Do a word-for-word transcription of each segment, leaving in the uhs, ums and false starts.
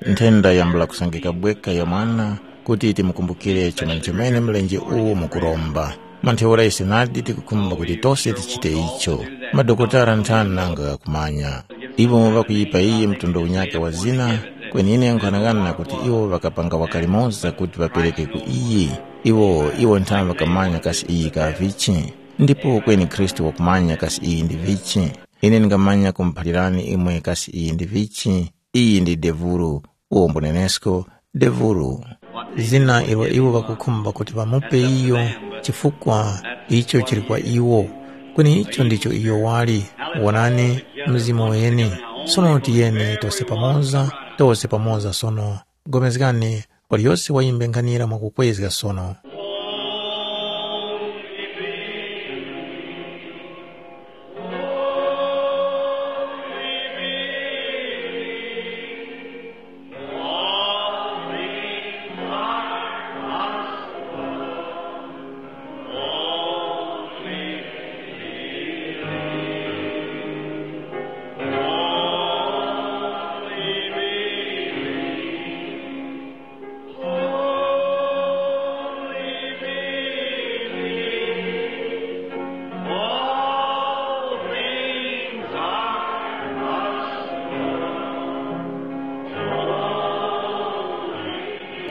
Nthenda yambula kusangika bweka ya mwana kuti timukumbukire chomene-chomene mlenje uwo mukuromba. Mwa ntheura ise nadi tikukhumba kuti tose tichite icho. Madokotala nthani nanga ghakumanya. Iwo ŵakuyipa iyi mtundu unyakhe wa zina, kweni ine nkhanang'ana kuti iwo ŵakapanga waka limoza kuti ŵapereke ku iyi. Iwo, iwo nthani ŵakamanya kasi iyi ka vichi. Ndipo kweni Khristu wakumanya kasi iyi ndi vichi. Ine ndingamanya kumuphalirani imwe kasi iyi ndi vichi. Iyi ndi devuru, uwo mbunenesko, devuru. Zina ilo iwo ŵakukhumba kuti ŵamupe iyo, chifukwa icho chili kwa iwo. Kweni icho ndicho iyo wali. Wonani, mzimu weni. Sono tiyeni tose pamoza, tose pamoza sono. Pulikani, waliyose wayimbe nkhanira mwakukwezga sono.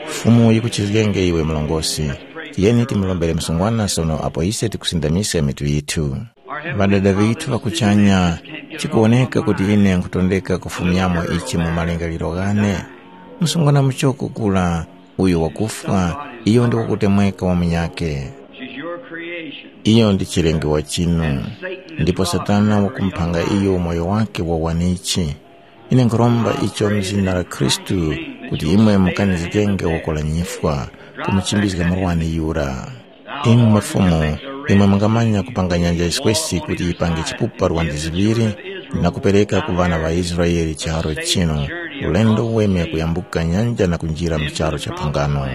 Fumu yikuchizgenge iwe mlongosi. Tiyeni timulombere msungwana sono apo ise tikusindamisa mitu yithu. Ŵadada ŵithu ŵa kuchanya, chikuwoneka kuti ine nkhutondeka kufumyamo ichi mu malingaliro ghane. Msungwana muchoko kula, uyo wakufwa, iyo ndi wakutemweka wa munyakhe. She's your creation. Iyo ndi chilengewa chinu, ndipo Satana wakumphanga iyo moyo wake wa wanichi. Ine nkhuromba icho mu zina la Khristu, kuti imwe mukanizgenge woko la nyifwa, kumuchimbizga murwani yura. Imwe mafumu, imwe mungamanya kupanga nyanja yiswesi kuti yipange chipupa lwandi ziŵiri, na kupereka ku ŵana ŵa Israele chiharo chinu, ulendo uweme kuyambuka nyanja na kunjira mu charu cha phangano.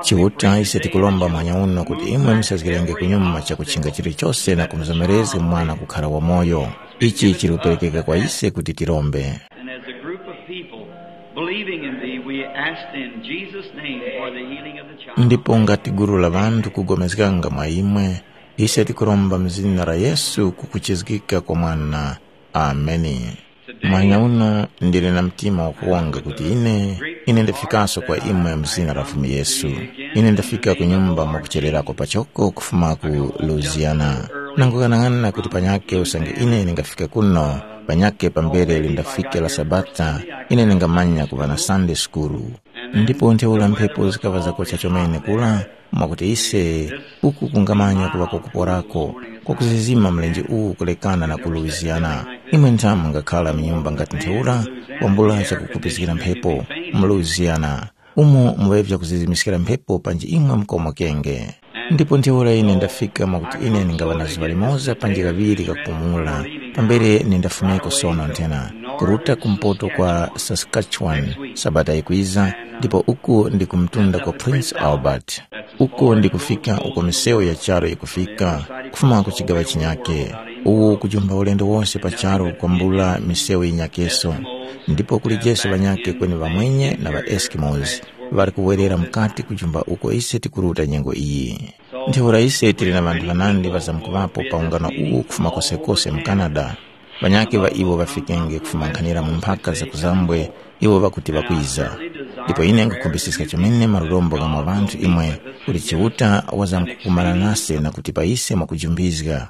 Chiuta ise tikuromba mwanya uno kuti imwe musazgirenge kunyuma chakuchinga chilichose na kumuzomerezga mwana kukhara wamoyo. Ichi chili kuperekeka kwa ise kuti tirombe. And as a group of people believing in thee, we ask in Jesus' name for the healing of the child. Ndipo ngati gulu la ŵanthu kugomezganga mwa imwe, ise tikuromba mu zina la Yesu kukuchizgika kwa mwana. Ameni. Mwanya uno ndili na mtima wakuwonga kuti ine, ine ndafikaso kwa imwe mu zina la Fumu Yesu. Ine ndafika ku nyumba mwakuchererako pachoko kufuma ku Louisiana. Nangukana-ngana kuti panyake usange ine ningafike kuno, panyake pambere lindafike la Sabata, ine ningamanya kuŵa na Sunday school. Ndipo ntheura mphepo zikaŵa zakocha chomene kula, mwakuti ise uku kungamanya kuŵa kwakuporako, kwakuzizima mlenje uwu kulekana na ku Louisiana. Imwe nthamu mungakhala mu nyumba ngati ntheura, kwambula chakukupizgira mphepo mu Louisiana, umo muŵe vyakuzizimiskira mphepo panji imwe mukomokenge. Ndipo ntheura ine ndafika mwakuti ine ningaŵa na zuŵa limoza panji kaŵiri kakupumula, pambere nindafumeko sono nthena, kuruta kumpoto kwa Saskatchewan, Sabata yikwiza, ndipo uku ndi ku mtunda kwa Prince Albert. Uko ndi kufika uko misewu ya charu yikufika, kufuma ku chigaŵa chinyake. Uwu kujumba ulendo wose pa charu kwambula misewu yinyakeso. Ndipo kuli Jese ŵanyake kweni ŵamwenye na ŵa Eskimos ŵali kuwerera mukati kujumba uko ise tikuruta nyengo iyi. Ntheura ise tili na ŵanthu ŵanandi ŵazamkuŵapo pa ungano uwu kufuma kosekose mu Canada. Ŵanyakhe ŵa iwo ŵafikenge kufuma nkhanira mu mphaka za kuzambwe, iwo ŵakuti ŵakwiza. Ndipo ine nkhukhumbiskiska chomene malurombo gha mwa ŵanthu imwe kuti Chiuta wazamkukumana nase na kutipa ise mwakujumbizga.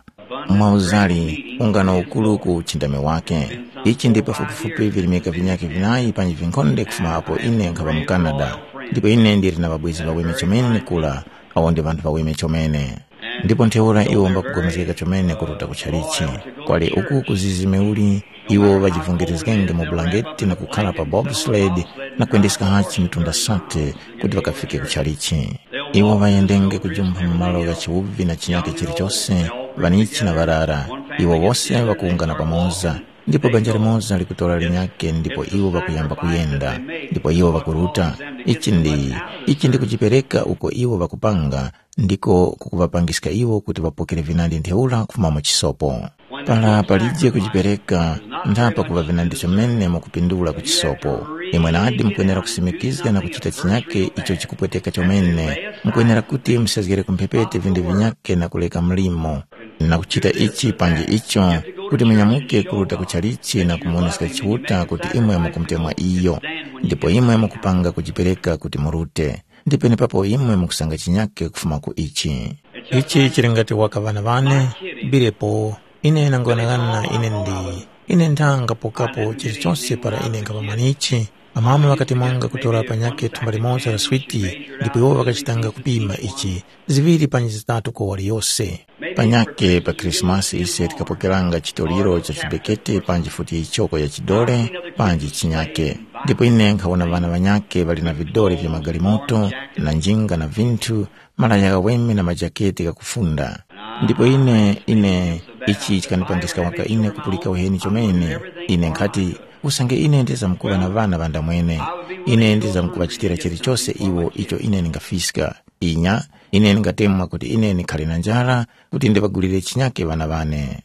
Mwauzali, ungano ukuru ku uchindami wake. Ichi ndi pafupifupi virimika vinyakhe vinayi panji vinkhonde kufuma apo ine nkhaŵa mu Canada. Ndipo ine ndili na ŵabwezi ŵaweme chomene kula, awo ndi ŵanthu ŵaweme chomene. Ndipo ntheura iwo mbakupulikana chomene kuruta ku tchalichi. Kwali uku kuzizime uli, iwo ŵajivungirizgenge mu bulangeti na kukhara pa bobsled na kwendeska hachi mitunda sate kuti ŵakafike ku tchalichi. Iwo ŵayendenge kujumpha mu malo gha chiwuvi na chinyake chilichose, ŵanichi na ŵarara. Iwo wose ŵakuwungana pamoza, ndipo banja limoza likutora linyake ndipo iwo ŵakuyamba kuyenda, ndipo iwo ŵakuruta. Ichi ndi, ichi ndi kujipereka uko iwo ŵakupanga, ndiko kukuŵapangiska iwo kuti ŵapokere vinandi ntheura kufuma mu chisopo. Para palije kujipereka, ndapa kuŵa vinandi chomene mwakupindula ku chisopo. Imwe nadi mukwenera kusimikizga na kuchita chinyake icho chikupweteka chomene. Mukwenera kuti musezgere ku mphepete vinthu vinyake na kuleka mlimo, na kuchita ichi panji icho, kuti munyamuke kuruta ku chalichi na kumuwoneska Chiuta kuti imwe mukumutemwa iyo, ndipo imwe mukupanga kujipereka kuti murute. Ndipo penepapo imwe mukusanga chinyake kufuma ku ichi. Ichi chili ngati waka ŵana ŵane, bilepo, ine nangoghanaghana ine ndi, ine ndanga pokapo chilichonse para ine nkhaŵa mwanichi, amama ŵakati mwanga kutora panyakhe thumba limoza la switi, ndipo iwo ŵakachitanga kupima ichi, ziŵiri panji zitatu kwa waliyose. Panyakhe pa Khrisimasi ise tikapokeranga chitoliro cha chibekete panji futi choko ya chidole, panji chinyake. Ndipo ine nkhawona ŵana ŵanyakhe ŵali na vidole vya magalimoto, na njinga na vinthu, malaya ghaweme na majaketi ghakufunda. Ndipo ine, ine, ichi chikandipangiska waka ine kupulika uheni chomene. Ine nkhati, usange ine ndizamkuŵa na ŵana ŵandamwene, ine ndizamkuŵachitira chilichose iwo icho ine ndingafiska. Inya, ine ndingatemwa kuti ine ndikhale na njara, kuti ndiŵagulire chinyake ŵana ŵane.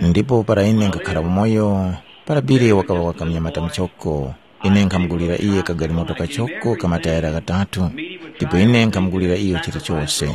Ndipo para ine nkhakhara umoyo, para Bili wakaŵa waka munyamata muchoko, ine nkhamugulira iye kagalimoto kachoko ka matayara ghatatu, ndipo ine nkhamugulira iyo chilichose.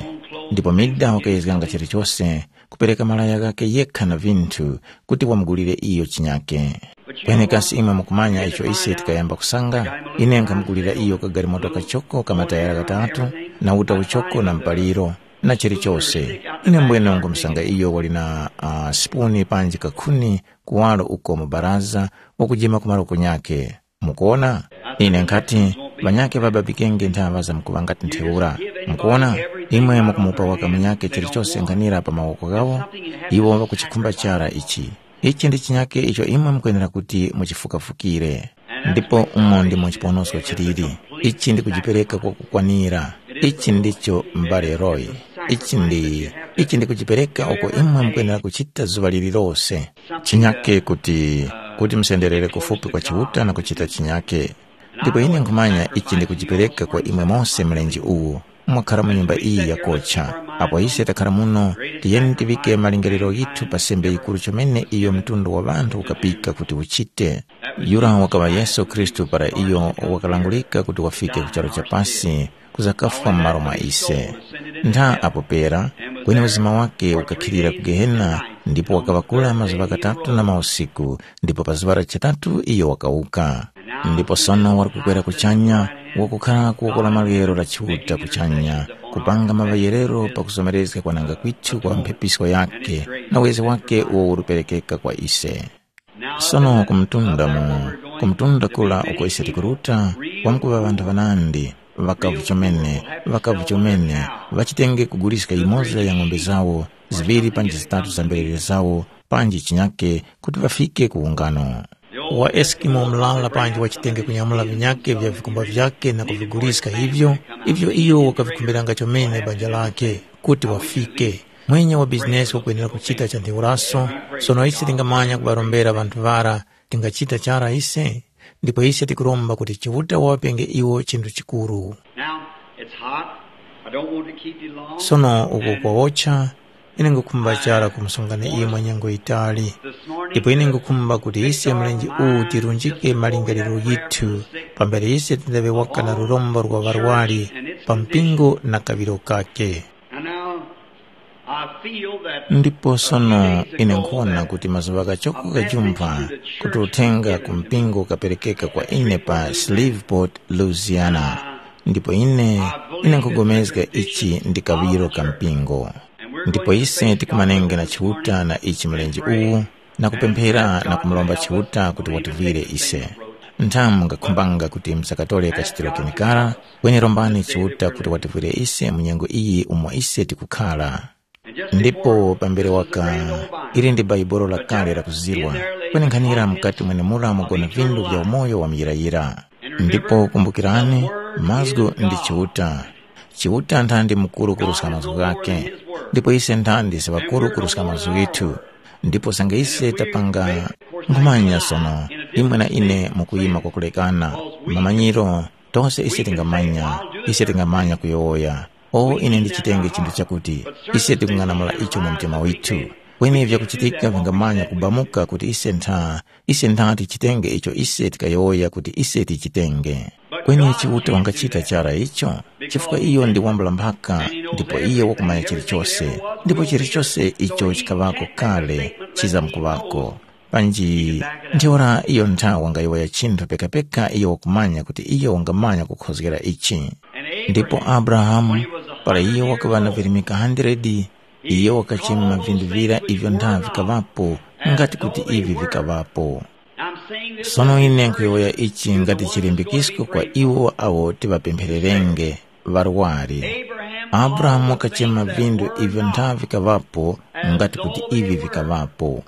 Ndipo Mida wakayezganga chilichose, kupereka malaya ghakhe yekha na vinthu, kuti wamugulire iyo chinyake. Kweni kasi imwe mukumanya icho ise tikayamba kusanga? Ine nkhamugulira iyo kagalimoto kachoko ka matayara ghatatu, na uta uchoko na mpaliro, na chilichose. Ine mbwene ngumusanga iyo wali na uh, sipuni panji kakhuni kuwaro uko mu baraza, wakujima ku malo kunyakhe. Mukuona? Ine nkhati, ŵanyakhe ŵababikenge nthaŵa zamkuŵa ngati ntheura. Mukuona? Imwe mukumupa waka munyakhe chilichose nkhanira pa mawoko ghawo, iwo ŵakuchikhumba chara ichi. Ichi ndi chinyakhe icho imwe mukwenera kuti muchifukafukire. Ndipo umo ndimo chiponosko chiliri. Ichi ndi kujipereka kwakukwanira. Ichi ndicho m'bale Roy. Ichi ndi, ichi ndi kujipereka uko imwe mukwenera kuchita zuŵa lililose. Chinyake kuti, kuti musenderere kufupi kwa Chiuta na kuchita chinyake. Ndipo ine nkhumanya ichi ndi kujipereka kwa imwe mose mlenje uwu, mwakhara mu nyumba iyi yakocha. Apo ise takhara muno, tiyeni tiŵike malingaliro ghithu pa sembe yikuru chomene iyo mtundu wa ŵanthu ukapika kuti uchite. Yura wakaŵa Yesu Khristu para iyo wakalangurika kuti wafike ku charu cha pasi, kuzakafwa m'malo mwa ise. Ntha apo pera, kweni uzima wake ukakhilira ku Gehena, ndipo wakaŵakula mazuŵa ghatatu na mausiku, ndipo pa zuŵa la chitatu iyo wakawuka. Ndipo sono wali kukwera kuchanya, wakukhara ku woko la maryero la Chiuta kuchanya, kupanga maŵayerero pakuzomerezga kwananga kwithu kwa mphepisko yakhe, na uyezgi wake uwo uli kuperekeka kwa ise. Sono ku mtunda mu, ku mtunda kura uko ise tikuruta, kwamkuŵa ŵanthu ŵanandi, ŵakavu chomene, ŵakavu chomene, ŵachitenge kuguliska yimoza ya ng'ombe zawo, ziŵiri panji zitatu za mberere zawo, panji chinyake, kuti ŵafike ku ungano. Wa Eskimo murara panji wachitenge kunyamula vinyake vya vikumba vyake na kuviguliska ivyo, ivyo iyo wakavikhumbiranga chomene banja lake, kuti wafike. Mwenye wa bizinesi wakwenera kuchita cha ntheuraso. Sono ise tingamanya kuŵarombera ŵanthu ŵara, tingachita chara ise? Ndipo ise tikuromba kuti Chiuta waŵapenge iwo chinthu chikuru. Now, it's hot. I don't want to keep you long. Sono uko kwawocha, ine ngukhumba chara kumusungani imwe nyengo yitali. Ndipo ine ngukhumba kuti ise mlenje uwu tirunjike malingaliro yithu, pambere ise tindaŵe waka na lurombo rwa ŵarwari pa mpingo na kaŵiro kake. And now, I feel that Ndipo sono ine nkhuwona kuti mazuŵa ghachoko ghajumpha kuti uthenga ku mpingo ukaperekeka kwa ine pa Shreveport, Louisiana. Ndipo ine, ine nkhupulikana ichi ndi kaŵiro ka mpingo. Ndipo ise tikumanenge na Chiuta na ichi mlenje uwu, na kupemphera na kumuromba Chiuta kuti wativwire ise. Nthamu mungakhumbanga kuti musakatore kachitiro kenikara, kweni rombani Chiuta kuti wativwire ise mu nyengo iyi umo ise tikukhara. Ndipo pambere waka, ili ndi Bhaibuli lakale lakuzirwa, kweni nkhanira mukati mwenemura mugona vindu vya umoyo wa muyirayira. Ndipo kumbukirani, mazgu ndi Chiuta. Chiuta nthandi mukuru kuruska mazgu ghakhe, ndipo ise nthandi si ŵakuru kuruska mazgu ghithu. Ndipo sange ise tapanga nkhumanya sono, imwe na ine mukuyima kwakulekana, mamanyiro, tose ise tingamanya, ise tingamanya kuyowoya. O ine ndichitenge chinthu chakuti, ise tikung'anamula icho mu mtima withu. Kweni vyakuchitika vingamanya kubamuka kuti ise ntha, ise ntha tichitenge icho ise tikayowoya kuti ise tichitenge. Kweni Chiuta wangachita chara icho, chifukwa iyo ndi wambula mphaka, ndipo iyo wakumanya chilichose, ndipo chilichose icho chikaŵako kale chizamkuŵako. Panji ntheura iyo ntha wangayowoya chinthu pekapeka iyo wakumanya kuti iyo wangamanya kukhozgera ichi. Ndipo Abrahamu, para iyo wakaŵa na virimika hundred, iyo wakachema vindu vira ivyo ntha vikaŵapo, ngati kuti ivi vikaŵapo. Sono ine nkhuyowoya ichi ngati chilimbikisko kwa iwo awo tiŵapemphererenge, ŵarwari. Abrahamu wakachema vindu ivyo ntha vikaŵapo, ngati kuti ivi vikaŵapo.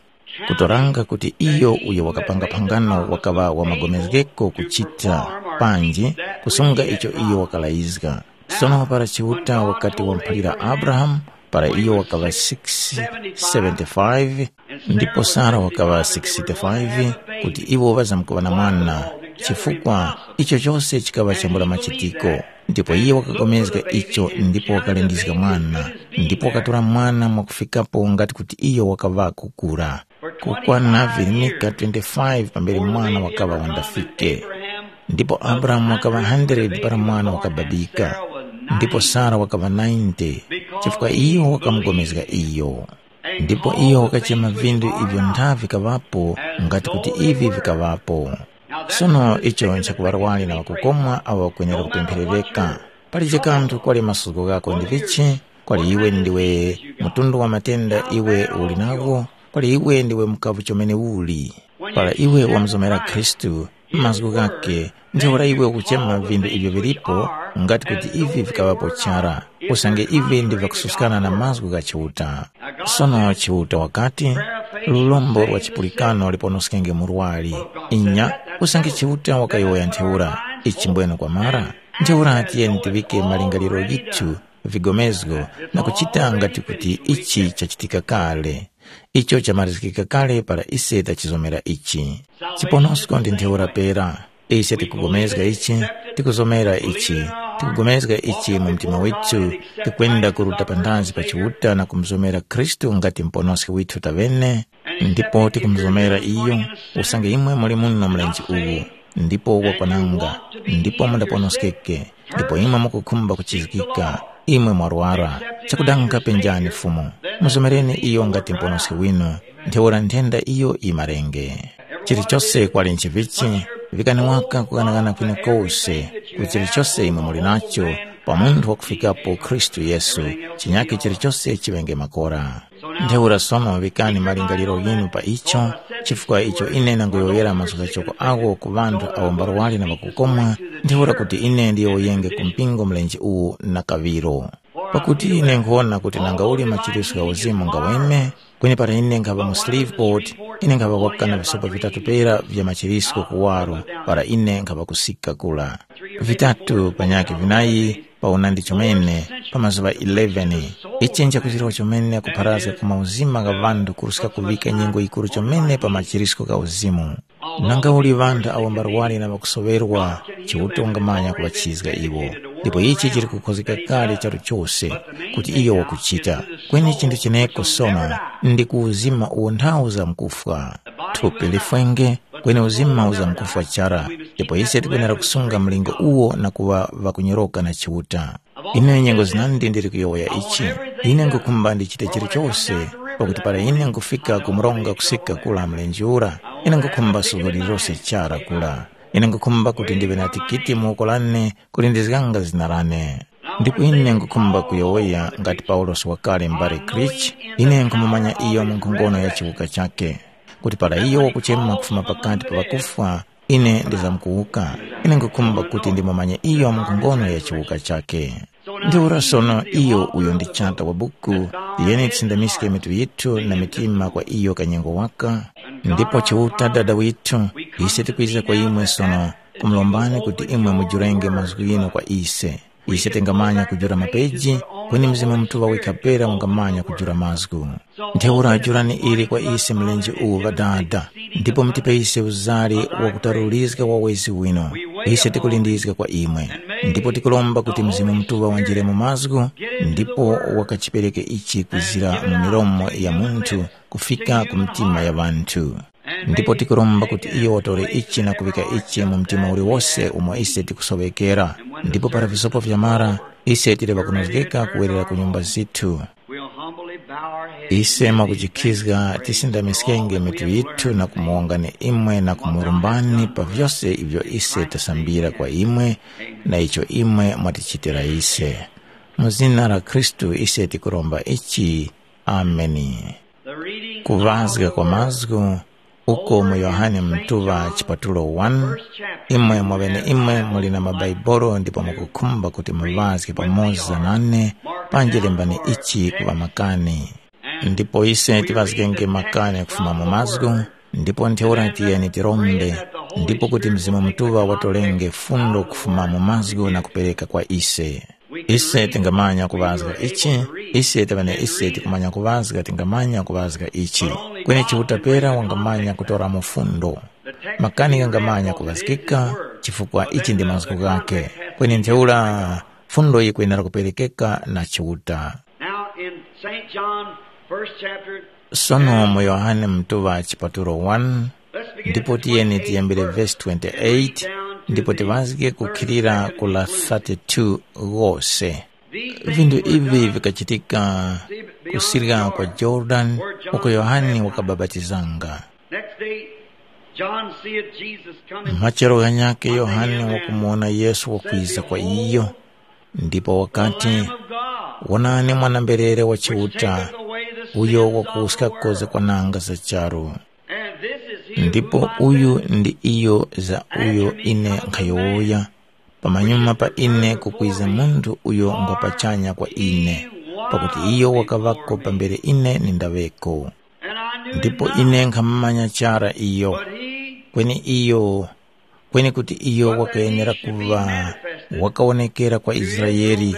Kutoranga kuti iyo uyo wakapanga phangano wakaŵa wa magomezgeko kuchita, panji kusunga icho iyo wakalayizga. Sono para Chiuta wakati wamuphalira Abrahamu, para iyo wakaŵa six seventy-five, ndipo Sara wakaŵa sixty-five, kuti iwo ŵazamkuŵa na mwana, chifukwa icho chose chikaŵa chambula machitiko. Ndipo iye wakapulikana icho ndipo wakalindizga mwana, ndipo wakatora mwana mwakufikapo ngati kuti iyo wakaŵa kukura. Kukwana virimika twenty-five pambere mwana wakaŵa wandafike. Ndipo Abrahamu wakaŵa hundred para mwana wakababika, ndipo Sara wakaŵa ninety, chifukwa iyo wakamupulikana iyo. Ndipo iyo wakachema vindu ivyo ntha vikaŵapo, ngati kuti ivi vikaŵapo. Sono icho nchakuŵarwani na ŵakukomwa awo ŵakwenera kupempherereka. Palije kanthu kwali masuzgo ghako ndi vichi, kwali iwe ndiwe mtundu wa matenda iwe uli nawo, kwali iwe ndiwe mukavu chomene uli. Para iwe wamuzomera Khristu, mazgu ghakhe, ntheura iwe ukuchema vindu ivyo vilipo, ngati kuti ivi vikaŵapo chara, usange ivi ndi vyakususkana na mazgu gha Chiuta. Sono Chiuta wakati, lurombo lwa chipulikano liponoskenge murwari. Inya, usange Chiuta wakayowoya ntheura, ichi mbwene kwamara? Ntheura tiyeni tiŵike malingaliro ghithu, vigomezgo, na kuchita ngati kuti ichi chachitika kale. Icho chamarizgika kale para ise tachizomera ichi. Chiponosko ndi ntheura pera. Ise tikugomezga ichi, tikuzomera ichi, tikugomezga ichi mu mtima withu, tikwenda kuruta panthazi pa Chiuta na kumuzomera Khristu ngati Muponoski withu taŵene, ndipo tikumuzomera iyo, usange imwe muli muno mlenje uwu, ndipo wakwananga, ndipo mundaponoskeke, ndipo imwe mukukhumba kuchizgika, imwe mwarwara, chakudanga penjani Fumu, muzomereni iyo ngati Muponoski winu, ntheura nthenda iyo yimarenge. Chilichose kwali nchivichi, vikani waka kughanaghana kwenekose, ku chilichose imwe muli nacho, pa munthu wakufikapo Khristu Yesu, chinyakhe chilichose chiŵenge makora. Ntheura sono vikani malingaliro ghinu pa icho, chifukwa icho ine ndangoyowoyera mazgu ghachoko agho ku ŵanthu awo mbarwari na ŵakukomwa, ntheura kuti ine ndiyowoyenge ku mpingo mlenje uwu na kaŵiro. Pakuti ine nkhuwona kuti nanga uli machiritso gha uzimu ngaweme, kweni para ine nkhaŵa mu Shreveport, ine nkhaŵa kwaka na visopa vitatu pera vya machiritso kuwaro, para ine nkhaŵa kusika kura. Vitatu panyakhe vinayi pa unandi chomene, pa mazuŵa eleven. Ichi nchakuchitwa chomene kupharazga ku mauzima gha ŵanthu kuruska kuvika nyengo yikuru chomene pa machiritso gha uzimu. Nanga uli ŵanthu awo mbarwari na ŵakusoŵerwa, Chiuta wangamanya kuŵachizga iwo. Ndipo ichi chili kukhozgeka kale charu chose, kuti iyo wakuchita. Kweni chinthu cheneko sono ndi ku uzima uwo nthawu za mkufwa. Thupi lifwenge, kweni uzima uza mkufwa chara, ndipo ise tikwenera kusunga mlingo uwo na kuŵa ŵakunyoroka na Chiuta. Ine nyengo zinandi ndili kuyowoya ichi, ine ngukhumba ndichite chilichose, pakuti para ine ngufika ku mronga kusika kula mlenje ura, ine ngukhumba suko lililose chara kula. Ine ngukhumba kuti ndiŵe na tikiti mu woko lane kulindizganga zina lane. Ndipo ine ngukhumba kuyowoya ngati Paulosi wakale mbale Krich, ine nkhumumanya iyo mu nkhongono ya chiwuka chakhe, kuti para iyo wakuchema kufuma pakati pa ŵakufwa, ine ndizamkuwuka. Ine ngukhumba kuti ndimumanye iyo mu nkhongono ya chiwuka chakhe. Ntheura sono iyo uyo ndi chata wa buku, tiyeni tisindamiske mitu yithu na mitima kwa iyo kanyengo waka. Ndipo Chiuta Dada withu, ise tikwiza kwa imwe sono, kumulombani kuti imwe mujurenge mazgu ghinu kwa ise. Ise tingamanya kujula mapeji, kweni Mzimu Mutuŵa wekha pera wangamanya kujula mazgu. Ntheura jurani ili kwa ise mlenje uwu Ŵadada, ndipo mutipe ise uzari wakutarulizga wawezi winu. Ise tikulindizga kwa imwe. Ndipo tikuromba kuti Mzimu Mutuŵa wanjire mu mazgu, ndipo wakachipereke ichi kwizira mu milomo ya munthu kufika ku mitima ya ŵanthu. Ndipo tikuromba kuti iyo watore ichi na kuŵika ichi mu mtima uliwose umo ise tikusoŵekera. Ndipo para visopo vyamara, ise tili ŵakunozgeka kuwerera ku nyumba zithu. We'll humbly bow our heads. Ise mwakuchikhizga tisindamiskenge mitu yithu na kumuwongani imwe na kumurumbani pa vyose ivyo ise tasambira kwa imwe na icho imwe mwatichitira ise. Mu zina la Khristu ise tikuromba ichi. Ameni. The reading. Kuŵazga kwa mazgu uko mu Yohane Mtuŵa chipatulo one, imwe mwaŵeneimwe muli na mabaibulo ndipo mukukhumba kuti muŵazge pamoza nane, panji lembani ichi ku ŵamakani. Ndipo ise tiŵazgenge makani kufuma mu mazgu, ndipo ntheura tiyeni tirombe, ndipo kuti Mzimu Mutuŵa watolenge fundo kufuma mu mazgu na kupereka kwa ise. Ise tingamanya kuŵazga ichi, ise taŵene ise tikumanya kuŵazga tingamanya kuŵazga ichi. Kweni Chiuta pera wangamanya kutora mufundo. Makani ghangamanya kuŵazgika, chifukwa ichi ndi mazgu ghakhe. Kweni ntheura fundo yikwenera kuperekeka na Chiuta. Now in Saint John, first chapter, Sono mu Yohane Mtuŵa chipatulo one, ndipo tiyeni tiyambire vesi twenty-eight, ndipo tiŵazge kukhilira ku la thirty-two ghose. Vinthu ivi vikachitika kusirya kwa Jordan, uko Yohane wakabapatizanga. Next day, John seeth Jesus coming. Machero ghanyakhe Yohane wakumuwona Yesu wakwiza kwa iyo, ndipo wakati, "Wonani mwana-mberere wa Chiuta, uyo wakuwuska koza kwananga za charu." Ndipo uyu ndi iyo za uyo ine nkhayowoya, pamanyuma pa ine kukwiza munthu uyo ngwa pachanya kwa ine, pakuti iyo wakaŵako pambere ine nindaŵeko. Ndipo ine nkhamumanya chara iyo, kweni iyo, kweni kuti iyo wakayenera kuŵa wakawonekera kwa Israele,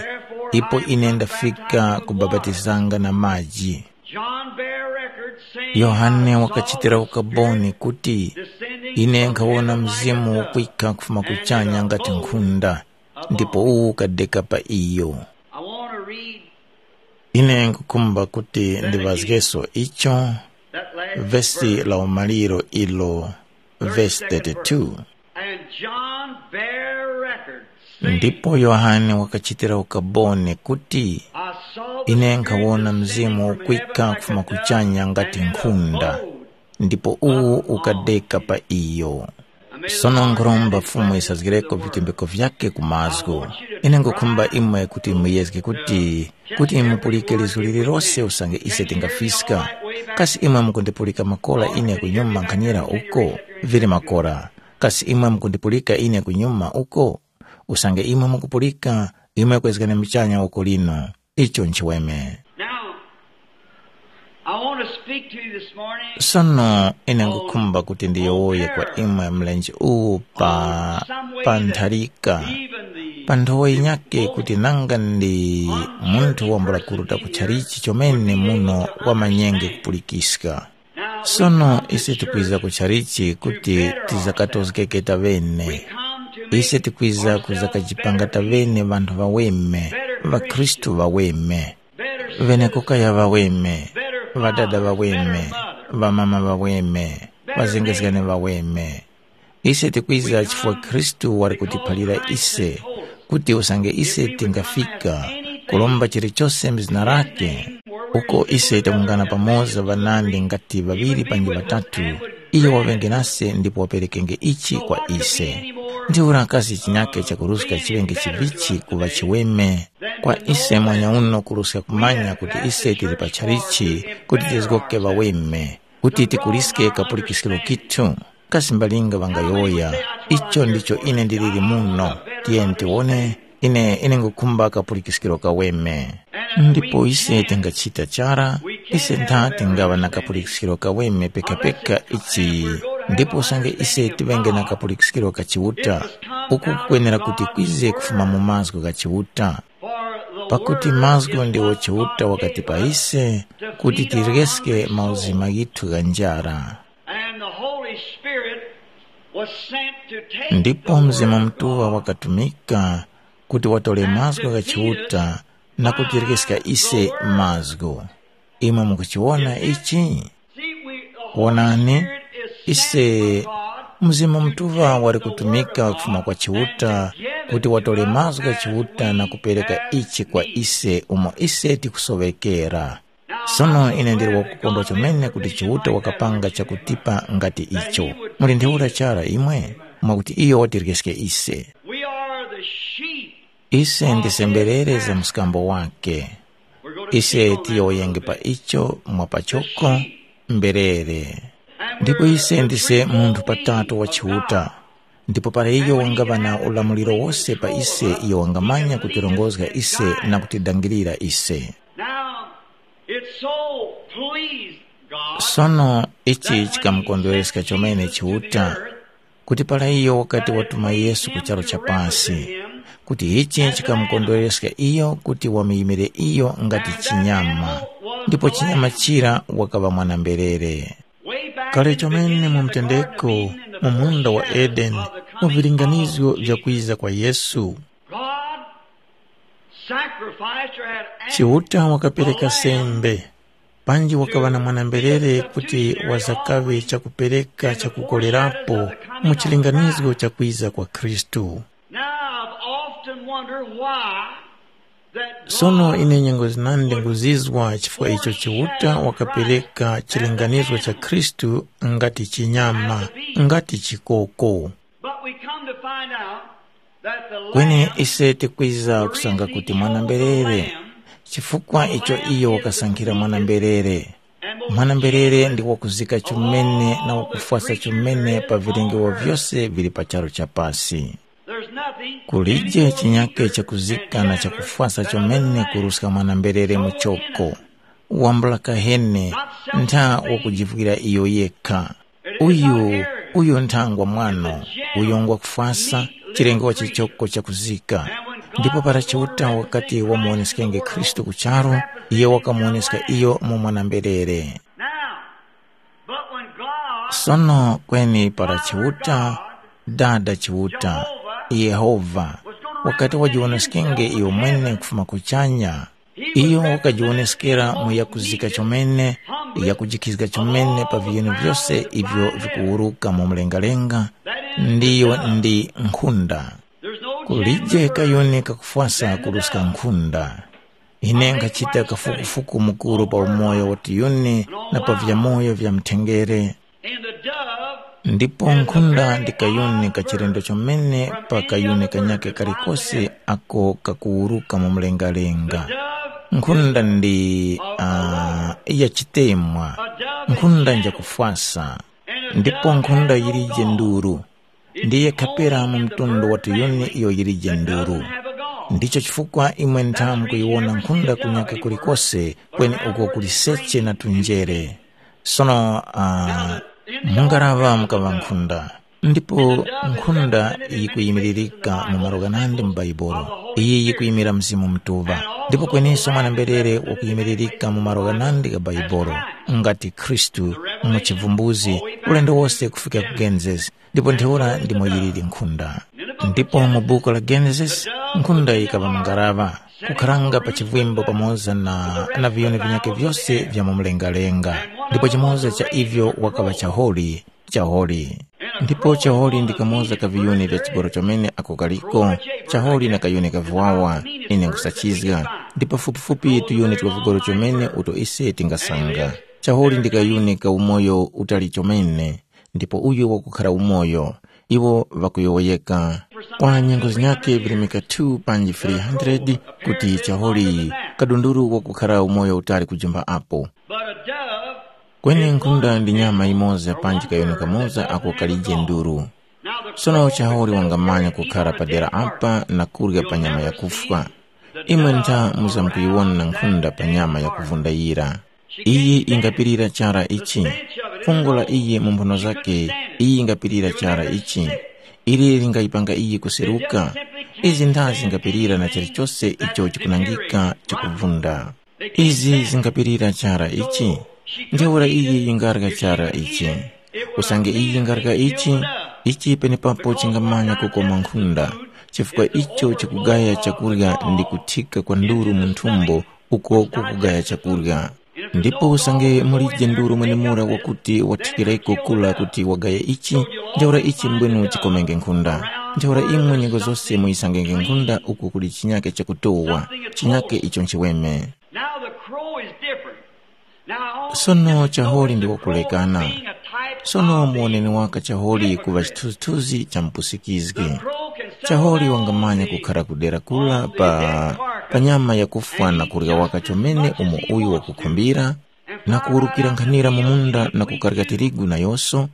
ipo ine ndafika kubapatizanga na maji. John bare record saying, Yohane wakachitira ukaboni kuti, "Ine nkhawona Mzimu ukwika kufuma kuchanya ngati nkhunda, ndipo uwu ukadeka pa iyo." I want to read Ine nkukhumba kuti ndiŵazgeso icho, that last vesi verse. La umaliro ilo, vesi thirty-two. And John bare record, saying, Ndipo Yohane wakachitira ukaboni kuti, "I saw the Ine Spirit nkhawona descending Mzimu from heaven ukwika like a kufuma dove, kuchanya ngati and had a nkhunda, abode." Ndipo uwu ukadeka pa iyo. Sono nkhuromba Fumu yisazgireko vitumbiko vyakhe ku mazgu. Ine nkhukhumba imwe kuti muyezge kuti, kuti mupulike lizgu lililose usange ise tingafiska. Kasi imwe mukundipulika makola ine kunyuma nkhanyira uko? Vili makola. Kasi imwe mukundipulika ine kunyuma uko? Usange imwe mukupulika, imwe kwezgani muchanya uko lino. Icho nchiweme. Now, I want to speak to you this morning. Sono ine ngukhumba kuti ndiyowoye kwa imwe mlenje uwu pa, pa ntharika, pa nthowa yinyakhe kuti nanga ndi munthu wambula kuruta ku chalichi chomene muno wamanyenge kupulikiska. Sono ise tikwiza ku chalichi kuti tizakatozgeke taŵene. Ise tikwiza kuzakajipanga taŵene ŵanthu ŵaweme, ŵakhristu ŵaweme. Ŵenekokaya ŵaweme, ŵadada ŵaweme, ŵamama ŵaweme, ŵazengezgani ŵaweme. Ise tikwiza chifukwa Khristu wali kutiphalira ise kuti usange ise tingafika kuromba chilichose m'zina lakhe, uko ise takungana pamoza ŵanandi ngati ŵaŵiri panji ŵatatu, iyo waŵenge nase ndipo waperekenge ichi kwa ise. Ntheura kasi chinyakhe chakuruska chiŵenge chivichi kuŵa chiweme? Kwa ise mwanyauno kuruska kumanya kuti ise tili pa chalichi kuti tizgoke ŵaweme, kuti tikuliske kapulikiskiro kithu. Kasi mbalinga ŵangayowoya, icho ndicho ine ndiliri muno, tiyeni tiwone, ine ine ngukhumba kapulikiskiro kaweme. Ndipo ise tingachita chara, ise ntha tingaŵa na kapulikiskiro kaweme pekapeka ichi, ndipo usange ise tiŵenge na kapulikiskiro ka Chiuta, uku kukwenera kuti kwize kufuma mu mazgu gha Chiuta. Pakuti mazgu ndiwo Chiuta wakati pa ise, kuti tiryeske mauzima ghithu gha njara. And the Holy Spirit was sent to take Ndipo the Mzimu word of Mutuŵa God. Wakatumika kuti watore mazgu gha Chiuta na kutireska ise mazgu. Imwe mukuchiwona ichi? Wonani, ise Mzimu Mutuŵa wali kutumika kufuma kwa Chiuta kuti watore mazgu gha Chiuta na kupereka ichi kwa ise umo ise tikusoŵekera. Sono ine ndili wakukondwa chomene kuti Chiuta wakapanga chakutipa ngati icho. Muli ntheura chara imwe, mwakuti iyo watireske ise. We are the sheep. Ise ndise mberere za mskambo wake. Ise tiyowoyenge pa icho mwa pachoko, mberere. Ndipo ise ndise munthu patatu wa Chiuta. Ndipo para iyo wangaŵa na ulamuliro wose pa ise, iyo wangamanya kutirongozga ise na kutidangirira ise. Now, it so pleased God. Sono ichi chikamukondwereska chomene Chiuta, kuti para iyo wakati watuma Yesu ku charu cha pasi, kuti ichi chikamukondwereska iyo kuti wamuyimire iyo ngati chinyama, ndipo chinyama chira wakaŵa mwana-mberere. Kale chomene mu mtendeko mu munda wa Edeni, mu vilinganizgo vya kwiza kwa Yesu, God sacrificed or had Chiuta wakapereka sembe, panji wakaŵa na mwana-mberere kuti wazakaŵe chakupereka chakukorerapo mu chilinganizgo cha kwiza kwa Khristu. Now I've often wondered why that Sono God ine nyengo zinandi nguzizwa chifukwa icho Chiuta wakapereka chilinganizgo cha Khristu ngati chinyama, ngati chikoko. But we come to find out that the Kweni Lamb ise tikwiza kusanga kuti mwana-mberere, chifukwa icho iyo wakasankhira mwana-mberere. Mwana-mberere ndi wakuzika chomene na wakufwasa chomene pa vilengewo vyose vili pa charu cha pasi. There's nothing Kulije chinyake chakuzika na chakufwasa chomene kuruska mwana-mberere muchoko. Wambula kahene, ntha wakujivwira iyo yekha. Uyu, uyu nthangwa mwano, uyo ngwa kufwasa, chilengewa chichoko chakuzika. Ndipo para Chiuta wakati wamuwoneskenge Khristu ku charu, iyo wakamuwoneska iyo mu mwana-mberere. Now, but when God Sono kweni para Chiuta, Dada Chiuta, Yehova, wakati wajiwoneskenge iyo mwene kufuma kuchanya, iyo wakajiwoneskera mu yakuzika chomene, yakujikhizga chomene pa viyuni vyose ivyo vikuwuruka mu mlengalenga, ndiyo ndi nkhunda. Kulije kayuni kakufwasa kuruska nkhunda. Ine nkhachita kafukufuku mukuru pa umoyo wa tiyuni na pa vyamoyo vya mthengere. Ndipo nkhunda ndi kayuni ka chilendo chomene pa kayuni kanyakhe kalikose ako kakuwuruka mu mlengalenga. Nkhunda ndi uh, ya chitemwa, nkhunda njakufwasa. Ndipo nkhunda yilije nduru, ndiye khapera mu mtundu wa tuyuni iyo yilije nduru. Ndicho chifukwa imwe ntha mukuyiwona nkhunda kunyaka kulikose, kweni uko kuli seche na tunjere. Sono uh, mungaraŵa mukaŵa nkhunda, ndipo nkhunda yikuyimiririka mu malo ghanandi mu Baibolo. Iyi yikuyimira Mzimu Mutuŵa, ndipo kweninso mwana-mberere wakuyimiririka mu malo ghanandi gha Baibolo, ngati Khristu mu chivumbuzi, ulendo wose kufika ku Genesis, ndipo ntheura ndimo yiliri nkhunda. Ndipo mu buku la Genesis, nkhunda yikaŵa mungaraŵa, kukharanga pa chivwimbo pamoza na, na viyuni vinyakhe vyose vya mu mlengalenga, ndipo chimoza cha ivyo wakaŵa chaholi, chaholi. Ndipo chaholi ndi kamoza ka viyuni vya chigoro chomene ako kaliko, chaholi na kayuni ka viwawa, ine nkhusachizga, ndi pafupifupi tuyuni twa vigoro chomene uto ise tingasanga. Chaholi ndi kayuni ka umoyo utali chomene, ndipo uyo wakukhara umoyo, iwo ŵakuyowoyeka. Kwa nyengo zinyakhe virimika two panji three hundred kuti chaholi kadunduru wakukhara umoyo utali kujimba apo. But a dove Kweni nkhunda ndi nyama yimoza panji kayuni kamoza ako kalije nduru. Sono chaholi wangamanya kukhara padera apa na kurya pa nyama yakufwa. Imwe ntha muzamkuyiwona nkhunda pa nyama yakuvunda yira. Iyi yingapirira chara ichi. Fungo la iyi mu mphuno zake, iyi yingapirira chara ichi. Ili lingayipanga iyi kuseruka. Izi ntha zingapirira na chilichose icho chikunangika chikuvunda. Izi zingapirira chara ichi. Ntheura iyi yingarya chara ichi. Usange iyi yingarya ichi, ichi penepapo chingamanya kukoma nkhunda. chifukwa icho chikugaya chakurya ndi kuthika kwa nduru mu nthumbo uko kukugaya chakurya. Ndipo usange mulije nduru mwenemura wakuti wathikireko kula kuti wagaya ichi, ntheura ichi mbwenu chikomenge nkhunda. Ntheura imwe nyengo zose muyisangenge nkhunda uku kuli chinyake chakutowa, chinyake icho nchiweme. Now the crow is different. Now, Sono chaholi ndi wakulekana. Being a type Sono of muwoneni waka chaholi kuva chithunzithunzi cha mpusikizgi. Chaholi wangamanya kukhara kudera kula pa, pa nyama yakufwa na kurya waka chomene umo uyu wakukhumbira, na kuwurukira nkhanira mu munda na kukarika tirigu nayoso,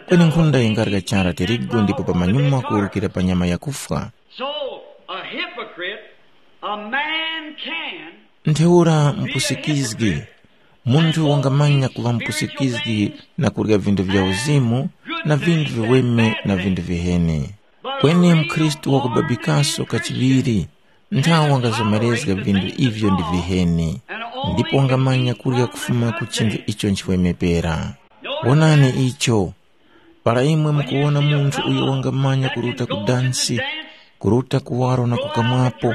kweni nkhunda yingarya chara tirigu ndipo pamanyuma kuwurukira pa nyama yakufwa. So, a hypocrite, a man can Ntheura mpusikizgi, munthu wangamanya kuŵa mpusikizgi na kurya vinthu vya uzimu na vinthu viweme na vinthu viheni. Kweni mkhristu wakubabikaso kachiŵiri, nthawe wangazomerezga vinthu ivyo ndi viheni, ndipo wangamanya kurya kufuma ku chinthu icho nchiweme pera. Wonani icho, para imwe mukuwona munthu uyo wangamanya kuruta ku dansi, kuruta kuwaro na kukamwapo,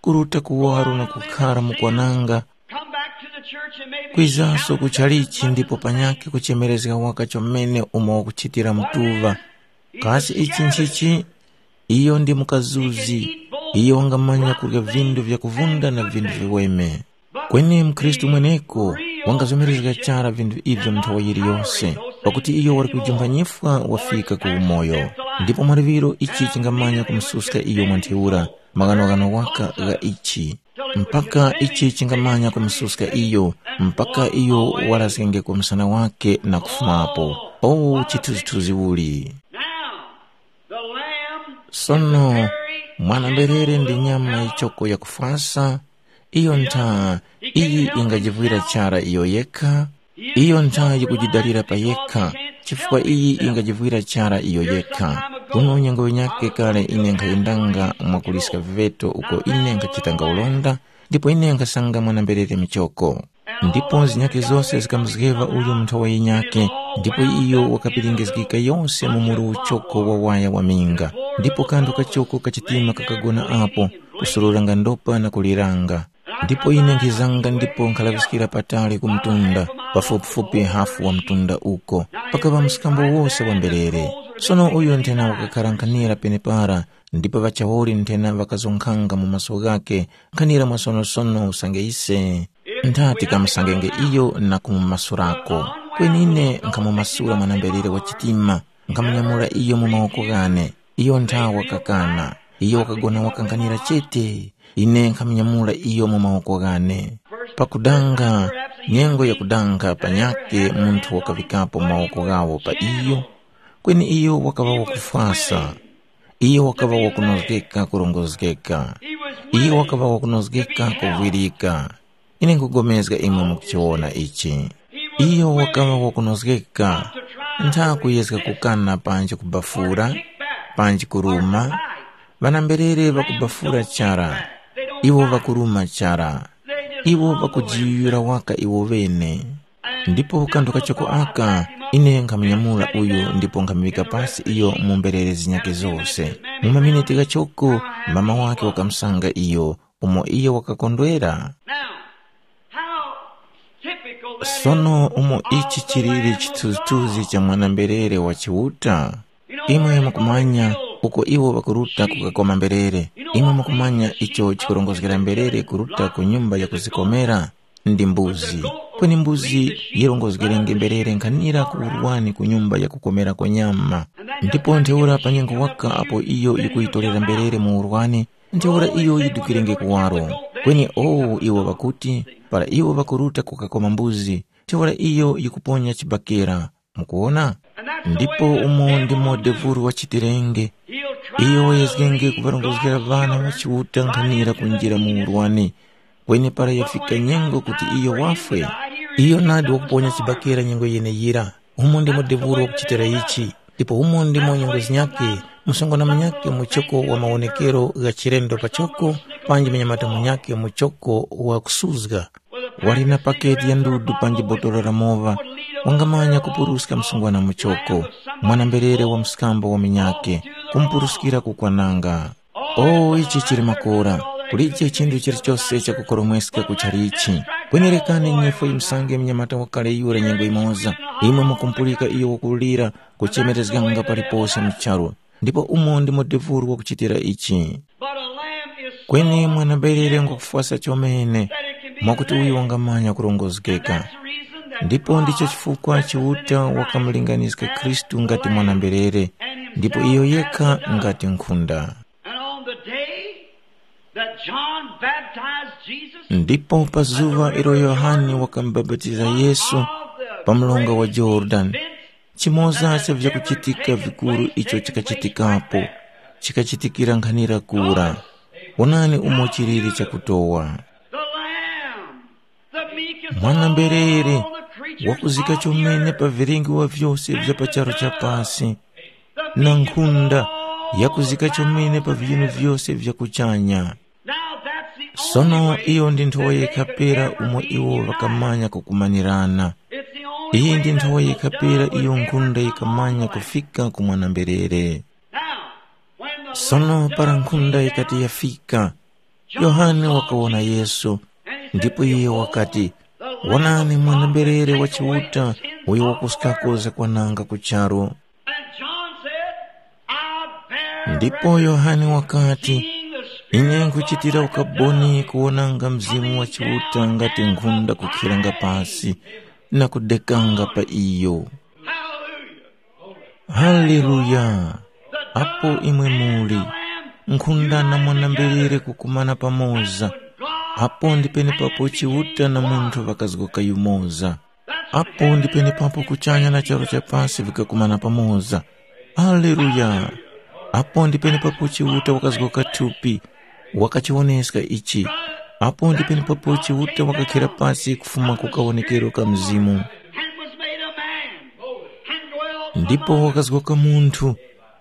kuruta kuwaro na kukhara mukwananga, Come back to the church and maybe kwizaso ku chalichi ndipo panyakhe kuchemerezga waka chomene umo wakuchitira mtuŵa. Kasi ichi nchichi? Iyo ndi mukazuzi, iyo wangamanya kurya vindu vyakuvunda na vindu viweme. Kweni mkhristu mweneko wangazomerezga chara vindu ivyo nthawa yiliyose, pakuti iyo wali kujumpha nyifwa wafika ku umoyo. Ndipo mwa liŵiro ichi chingamanya kumususka iyo mwa ntheura maghanoghano waka gha ichi, mpaka ichi chingamanya kumususka iyo, mpaka iyo warazgenge ku msana wake na kufumapo. O chithunzithunzi uli! Now, the lamb Sono, very mwana-mberere ndi nyama yichoko yakufwasa, iyo ntha iyi ingajivwira chara iyo yekha, iyo ntha yikujidalira pa yekha, chifukwa iyi ingajivwira chara iyo yekha. Kuno nyengo yinyakhe kale ine nkhayendanga mwakuliska viŵeto uko ine nkhachitanga ulonda, ndipo ine nkhasanga mwana-mberere michoko. Ndipo zinyakhe zose zikamuzgeŵa uyo mu nthowa yinyakhe, ndipo iyo wakapiringizgika yose mu muru uchoko wa waya wa minga, ndipo kanthu kachoko kachitima kakagona apo, kusururanga ndopa na kuliranga. Ndipo ine nkhizanga ndipo nkhalaŵiskira patali ku mtunda, pafupifupi hafu wa mtunda uko. Pakaŵa mskambo wose wa mberere. Sono uyo nthena wakakhara nkhanira penepara, ndipo ŵachawoli nthena ŵakazonkhanga mu maso ghakhe, nkhanira mwasonosono usange ise. Ntha tikamusangenge iyo na kumumasurako. Kweni ine nkhamumasura mwana-mberere wa chitima, nkhamunyamula iyo mu mawoko ghane. Iyo ntha wakakana. Iyo wakagona wakankhanira chete. Ine nkhamunyamula iyo mu mawoko ghane. Pakudanga, nyengo yakudanga panyakhe munthu wakaŵikapo mawoko ghawo pa iyo, kweni iyo wakaŵa wakufwasa. Iyo wakaŵa wakunozgeka kurongozgeka. Iyo wakaŵa wakunozgeka kuvwirika. Ine nkhupulikana imwe mukuchiwona ichi. Iyo wakaŵa wakunozgeka, ntha kuyezga kukana panji kubafura, panji kuruma. Ŵana-mberere ŵakubafura chara, iwo ŵakuruma chara. Iwo ŵakujiyuyura waka iwo ŵene. Ndipo kanthu kachoko aka, ine nkhamunyamula uyu ndipo nkhamuŵika pasi iyo mu mberere zinyakhe zose. Mu maminiti ghachoko, mama wakhe wakamusanga iyo, umo iyo wakakondwera. Now, how typical that is Sono umo of ichi the chiliri Lamb of chithunzithunzi God. Cha mwana-mberere wa Chiuta. Imwe mukumanya, uko iwo ŵakuruta kukakoma mberere. Imwe mukumanya icho chikurongozgera mberere kuruta ku nyumba ya kuzikomera? Ndi mbuzi. Kweni mbuzi yirongozgerenge mberere nkhanira ku urwani ku nyumba ya kukomerako nyama. Ndipo ntheura pa nyengo waka apo iyo yikuyitorera mberere mu urwani, ntheura iyo yidukirenge kuwaro. Kweni owu iwo ŵakuti, para iwo ŵakuruta kukakoma mbuzi, ntheura iyo yikuponya chibakera. Mukuwona? Ndipo umo ndimo devuru wachitirenge. Iyo wayezgenge kuŵarongozgera ŵana ŵa Chiuta nkhanira kunjira mu urwani. Kweni para yafika nyengo kuti iyo wafwe, iyo nadi wakuponya chibakera nyengo yeneyira. Umo ndimo devuru wakuchitira ichi. Ndipo umo ndimo nyengo zinyakhe, msungwana munyakhe muchoko wa mawonekero gha chilendo pachoko, panji munyamata munyakhe muchoko wa kusuzga. Wali na paketi ya ndudu panji botolo la mowa, wangamanya kupuruska msungwana muchoko, mwana-mberere wa mskambo wa munyakhe, kumupuruskira kukwananga. O ichi chili makora, kulije chinthu chilichose chakukoromweska kuchalichi. Kwenerekani nyifwe musange mnyamata wakale yura nyengo imoza, imwe mukumpulika iyo wakulira kuchemerezganga palipose mu charu. Ndipo umo ndimo devuru wakuchitira ichi. But a lamb is kweni mwana-mberere ngwakufwasa chomene, mwakuti uyo wangamanya kurongozgeka. Ndipo ndicho chifukwa Chiuta wakamulinganiska Khristu ngati mwana-mberere, ndipo iyo yekha ngati nkhunda. And on the day that John baptized Jesus, ndipo pa zuŵa ilo Yohane wakamubapatiza Yesu pa mlonga wa Jorodani, chimoza cha vyakuchitika vikuru icho chikachitikapo, chikachitikira nkhanira kura. Wonani umo chiliri chakutowa. The Lamb, the meekest of mwana-mberere, all the creatures wakuzika of the chomene earth, pa vilengiwa vyose vya pa charu cha pasi, na nkhunda yakuzika chomene pa viyuni vyose vya kuchanya. Now that's the only sono way iyo ndi nthowa that they yekha could pera ever umo be iwo united. Ŵakamanya kukumanirana. It's the only iyi way ndi that nthowa the yekha pera dove was iyo ever nkhunda yikhamanya found. Kufika ku mwana-mberere. Now, when the sono para nkhunda yikati yafika, Yohane wakawona Yesu, ndipo iye wakati, "Wonani mwana-mberere wa Chiuta, uyo wakuskako zakwananga ku charu." And John said, "I bear ndipo record Yohane wakati, seeing the Spirit ine of God nkuchitira like a ukaboni dove kuwonanga Mzimu wa coming Chiuta down ngati and nkhunda kukhiranga abiding pasi in him." Na kudekanga pa iyo. Hallelujah. Haleluya! Apo imwe muli, nkhunda na mwana-mberere kukumana pamoza, apo ndi penepapo Chiuta na munthu ŵakazgoka yumoza. Apo ndi penepapo kuchanya na charu cha pasi vikakumana pamoza. Haleluya! Apo ndi penepapo Chiuta wakazgoka thupi, wakachiwoneska ichi. Apo ndi penepapo Chiuta wakakhera pasi kufuma ku kawonekero ka Mzimu. And was made a man, and dwelt ndipo among us. Wakazgoka munthu,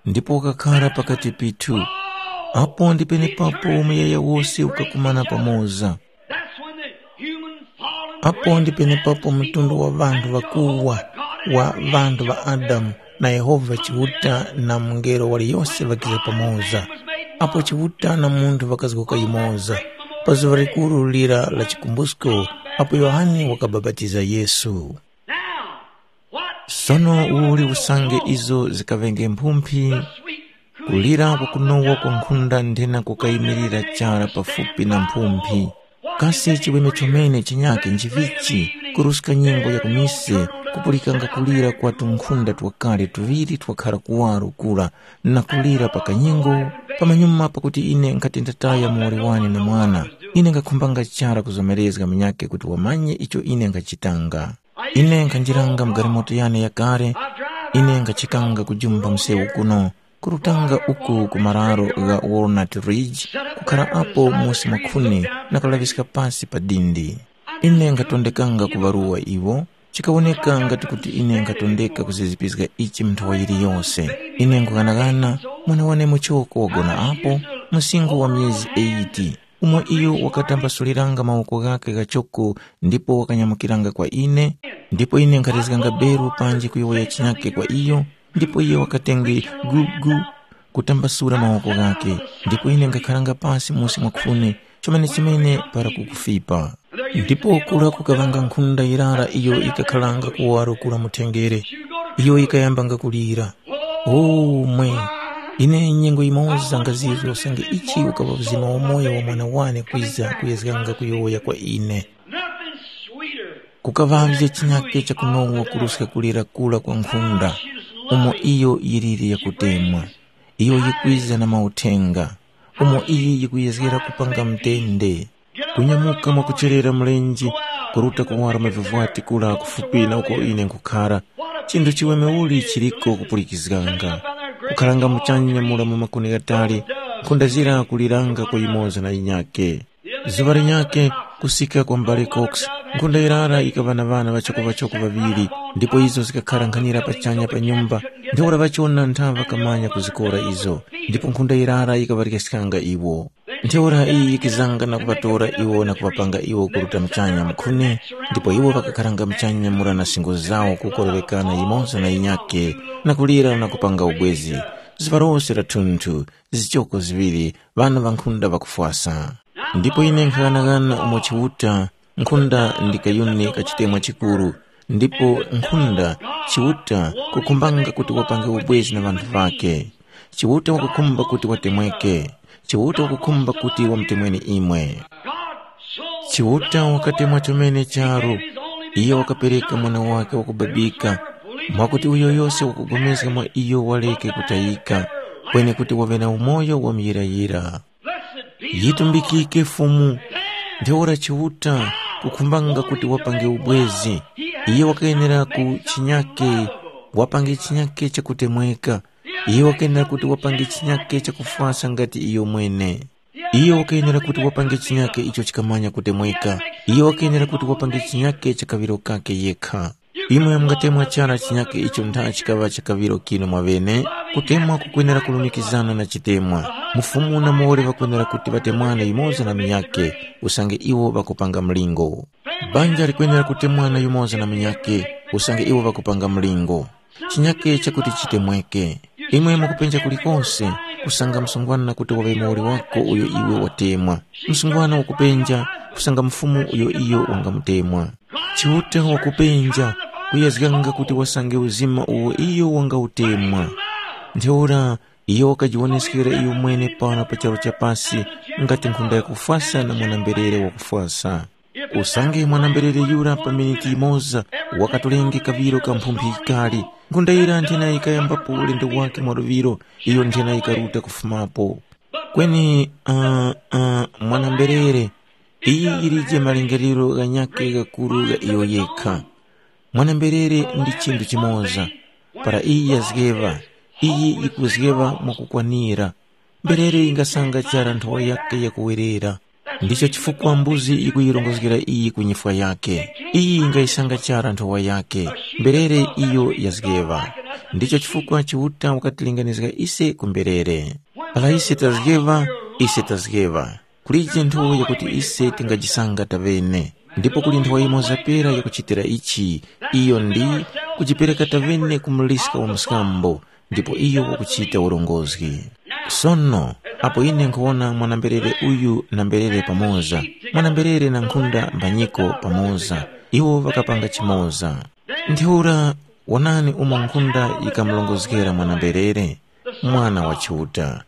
ndipo wakakhara pakati pithu. Apo ndi penepapo muyaya wose ukakumana pamoza. That's when the human fallen apo ndi race penepapo and mtundu wa people vanthu and vakuwa Jehovah God wa and vanthu va creation adamu na yehova chiuta na mungelo waliyonse ŵakiza pamoza. Apo chiuta na munthu ŵakazgoka yumoza pa zuŵa likuru lira la chikumbusko, apo yohane wakabapatiza yesu. Now, what sono uli usange izo zikaŵenge mphumphi, kulira kwakunowa kwa nkhunda nthena kukayimirira chara pafupi na mphumphi. Kasi chiweme chomene chinyakhe nchivichi? Kuruska nyengo ya kumise, kupulikanga kulira kwa tunkhunda twakale tuŵiri twakhara kuwaro kura, na kulira pa kanyingo. Pamanyuma pakuti ine nkhati ndataya muwoli wane na mwana, ine nkakhumbanga chara kuzomerezga munyakhe kuti wamanye icho ine nkhachitanga. Ine nkhanjiranga mu galimoto yane yakale, ine nkhachikanga kujumba msewu kuno, kurutanga uku ku mararo gha Walnut Ridge, kukhara apo musi mwa khuni na kulaŵiska pasi pa dindi. Ine nkhatondekanga kuŵaruwa iwo, chikawoneka ngati kuti ine nkhatondeka kuzizipiska ichi mu nthowa yiliyose. Ine nkughanagana, mwana wane muchoko wagona apo, msinkhu wa myezi eyiti. Umo iyo wakatambasuliranga mawoko ghakhe ghachoko ndipo wakanyamukiranga kwa ine, ndipo ine nkharezganga beru panji kuyowoya chinyakhe kwa iyo, ndipo iyo wakatenge gugu kutambasula mawoko ghakhe, ndipo ine nkakharanga pasi musi mwa khuni chomene-chomene para kukufipa. Ndipo kura kukaŵanga nkhunda yirara iyo ikakharanga kuwaro kura mu thenjere, iyo yikayambanga kulira. O mwe, ine nyengo yimoza ngazizwa usange ichi ukaŵa uzima wa moyo wa mwana wane kwiza kuyezganga kuyowoya kwa ine. Nothing sweeter. Kukaŵavye chinyake chakunowa kuruska kulira kura kwa nkhunda, umo iyo yiliri yakutemwa. Iyo yikwiza na mauthenga, umo iyi yikuyezgera kupanga mtende. Kunyamuka mwakucherera mlenje, kuruta kuwara mavivwati kura kufupi na uko ine nkhukhara, chinthu chiweme uli chiriko kupulikizganga. Kukharanga muchanya mura mu makuni ghatali, nkhunda zira kuliranga kwa yimoza na yinyakhe. Zuŵa linyakhe, kusika kwa m'bale Cox, nkhunda yirara yikaŵa na ŵana ŵachoko-ŵachoko ŵaŵiri, ndipo izo zikakhara nkhanira pachanya pa nyumba, ntheura ŵachona ntha ŵakamanya kuzikora izo, ndipo nkhunda yirara yikaŵaryaskanga iwo. Ntheura iyi yikizanga na kuŵatora iwo na kuŵapanga iwo kuruta muchanya mukhune, ndipo iwo ŵakakharanga muchanya mura na singo zawo kukorowekana yimoza na yinyakhe, na kulira na kupanga ubwezi. Zuŵa lose la thunthu, zichoko ziŵiri, ŵana ŵankhunda ŵakufwasa. Ndipo ine nkhaghanaghana umo Chiuta, nkhunda ndi kayuni ka chitemwa chikuru, ndipo nkhunda, Chiuta kukhumbanga kuti wapange ubwezi na ŵanthu ŵakhe. Chiuta wakukhumba kuti watemweke. Chiuta wakukhumba kuti wamutemweni imwe. Chiuta wakatemwa chomene charu. Iye wakapereka mwana wake wakubabika, mwakuti uyo yose wakupulikana mwa iyo waleke kutayika, kweni kuti waŵe na umoyo wa muyirayira. Yitumbikike Fumu. Ntheura Chiuta kukhumbanga kuti wapange ubwezi. Iye wakayenera ku chinyake, wapange chinyake chakutemweka. Iye wakayenera kuti wapange chinyake chakufwasa ngati iyo mwene. Iye wakayenera kuti wapange chinyake icho chikamanya kutemweka. Iye wakayenera kuti wapange chinyake cha kaŵiro kakhe yekha. Imwe mungatemwa chara chinyake icho ntha chikaŵa cha kaŵiro kinu mwaŵene, kutemwa kukwenera kulumikizana na chitemwa. Mufumu na muwoli ŵakwenera kuti ŵatemwane yumoza na munyakhe, usange iwo ŵakupanga mlingo. Banja likwenera kutemwana yumoza na munyakhe, usange iwo ŵakupanga mlingo. Chinyake chakuti chitemweke. Imwe mukupenja kulikose, kusanga msungwana kuti waŵe muwoli wako uyo iwe watemwa. Msungwana wakupenja, kusanga mfumu uyo iyo wangamutemwa. Chiuta wakupenja, kuyezganga kuti wasange uzima uwo iyo wangautemwa. Ntheura, iyo wakajiwoneskera iyo mwene pano pa charu cha pasi, ngati nkhunda yakufwasa na mwana-mberere wakufwasa. Usange mwana-mberere yura pa miniti yimoza wakatolenge kaŵiro ka mphumphi yikali, nkhunda yira nthena yikayambapo ulendo wake mwaluŵiro, iyo nthena yikaruta kufumapo. Kweni uh, uh, mwana-mberere, iyi yilije malingaliro ghanyakhe ghakuru gha iyo yekha. Mwana-mberere ndi chinthu chimoza. Para iyi yazgeŵa, iyi yikuzgeŵa mwakukwanira. Mberere yingasanga chara nthowa yakhe yakuwerera. Ndicho chifukwa mbuzi yikuyirongozgera iyi ku nyifwa yakhe. Iyi yingayisanga chara nthowa yakhe. Mberere iyo yazgeŵa. Ndicho chifukwa Chiuta wakatilinganizga ise ku mberere. Para ise tazgeŵa, ise tazgeŵa. Kulije nthowa yakuti ise tingajisanga taŵene. Ndipo kuli nthowa yimoza pera yakuchitira ichi, iyo ndi kujipereka taŵene ku muliska wa mskambo, ndipo iyo wakuchita urongozgi. Sono, apo ine nkhuwona mwana-mberere uyu na mberere pamoza, mwana-mberere na nkhunda mbanyiko pamoza, iwo ŵakapanga chimoza. Ntheura, wonani umo nkhunda yikamurongozgera mwana-mberere, mwana wa Chiuta,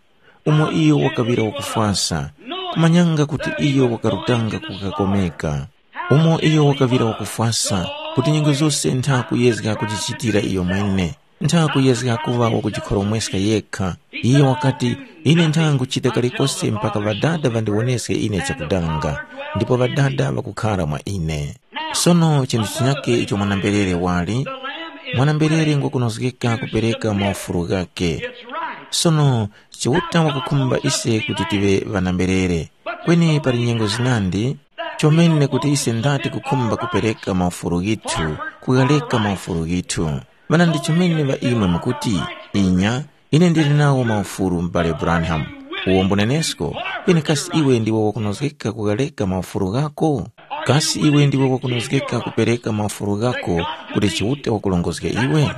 umo iyo wakaŵira wakufwasa, kumanyanga kuti iyo wakarutanga kukakomeka. Umo iyo wakaŵira wakufwasa, kuti nyengo zose ntha kuyezga kujichitira iyo mwene, ntha kuyezga kuŵa wakujikhoromweska yekha. Iyo wakati, ine ntha nguchita kalikose mpaka Ŵadada ŵandiwoneske ine chakudanga, ndipo Ŵadada ŵakukhara mwa ine. Sono chinthu chinyakhe icho mwana-mberere wali, mwana-mberere ngwakunozgeka kupereka maufulu ghakhe. Sono Chiuta wakukhumba ise kuti tive ŵana-mberere. Kweni pali nyengo zinandi, chomene kuti ise ndati kukhumba kupereka maufulu ghithu, kughareka maufulu ghithu. Ŵanandi chomene ŵa imwe mukuti, inya, ine ndili nawo maufulu m'bale Branham, uwo mbunenesko, kweni kasi iwe ndiwe wakunozgeka kughareka maufulu ghako? Kasi iwe ndiwe wakunozgeka kupereka maufulu ghako kuti Chiuta wakurongozge iwe?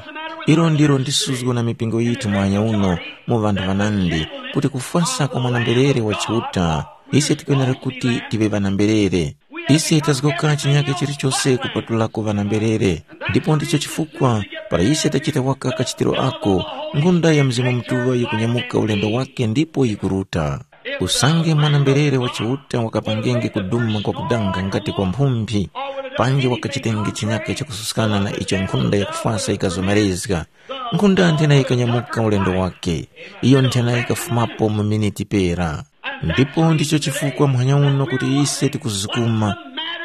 Ilo ndilo ndisuzgo na mipingo yithu mwanya uno mu ŵanthu ŵanandi, kuti kufwasa kwa mwana-mberere wa Chiuta, ise tikwenera kuti tive ŵana-mberere. Ise tazgoka chinyake chilichose kupatulako ŵana-mberere. Ndipo ndicho chifukwa para ise tachita waka kachitiro ako, nkhunda ya Mzimu Mutuŵa yikunyamuka ulendo wake ndipo yikuruta. Usange mwana-mberere wa Chiuta wakapangenge kuduma kwakudanga ngati kwa mphumphi, panji wakachitenge chinyake chakususkana na icho nkhunda yakufwasa yikazomerezga, nkhunda nthena yikanyamuka ulendo wake, iyo nthena yikafumapo mu miniti pera. Ndipo ndicho chifukwa muhanya uno kuti ise tikuzukuma.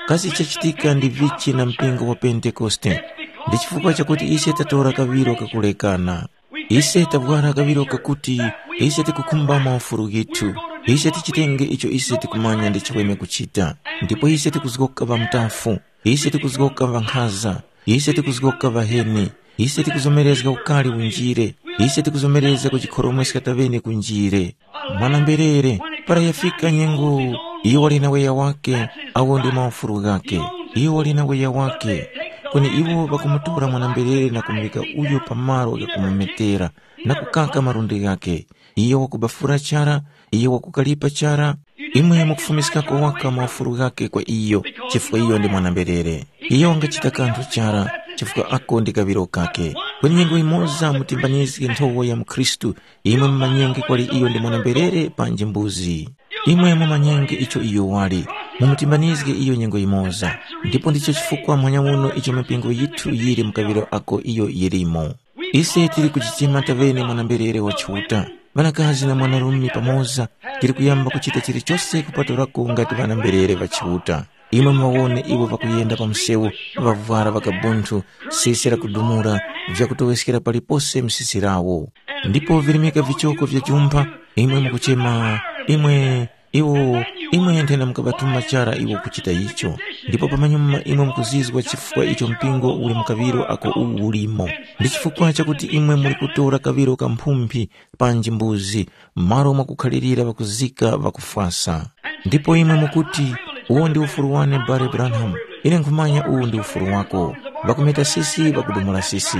Kasi chachitika ndi vichi na mpingo wa Pentekoste? Ndi chifukwa chakuti ise tatora kaŵiro kakulekana. Ise tavwara kaŵiro kakuti ise tikukhumba maufulu ghithu. Ise tichitenge icho ise tikumanya ndi chiweme kuchita. Ndipo ise tikuzgoka ŵamutafu. Ise tikuzgoka ŵankhaza. Ise tikuzgoka ŵaheni. Ise tikuzomerezga ukari unjire. Ise tikuzomerezga kujikhoromweska taŵene kunjire. Mwana-mberere, para yafika nyengo, iyo wali na weya wake, awo ndi maufulu ghake. Iyo wali na weya wake. Kweni iwo ŵakumutora mwana-mberere na kumuŵika uyo pa malo ghakumumetera, na kukaka malundi ghakhe. Iyo wakubafura chara, iyo wakukalipa chara. Imwe mukufumiskako waka maufulu ghakhe kwa iyo, chifukwa iyo ndi mwana-mberere. Iyo wangachita kanthu chara, chifukwa ako ndi kaŵiro kakhe. Kweni nyengo yimoza mutimbanizge nthowa ya mukhristu, imwe mumanyenge kwali iyo ndi mwana-mberere panji mbuzi. Imwe mumanyenge icho iyo wali, mumutimbanizge iyo nyengo yimoza. Ndipo ndicho chifukwa muhanya uno icho mipingo yithu yili mu kaŵiro ako iyo yilimo. Ise tili kuchichema taŵene mwana-mberere wa Chiuta. Ŵanakazi na mwanarume pamoza tili kuyamba kuchita chilichose kupatulako ngati ŵana-mberere ŵa Chiuta. Imwe muŵawone iwo ŵakuyenda pa msewu, ŵavwara ŵakabunthu, sisi lakudumula, vyakutoweskera palipose misisi lawo. Ndipo virimika vichoko vya jumpha, imwe mukuchema, imwe, iwo, imwe nthena mukaŵatuma chara iwo kuchita icho. Ndipo pamanyuma imwe mukuzizwa chifukwa icho mpingo uli mu kaŵiro ako uwu ulimo. Ndi chifukwa chakuti imwe muli kutora kaŵiro ka mphumphi, panji mbuzi, malo mwakukhalirira ŵakuzika ŵakufwasa. Ndipo imwe mukuti, uwo ndi ufulu wane Bale Branham, ine nkhumanya uwu ndi ufulu wako. Ŵakumeta sisi ŵakudumula sisi.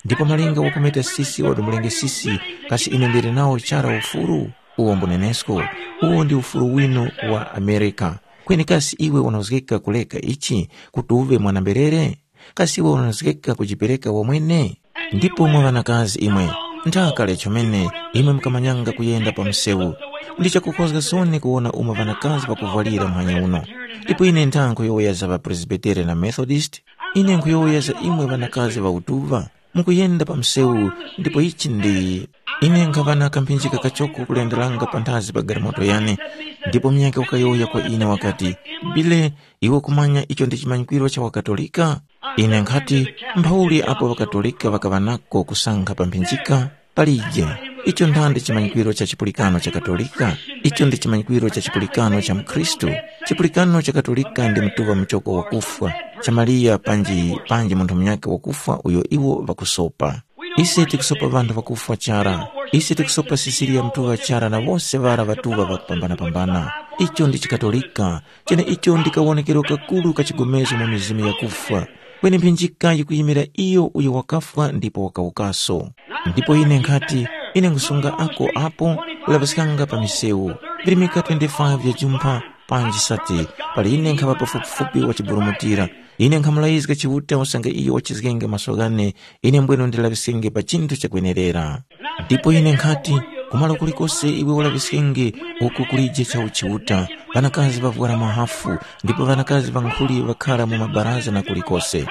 Ndipo malinga wakumeta sisi wadumulenge sisi, kasi ine ndili nawo chara ufulu? Uwo mbunenesko, uwo ndi ufulu winu wa Amerika. Kweni kasi iwe unozgeka kuleka ichi, kuti uve mwana-mberere? Kasi iwe unozgeka kujipereka wamwene? Ndipo mwa ŵanakazi imwe, ntha kale chomene imwe mukamanyanga kuyenda pa msewu. Ndi chakukhozga soni kuwona umo ŵanakazi ŵakuvwalira muhanya uno. Ndipo ine ntha nkhuyowoya za ŵapresbitere na Methodist, ine nkhuyowoya za imwe ŵanakazi ŵa utuŵa, mukuyenda pa msewu, ndipo ichi ndi, ine nkhaŵa na kamphinjika kachoko kulenderanga panthazi pa galimoto yane, ndipo munyakhe wakayowoya kwa ine wakati, Bile, iwe kumanya icho ndi chimanyikwiro cha waKatolika? Ine nkhati, mphauli apo ŵaKatolika ŵakaŵa nako kusankha pa mphinjika? Palije. Icho nthandi chimanyikwiro cha chipulikano cha Katolika? Icho ndi chimanyikwiro cha chipulikano cha mukhristu. Chipulikano cha Katolika ndi mtuŵa muchoko wakufwa, cha Mariya panji, panji munthu munyakhe wakufwa uyo iwo ŵakusopa. Ise tikusopa ŵanthu ŵakufwa chara. Ise tikusopa Sisiliya Mtuŵa chara na wose ŵara ŵatuŵa ŵakupambana-pambana. Icho ndi chiKatolika, cheneicho ndi kawonekero kakuru ka chigomezo mu mizimu yakufwa. Kweni mphinjika yikuyimira iyo uyo wakafwa ndipo wakawukaso. Ndipo ine nkhati, ine nkhusunga ako apo, kulaŵiskanga pa misewu. Virimika twenty-five vya jumpha, panji sati, pali ine nkhaŵa pafupifupi wachiburumutira. Ine nkhamulayizga Chiuta usange iyo wachizgenge maso ghane, ine mbwenu ndilaŵiskenge pa chinthu chakwenerera. Ndipo ine nkhati, kumalo kulikose iwe ulaŵiskenge, uku kulije cha uchiuta, ŵanakazi ŵavwara mahafu, ndipo ŵanakazi ŵankhuli ŵakhara mu mabaraza na kulikose.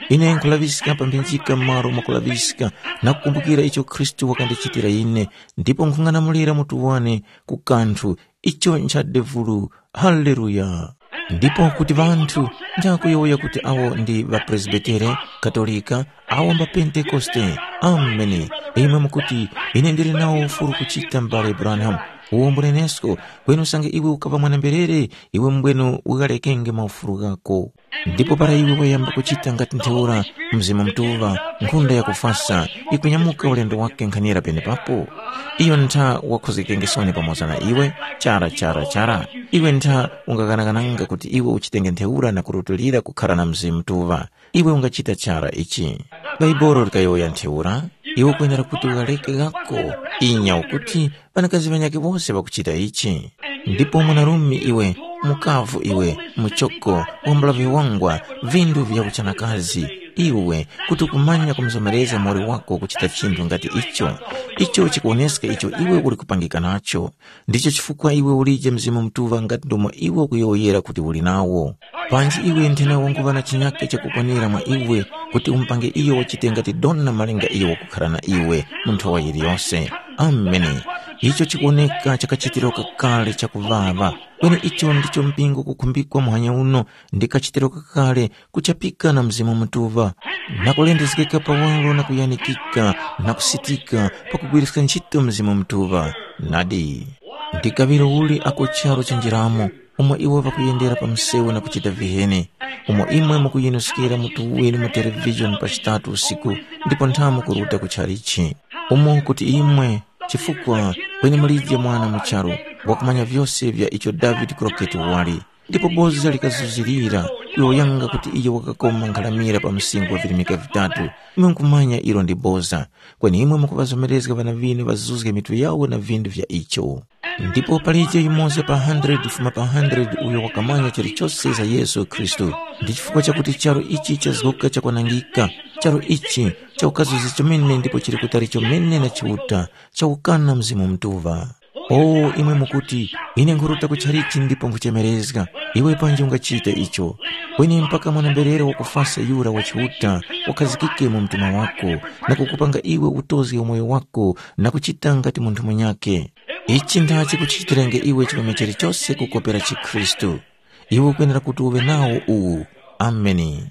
Ine nkhulaŵiska pa mphinjika malo mwakulaŵiska, na kukumbukira icho Khristu wakandichitira ine, ndipo nkhung'anamulira mutu wane ku kanthu, icho ncha devulu. Haleluya. Ndipo kuti ŵanthu njakuyowoya kuti awo ndi ŵapresbitere, katolika, awo mbapentekoste. Ameni. Imwe mukuti, ine ndili nawo ufulu kuchita m'bale Branham. Uwo mbunenesko, kweni usange iwe ukaŵa mwana-mberere, iwe mbwenu ukaghalekenge maufulu ghako. Ndipo para iwe wayamba kuchita ngati ntheura, Mzimu Mutuŵa, nkhunda yakufasa, yikunyamuka ulendo wake nkhanira penepapo. Iyo ntha wakhozgekengesoni pamoza na iwe, chara chara chara. Iwe ntha ungaghanaghananga kuti iwe uchitenge ntheura na kurutulira kukhara na Mzimu Mutuŵa. Iwe ungachita chara ichi. Bhaibuli likayowoya ntheura, iwe ukwenera kuti ughaleke ghako. Inya ukuti ŵanakazi ŵanyakhe wose ŵakuchita ichi. Ndipo mwanarume iwe, mukavu iwe, muchoko, wambula viwangwa, vindu vya uchanakazi, iwe kuti ukumanya kumuzomereza muwoli wako kuchita chinthu ngati icho. Icho chikuwoneska icho iwe uli kupangika nacho. Ndicho chifukwa iwe ulije Mzimu Mutuŵa ngati ndomo iwe ukuyowoyera kuti uli nawo. Panji iwe nthena wanguŵa na chinyakhe chakukwanira mwa iwe kuti umupange iyo wachite ngati dona malinga iyo wakukhara na iwe mu nthowa yiliyose. Ameni. Icho chikuwoneka chakachitiro kakale chakuŵaŵa. Kweni icho ndicho mpingo ukukhumbikwa muhanya uno ndi kachitiro kakale kuchapika na Mzimu Mutuŵa, na kulendezgeka pawaro na kuyanikika na kusitika pakugwiriska ntchito Mzimu Mutuŵa. Nadi, ndi kaŵiro uli ako charu chanjiramo, umo iwo ŵakuyendera pa msewu na kuchita viheni, umo imwe mukuyinuskira mutu winu mu televizhoni pa chitatu usiku ndipo nthamu kuruta ku chalichi, umo kuti imwe, chifukwa kweni mulije mwana mu charu wakumanya vyose vya icho David Crockett wali, Ndipo boza likazuzirira, kuyowoyanga kuti iyo wakakoma nkharamira pa msinkhu wa virimika vitatu. Imwe nkhumanya ilo ndi boza. Kweni imwe mukuŵazomerezga ŵana ŵinu ŵazuzge mitu yawo na vindu vya icho. Ndipo palije yumoza pa hundred kufuma pa hundred uyo wakamanya chilichose za Yesu Khristu. Ndi chifukwa chakuti charu ichi chazgoka chakwanangika, charu ichi chaukazuzi chomene ndipo chili kutali chomene na Chiuta, chawukana Mzimu Mutuŵa. O, imwe mukuti, ine nkhuruta ku chalichi ndipo nkhuchemerezga. Iwe panji ungachite icho. Kweni mpaka mwana-mberere wakufasa yura wa Chiuta wakhazikike mu mtima wako, na kukupanga iwe utozge umoyo wako na kuchita ngati munthu munyakhe. Ichi ndachi kuchichitirenge iwe chipume chilichose kukopera chikhristu. Iwe ukwenera kuti uŵe nawo uwu. Ameni.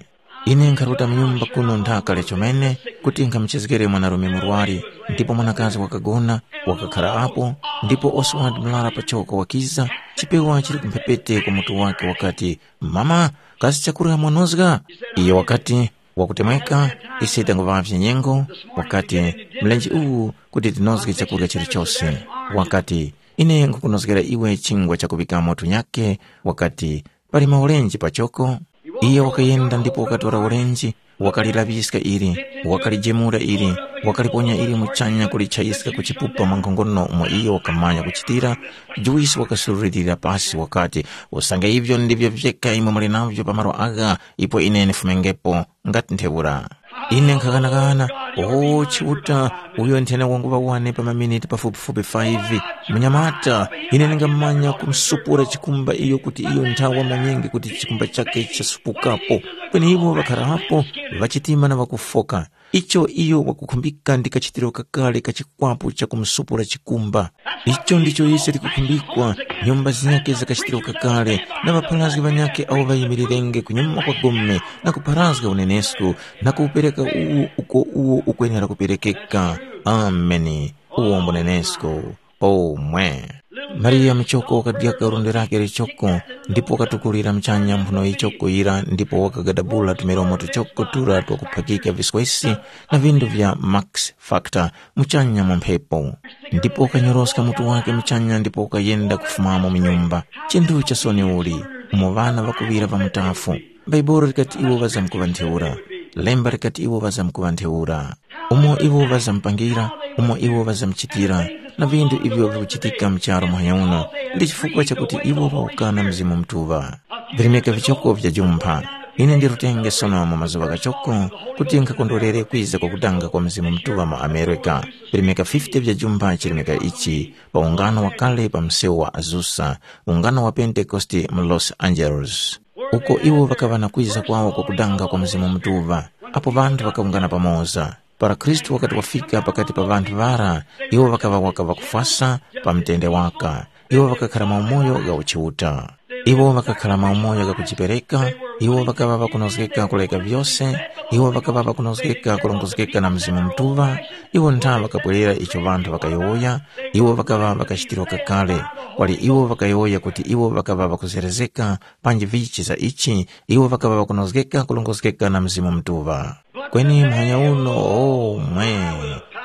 Ine nkharuta mu nyumba kuno nthaka lya chomene kuti nkhamuchezgere mwanarume murwari, ndipo mwanakazi wakagona, wakakhara apo, ndipo Oswald murara pachoko wakiza, chipewa chili kumphepete kwa mutu wake wakati, "Mama, kasi chakurya mwanozga?" Iyo wakati, "Wakutemweka, ise tanguŵavye nyengo," wakati, "Mlenje uwu kuti tinozge chakurya chilichose." Wakati, "Ine nkhukunozgera iwe chingwa chakuŵikamo tunyake," wakati, "Pali maulenji pachoko." Iyo wakayenda ndipo wakatora ulenji, wakalilaŵiska ili, wakalijemura ili, wakaliponya ili muchanya kulichayiska ku chipupa mwa nkhongono umo iyo wakamanya kuchitira. Juwisi wakasurulirira pasi wakati, "Usange ivyo ndivyo vyeka imwe muli navyo pa malo agha, ipo ine ndifumengepo ngati ntheura." Ine nkhaghanaghana, o Chiuta, uyo nthena wanguŵa wane pa maminiti pafupifupi five. Munyamata, ine ndingamanya kumsupura chikumba iyo kuti iyo nthawa manyenge kuti chikumba chakhe chasupukapo. Kweni iwo ŵakharapo, ŵachitima na ŵakufoka. Icho iyo wakukhumbika ndi kachitiro kakale ka chikwapu cha kumsupura chikumba. Icho ndicho ise tikukhumbikwa, nyumba zinyakhe za kachitiro kakale, na ŵapharazgi ŵanyakhe awo ŵayimirirenge kunyuma kwa gome, na kupharazga unenesko, na kuwupereka uwo uko uwo ukwenera kuperekeka. Ameni. Uwo mbu unenesko. Pomwe. Mariya muchoko wakadyaka lundi lake lichoko, ndipo wakatukulira muchanya mphuno yichoko yira, ndipo wakagadabula tumilomo tuchoko tura twakuphakika viswesi na vindu vya Max Factor muchanya mu mphepo. Ndipo wakanyoroska mutu wake muchanya ndipo wakayenda kufumamo mu nyumba. Chinthu cha soni uli, umo ŵana ŵakuŵira pa mutafu. Bhaibuli likati iwo ŵazamkuŵa ntheura. Lemba likati iwo ŵazamkuŵa ntheura. Umo iwo ŵazamupangira, umo iwo ŵazamuchitira, na vindu ivyo vikuchitika mu charu muhanya uno, ndi chifukwa chakuti iwo ŵawukana Mzimu Mutuŵa. Virimika vichoko vya jumpha. Ine ndi rutenge sono mu mazuŵa ghachoko kuti nkhakondwerere kwiza kwa kudanga kwa Mzimu Mutuŵa mu America. Virimika fifty vya jumpha chirimika ichi, pa ungano wakale pa msewu wa Azusa, ungano wa Pentekoste mu Los Angeles. Uko iwo ŵakaŵa na kwiza kwawo kwa kudanga kwa Mzimu Mutuŵa, apo ŵanthu ŵakawungana pamoza. Para Khristu wakati wafika pakati pa ŵanthu ŵara, iwo ŵakaŵa waka ŵakufwasa pa mtende waka. Iwo ŵakakhara maumoyo gha uchiuta. Iwo ŵakakhara maumoyo gha kujipereka, iwo ŵakaŵa ŵakunozgeka kuleka vyose, iwo ŵakaŵa ŵakunozgeka kurongozgeka na Mzimu Mutuŵa, iwo ntha ŵakapwerera icho ŵanthu ŵakayowoya, iwo ŵakaŵa ŵakachitirwa kakale, kwali iwo ŵakayowoya kuti iwo ŵakaŵa ŵakuzerezeka, panji vichi za ichi, iwo ŵakaŵa ŵakunozgeka kurongozgeka na Mzimu Mutuŵa. Kweni muhanya uno, o mwe,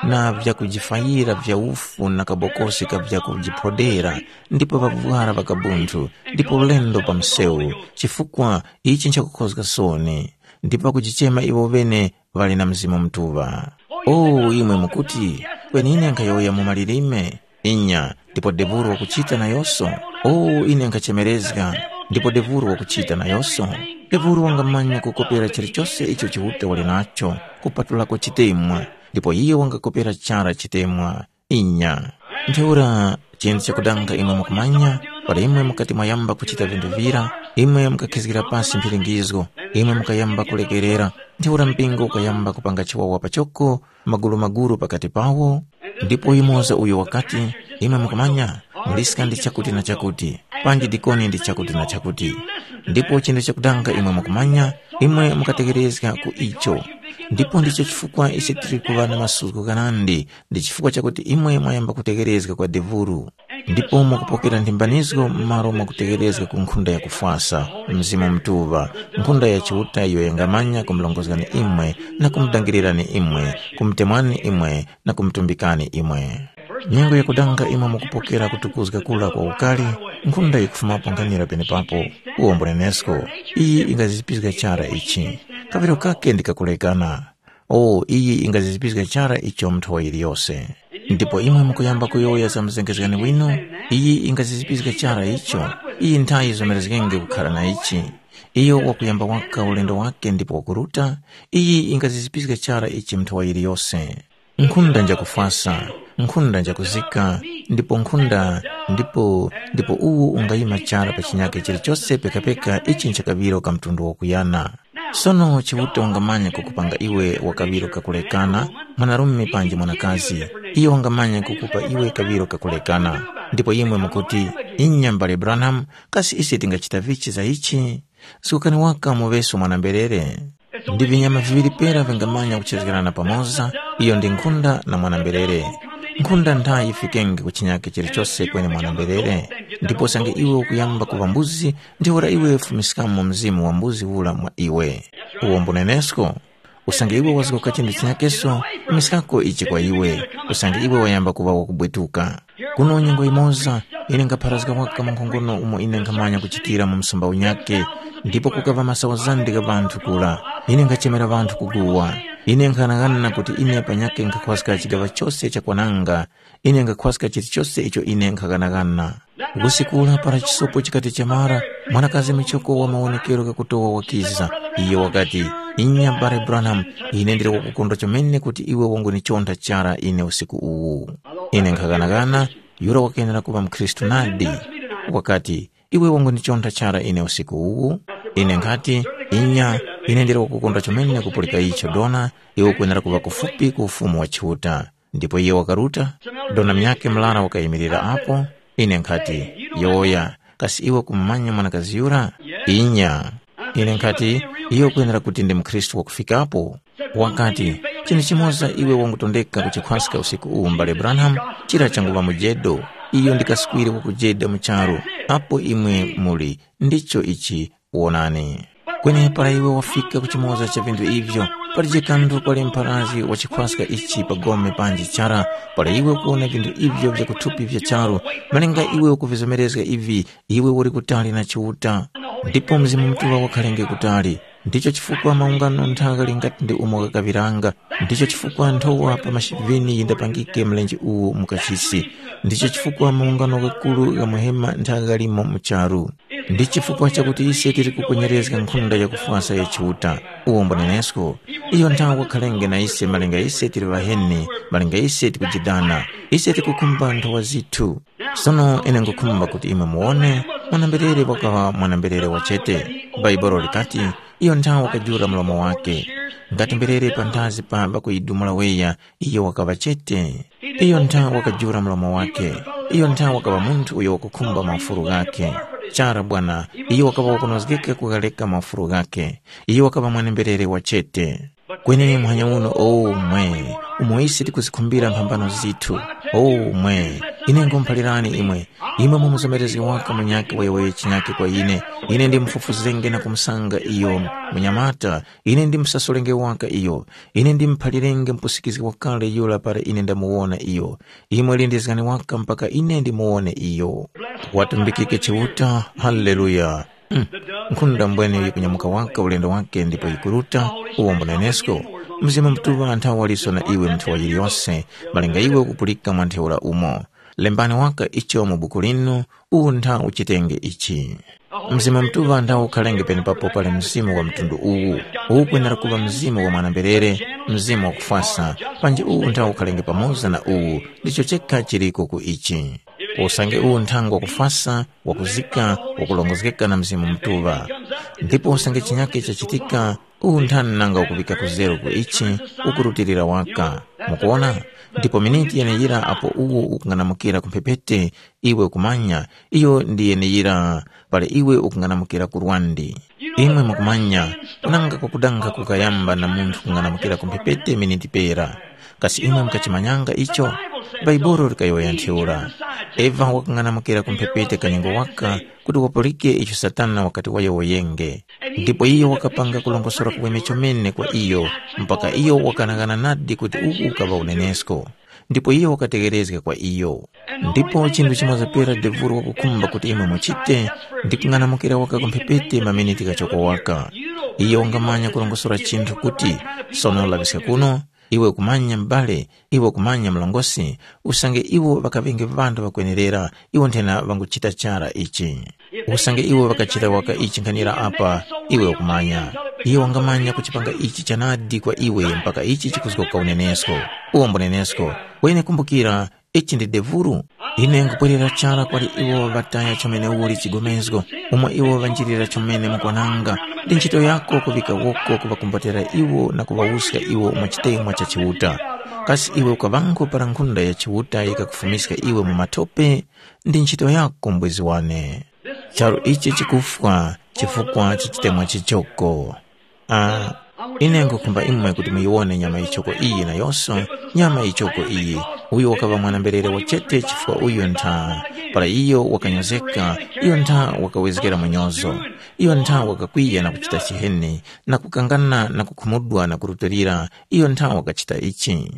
na vyakujifayira vya ufu na kabokosi ka vyakujiphodera, ndipo ŵavwara ŵakabunthu, ndipo ulendo pa msewu, chifukwa ichi nchakukhozga soni, ndipo pakujichema iwo ŵene ŵali na Mzimu Mutuŵa. O imwe mukuti, kweni ine nkhayowoya mu malilime, inya, ndipo devuro wakuchita nayoso? O ine nkhachemerezga, ndipo devuro wakuchita nayoso. Devuro wangamanya kukopera chilichose icho Chiuta wali nacho, kupatulako chitemwa, ndipo iyo wangakopera chara chitemwa. Inya. Ntheura, chinthu chakudanga imwe mukumanya, para imwe mukati mwayamba kuchita vinthu vira, imwe mukakhizgira pasi mphiringizgo, imwe mukayamba kulekerera, ntheura mpingo ukayamba kupanga chiwawa pachoko, magulumagulu pakati pawo. Ndipo yumoza uyo wakati, imwe mukumanya, muliska ndi chakuti na chakuti, panji dikoni ndi chakuti na chakuti. Ndipo chinthu chakudanga imwe mukumanya, imwe mukategerezga ku icho. Ndipo ndicho chifukwa ise tili kuŵa na masuko ghanandi, ndi chifukwa chakuti imwe mwayamba kutegerezga kwa devuru. Ndipo mwakupokera nthimbanizgo m'malo mwakutegerezga ku nkhunda yakufwasa, Mzimu Mutuŵa, nkhunda ya Chiuta iyo yangamanya kumurongozgani imwe na kumudangirirani imwe, kumutemwani imwe na kumutumbikani imwe. Nyengo yakudanga imwe mukupokera kutukuzga kura kwa ukari, nkhunda yikufumapo nkhanira penepapo. Uwo mbunenesko, iyi ingazizipizga chara ichi. Kaŵiro kake ndi kakulekana. O, iyi ingazizipizga chara icho mu nthowa yiliyose. Ndipo imwe mukuyamba kuyowoya za mzengezgani winu, iyi ingazizipizga chara icho. Iyi nthayi yizomerezgenge kukhara na ichi. Iyo wakuyamba waka ulendo wake ndipo wakuruta, iyi ingazizipizga chara ichi mu nthowa yiliyose. Nkhunda njakufwasa, nkhunda njakuzika, ndipo nkhunda, ndipo, ndipo uwu ungayima chara pa chinyake chilichose pekapeka ichi nchakaŵiro ka mtundu wakuyana. Sono Chiuta wangamanya kukupanga iwe wa kaŵiro kakulekana, mwanarume panji mwanakazi, iyo wangamanya kukupa iwe kaŵiro kakulekana. Ndipo imwe mukuti, inya mbale Branham, kasi ise tingachita vichi za ichi? Sukani waka muŵeso mwana-mberere. Ndi vinyama viŵiri pera vingamanya kuchezgerana pamoza, iyo ndi nkhunda na mwana-mberere. Nkhunda ntha yifikenge ku chinyake chilichose kweni mwana-mberere, ndipo usange iwe ukuyamba kuŵa mbuzi, ntheura iwe fumiskamo mzimu wa mbuzi ura mwa iwe. Uwo mbunenesko, usange iwe wazgoka chinthu chinyakeso, fumiskako ichi kwa iwe, usange iwe wayamba kuŵa wakubwetuka. Kuno nyengo yimoza, ine nkhapharazga waka mwankhongono umo ine nkhamanya kuchitira mu msumba unyakhe, ndipo kukaŵa masawa zandi gha ŵanthu kura. Ine nkhachemera ŵanthu kuguwa. Ine nkhanang'ana kuti ine panyakhe nkhakhwaska chigaŵa chose chakwananga, ine nkhakhwaska chilichose icho ine nkhaghanagana. Usiku ula para chisopo chikati chamara, mwanakazi muchoko wa mawonekero ghakutowa wakiza. Iyo wakati, inya mbale Branham, ine ndili wakukondwa chomene kuti iwe wangunichonda chara ine usiku uwu. Ine nkhaghanagana, yura wakenera kuŵa mukhristu nadi. Wakati, iwe wangunichonda chara ine usiku uwu? Ine nkhati, inya, ine ndili wakukondwa chomene kupulika icho dona, iwe ukwenera kuŵa kufupi ku ufumu wa Chiuta. Ndipo iyo wakaruta, dona munyakhe murara wakayimirira apo. Ine nkhati, yowoya, kasi iwe ukumumanya mwanakazi yura? Inya. Ine nkhati, iyo ukwenera kuti ndi mukhristu wakufikapo. Wakati, chinthu chimoza iwe wangutondeka kuchikhwaska usiku uwu mbale Branham, chira changuŵa mujedo. Iyo ndi kaswiri wakujeda mu charu, apo imwe muli, ndicho ichi, wonani. Kweni para iwe wafika ku chimoza cha vinthu ivyo, palije kanthu kwali mpharazgi wa chikhwaska ichi pa gome panji chara, para iwe ukuwona vinthu ivyo vya kuthupi vya charu, malinga iwe ukuvizomerezga ivi, iwe uli kutali na Chiuta. Ndipo Mzimu Mutuŵa wakhalenge kutali. Ndicho chifukwa maungano nthaka ngati ndi umo ghakaŵiranga. Ndicho chifukwa nthowa pa mashivini yindapangike mlenje uwu mu kachisi. Ndicho chifukwa maungano ghakuru gha muhema ntha ghalimo mu charu. Ndi chifukwa chakuti ise tili kukwenyerezga nkhunda yakufwasa ya Chiuta, uwo mbunenesko. Iyo nthawe wakhalenge na ise malinga ise tili ŵaheni, malinga ise tikujidana, ise tikukhumba nthowa zithu. Sono ine nkhukhumba kuti imwe muwone mwana-mberere wakaŵa mwana-mberere wachete. Bhaibuli likati, iyo nthawe wakajula mlomo wake. Ngati mberere panthazi pa ŵakuyidumula weya, iyo wakaŵa chete. Iyo ntha wakajula mlomo wake. Iyo ntha wakaŵa munthu uyo wakukhumba maufulu ghakhe. Chara bwana, iyo wakaŵa wakunozgeka kughareka maufulu ghakhe. Iyo wakaŵa mwanemberere wa chete. Kweni muhanya uno, o mwe, umo ise tikuzikhumbira mphambano zithu. O mwe, ine ngumuphalirani imwe, imwe mumuzomerezge waka munyakhe wayowoye chinyakhe kwa ine. Ine ndimufufuzenge na kumusanga iyo munyamata, ine ndimusasulenge waka iyo. Ine ndimuphalirenge mupusikizgi wakale yura para ine ndamuwona iyo. Imwe lindizgani waka mpaka ine ndimuwone iyo. Watumbikike Chiuta. Haleluya. Mm. Nkhunda mbwene yikunyamuka waka ulendo wake ndipo yikuruta, uwo mbunenesko. Mzimu Mutuŵa nthawe waliso na iwe mu nthawa yiliyose, malinga iwe ukupulika mwa ntheura umo. Lembani waka icho mu buku linu, uwu ntha uchitenge ichi. Mzimu Mutuŵa ndawukhalenge penepapo pali mzimu wa mtundu uwu. Uwu ukwenera kuŵa mzimu wa mwana-mberere, mzimu wakufwasa, panji uwu ndawukhalenge pamoza na uwu, ndicho chekha chiliko ku ichi. Usange uwu nthangwa wakufwasa, wakuzika, wakulongozgeka na Mzimu Mutuŵa. Ndipo usange chinyake chachitika, uwu nthani nanga ukuŵika kuzero ku ichi, ukurutilira waka. Mukuwona? Ndipo miniti yeneyira apo uwo ukung'anamukira ku mphepete, iwe ukumanya, iyo ndi yeneyira, pali iwe ukung'anamukira ku lwandi. Imwe mukumanya, kunanga kwakudanga kukayamba na munthu kung'anamukira ku mphepete miniti pera. Kasi imwe mukachimanyanga icho? Bhaibuli likayowoya ntheura. Eva wakang'anamukira ku mphepete kanyengo waka kuti wapulike icho Satana wakati wayowoyenge. Ndipo iyo wakapanga kulongosora kuweme chomene kwa iyo, mpaka iyo wakanaghana nadi kuti uku ukaŵa unenesko. ndipo iyo wakategherezga kwa iyo. Ndipo chinthu chimoza pera devuro wakukhumba kuti imwe muchite, ndi kung'anamukira waka ku mphepete maminiti ghachoko waka. Iyo wangamanya kurongosora chinthu kuti, sono laŵiska kuno, iwe ukumanya m'bale, iwe ukumanya mlongosi, usange iwo ŵakaŵenge ŵanthu ŵakwenerera, iwo nthena ŵanguchita chara ichi. Usange iwe ŵakachita waka ichi nkhanira apa, iwe ukumanya. Iye wangamanya kuchipanga ichi chanadi kwa iwe mpaka ichi chikuzgoka unenesko. Uwo mbunenesko. Kweni kumbukira, ichi ndi devuru. Ine nkupwerera chara kwali iwo ŵataya chomene uli chigomezgo, umo iwo ŵanjirira chomene mukwananga. Ndi ntchito yako kuŵika woko kuŵakumbotera iwo na kuŵawuska iwo mu chitemwa cha Chiuta. Kasi iwe ukaŵango para nkhunda ya Chiuta yikakufumiska iwe mu matope? Ndi ntchito yako mbwezi wane. Charu ichi chikufwa chifukwa cha chitemwa chichoko. Ah, ine nkhukhumba imwe kuti muyiwone nyama yichoko iyi nayonso, nyama yichoko iyi, uyo wakaŵa mwana-mberere wachete chifukwa uyo ntha, para iyo wakanyozeka, iyo ntha wakawezgera munyozo. Iyo ntha wakakwiya na kuchita chiheni, na kukangana na kukhumudwa na kurutilira, iyo ntha wakachita ichi.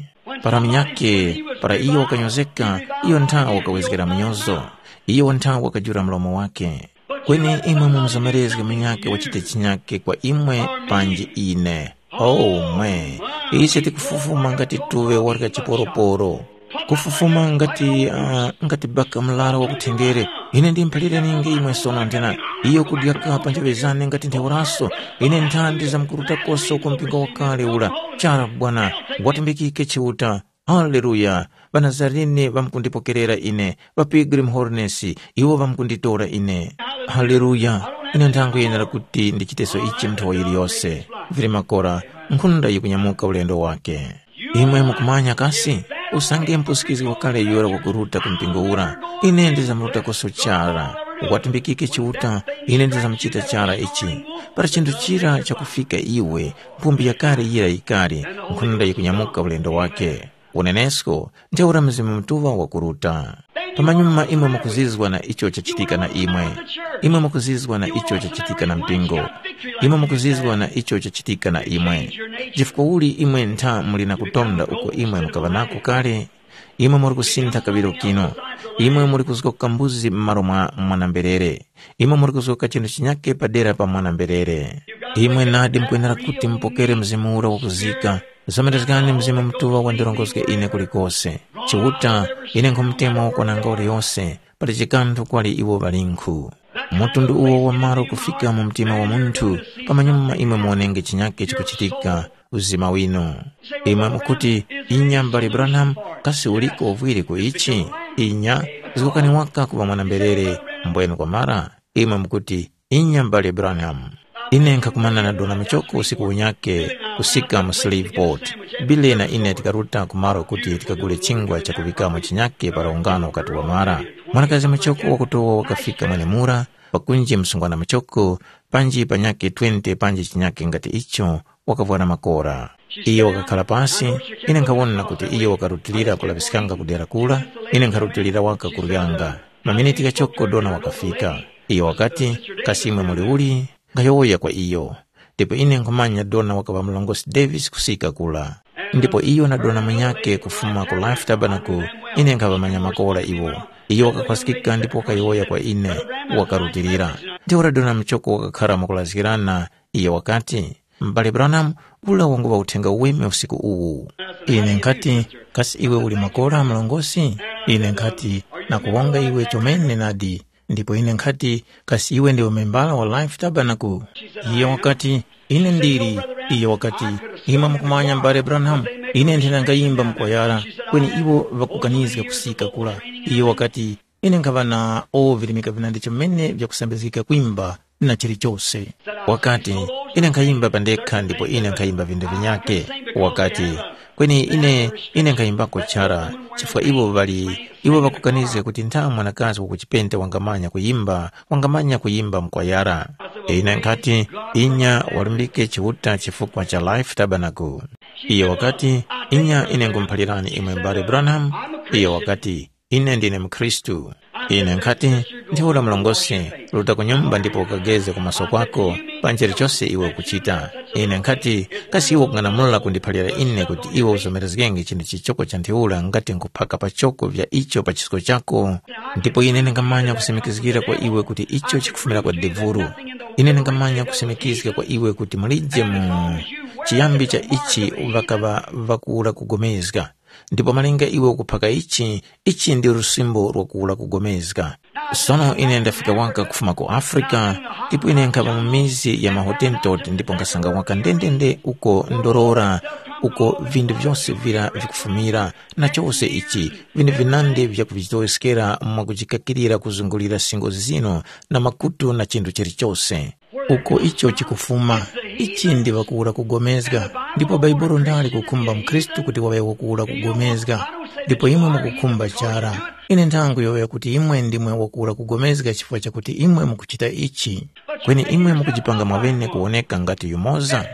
Para munyakhe, para iyo wakanyozeka, iyo ntha wakawezgera munyozo. Iyo ntha wakajula mlomo wake. Kweni imwe mumuzomerezge munyakhe wachite chinyakhe kwa imwe panji ine. Oh mwe, ise tikufufuma ngati tuŵe warya chiporoporo. Kufufuma ngati uh, ngati baka mlara wa kuthendere. Ine ndimuphaliraninge imwe sono nthena, iyo kudyaka pa nthoŵe zane ngati ntheuraso. Ine nthandi zamkurutakoso ku mpingo wakale ura. Chara bwana, watimbikike Chiuta. Haleluya! Ŵanazarene ŵamkundipokerera ine, ŵa Pilgrim Holiness, iwo ŵamkunditora ine. Haleluya! Ine ndangwe yenera kuti ndichiteso ichi nthowa yiliyose. Vili makora, nkhunda yikunyamuka ulendo wake. Imwe mukumanya kasi? Usange mpusikizgi wakale yura wakuruta ku mpingo ura, ine ndizamurutakoso chara. Watimbikike Chiuta, ine ndizamuchita chara ichi. Para chinthu chira chakufika iwe, mpumbi yakale yira yikali, nkhunda yikunyamuka ulendo wake. Unenesko, ntheura Mzimu Mutuŵa wakuruta. Pamanyuma imwe mukuzizwa na icho chachitika na imwe. Imwe mukuzizwa na icho chachitika na mpingo. Imwe mukuzizwa na icho chachitika na imwe. Chifukwa uli imwe ntha muli na kutonda uko imwe mukaŵa nako kale? Imwe muri kusintha kaŵiro kino. Imwe muri kuzgoka mbuzi m'malo mwa mwana-mberere. Imwe muri kuzgoka chinthu chinyake padera pa mwana-mberere. Imwe nadi mukwenera kuti mupokere Mzimu ura wakuzika. Zomerezgani Mzimu Mutuŵa wandirongozge ine kulikose. Chiuta, ine nkhumutema wakwananga uliyose, pali chikanthu kwali iwo ŵalinkhu. Mtundu uwo wa malo kufika mu mtima wa munthu, pamanyuma imwe muwonenge chinyake chikuchitika uzima wino. Imwe mukuti, inya m'bale Branham, kasi uliko uvwiri ku ichi? Inya, zgokani waka kuŵa mwana-mberere, mbwenu kwamara? Imwe mukuti, inya m'bale Branham. Ine nkhakumana na dona muchoko usiku unyake kusika mu Shreveport. Billy na ine tikaruta ku malo kuti tikagule chingwa chakuŵikamo chinyake para ungano ukati wamara. Mwanakazi muchoko wakutowa wakafika mwenemura, pakunji msungwana muchoko, panji panyakhe twenty panji chinyakhe ngati icho, wakavwara makora. Iyo wakakhala pasi, ine nkhawona kuti iyo wakarutilira kulaŵiskanga ku dera kura, ine nkharutilira waka kuryanga. Maminiti ghachoko dona wakafika. Iyo wakati, kasi imwe muli uli? Nkhayowoya kwa iyo. Ndipo ine nkhumanya dona wakaŵa murongozgi Davis kusika kura. Ndipo iyo na dona munyakhe kufuma ku Life Tabernacle, ine nkhaŵamanya makora iwo. Iyo wakakhwaskika ndipo wakayowoya kwa ine, wakarutilira. Ntheura dona muchoko wakakhara mwakulazgirana, iyo wakati, m'bale Branham, ula wanguŵa uthenga uweme usiku uwu. Ine nkhati, kasi iwe uli makora murongozgi? Ine nkhati, nakuwonga iwe chomene nadi. Ndipo ine nkhati, kasi iwe ndiwe membala wa Life Tabernacle? Iyo wakati, ine ndili. Iyo wakati, imwe mukumanya m'bale Branham, ine nthena ngayimba mukwayara, kweni iwo ŵakukanizga kusika kura. Iyo wakati, ine nkhaŵa na o virimika vinandi chomene vyakusambizgika kwimba na chilichose. Wakati, ine nkhayimba pandekha ndipo ine nkhayimba vinthu vinyake. Wakati, kweni ine, ine nkhayimbako chara, chifukwa iwo ŵali, iwo ŵakukanizga kuti ntha mwanakazi wakuchipente wangamanya kuyimba, wangamanya kuyimba mukwayara. Ine nkhati, inya walumbike Chiuta chifukwa cha Life Tabernacle. Iyo wakati, inya ine nkhumuphalirani imwe m'bale Branham. Iyo wakati, ine ndine mukhristu. Ine nkhati, ntheura mlongosi, ruta ku nyumba ndipo ukageze ku maso kwako, pa nchilichose iwe ukuchita. Ine nkhati, kasi iwe ukung'anamula kundiphalira ine kuti iwe uzomerezgenge chinthu chichoko cha ntheura ngati nkhuphaka pachoko vya icho pa chisko chako? Ndipo ine ndingamanya kusimikizgira kwa iwe kuti icho chikufumira kwa devuru. Ine ndingamanya kusimikizga kwa iwe kuti mulije mu chiyambi cha ichi ŵakaŵa ŵakuwura kugomezga. Ndipo malinga iwe ukuphaka ichi, ichi ndi lusimbo lwakuwura kugomezga. Sono ine ndafika waka kufuma ku Afrika, ndipo ine nkhapa mu mizi ya maHotentot ndipo nkasanga waka ndendende uko ndorora, uko vindu vyose vira vikufumira, na chose ichi, vindu vinandi vyakuvitoweskera mwakujikakirira kuzungulira singo zino na makutu na chinthu chilichose. Uko icho chikufuma, ichi ndi wakuwura kugomezga, ndipo Bhaibuli ndali kukhumba mukhristu kuti waŵe wakuwura kugomezga, ndipo imwe mukukhumba chara. Ine nthangu yowoya kuti imwe ndimwe wakuwura kugomezga chifukwa chakuti imwe mukuchita ichi. Kweni imwe mukujipanga mwaŵene kuwoneka ngati yumoza?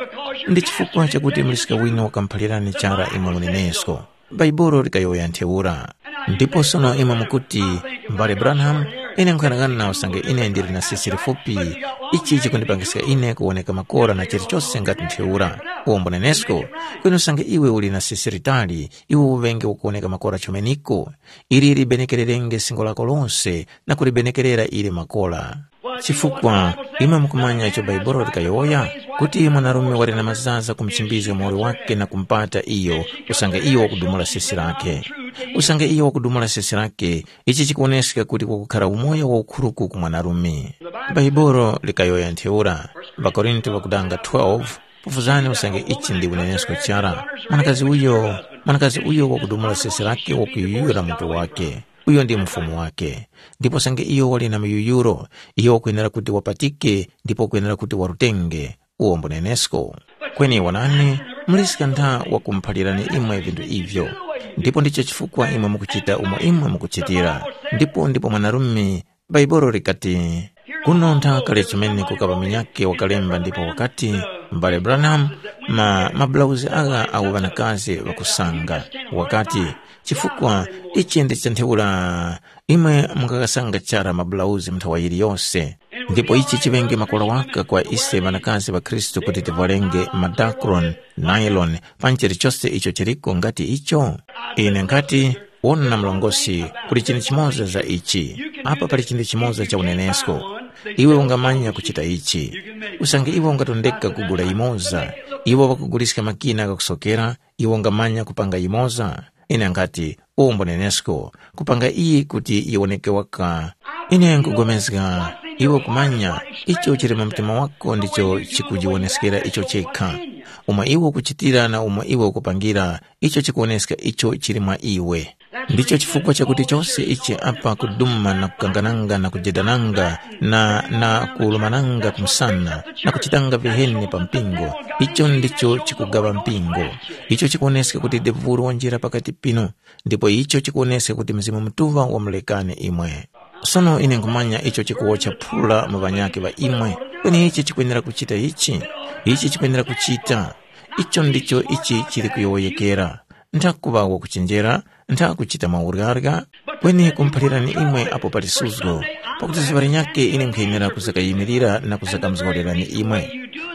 Ndi chifukwa chakuti muliska wine wakamuphalirani chara imwe munenesko. Bhaibuli likayowoya ntheura. Ndipo sono imwe mukuti, mbale Branham, ine nkhuyang'ana usange ine ndili na sisi lifupi, ichi chikundipangiska ine kuwoneka makora na chilichose ngati ntheura. Uwombo nenesko, kweni usange iwe uli na sisi litali, iwe uŵenge wakuwoneka makora chomeniko. Ili libenekererenge singo lako lose na kulibenekerera ili makora. Chifukwa imwe mukumanya icho Bhaibuli likayowoya, kuti mwanarume wali na mazaza kumuchimbizga muwoli wake na kumupata iyo, usange iyo wakudumula sesi lake. Usange iyo wakudumula sesi lake, ichi chikuwoneska kuti kukukhara umoyo waukhuruku ku mwanarume. Bhaibuli likayowoya ntheura, ŵakorinto ŵakudanga twelve, pofuzani usange ichi ndi unenesko chara. Mwanakazi uyo, mwanakazi uyo wakudumula sesi lake wakuyuyura mutu wake. Uyo ndi mfumu wake. Ndipo sange iyo wali na muyuyuro, iyo wakwenera kuti wapatike ndipo wakwenera kuti warutenge, uwo mbunenesko. Kweni wonani, muliska ntha wakumuphalirani imwe vinthu ivyo. Ndipo ndicho chifukwa imwe mukuchita umo imwe mukuchitira. Ndipo ndipo mwanarume, Bhaibuli likati, kuno ntha kale chimene kukapa munyakhe wakalemba ndipo wakati, m'bale Branham, ma mabulauzi agha awo ŵanakazi ŵakusanga. Wakati, chifukwa ichi ndi cha ntheura imwe mungakasanga chara mabulauzi mu nthawa yiliyose. Ndipo ichi chiŵenge makora waka kwa ise ŵanakazi ŵa Khristu kuti tivwarenge madakron, nylon, panji chilichose icho chiliko ngati icho? Ine nkhati, wona mlongosi, kuli chinthu chimoza za ichi. Apa pali chinthu chimoza cha unenesko. Iwe ungamanya kuchita ichi. Usange iwe ungatondeka kugula yimoza, iwo ŵakuguliska makina ghakusokera, iwe ungamanya kupanga yimoza? Ine nkhati, umbo nenesko, kupanga iyi kuti yiwoneke waka. Ine nkugomezga, iwe kumanya, icho chili mu mtima wako ndicho chikujiwoneskera icho chekha. Umo iwe ukuchitira na umo iwe ukupangira, icho chikuwoneska icho chili mwa iwe. Ndicho chifukwa chakuti chose ichi apa kuduma na kukangananga na kujedananga na, na kulumananga kumsana na kuchitanga viheni pa mpingo, icho ndicho chikugaŵa mpingo. Icho chikuwoneska kuti devulu wanjira pakati pinu, ndipo icho chikuwoneska kuti Mzimu Mutuŵa wamulekani imwe. Sono ine nkhumanya icho chikuwotcha phula mu ŵanyakhe ŵa imwe, kweni ichi chikwenera kuchita ichi, ichi chikwenera kuchita. Icho ndicho ichi chili kuyowoyekera. Ntha kuŵa wakuchenjera, ntha kuchita mauryarya, kweni kumuphalirani imwe apo pali suzgo, pakuti zuŵa linyakhe ine nkhayenera kuzakayimirira na kuzakamuzgorerani imwe.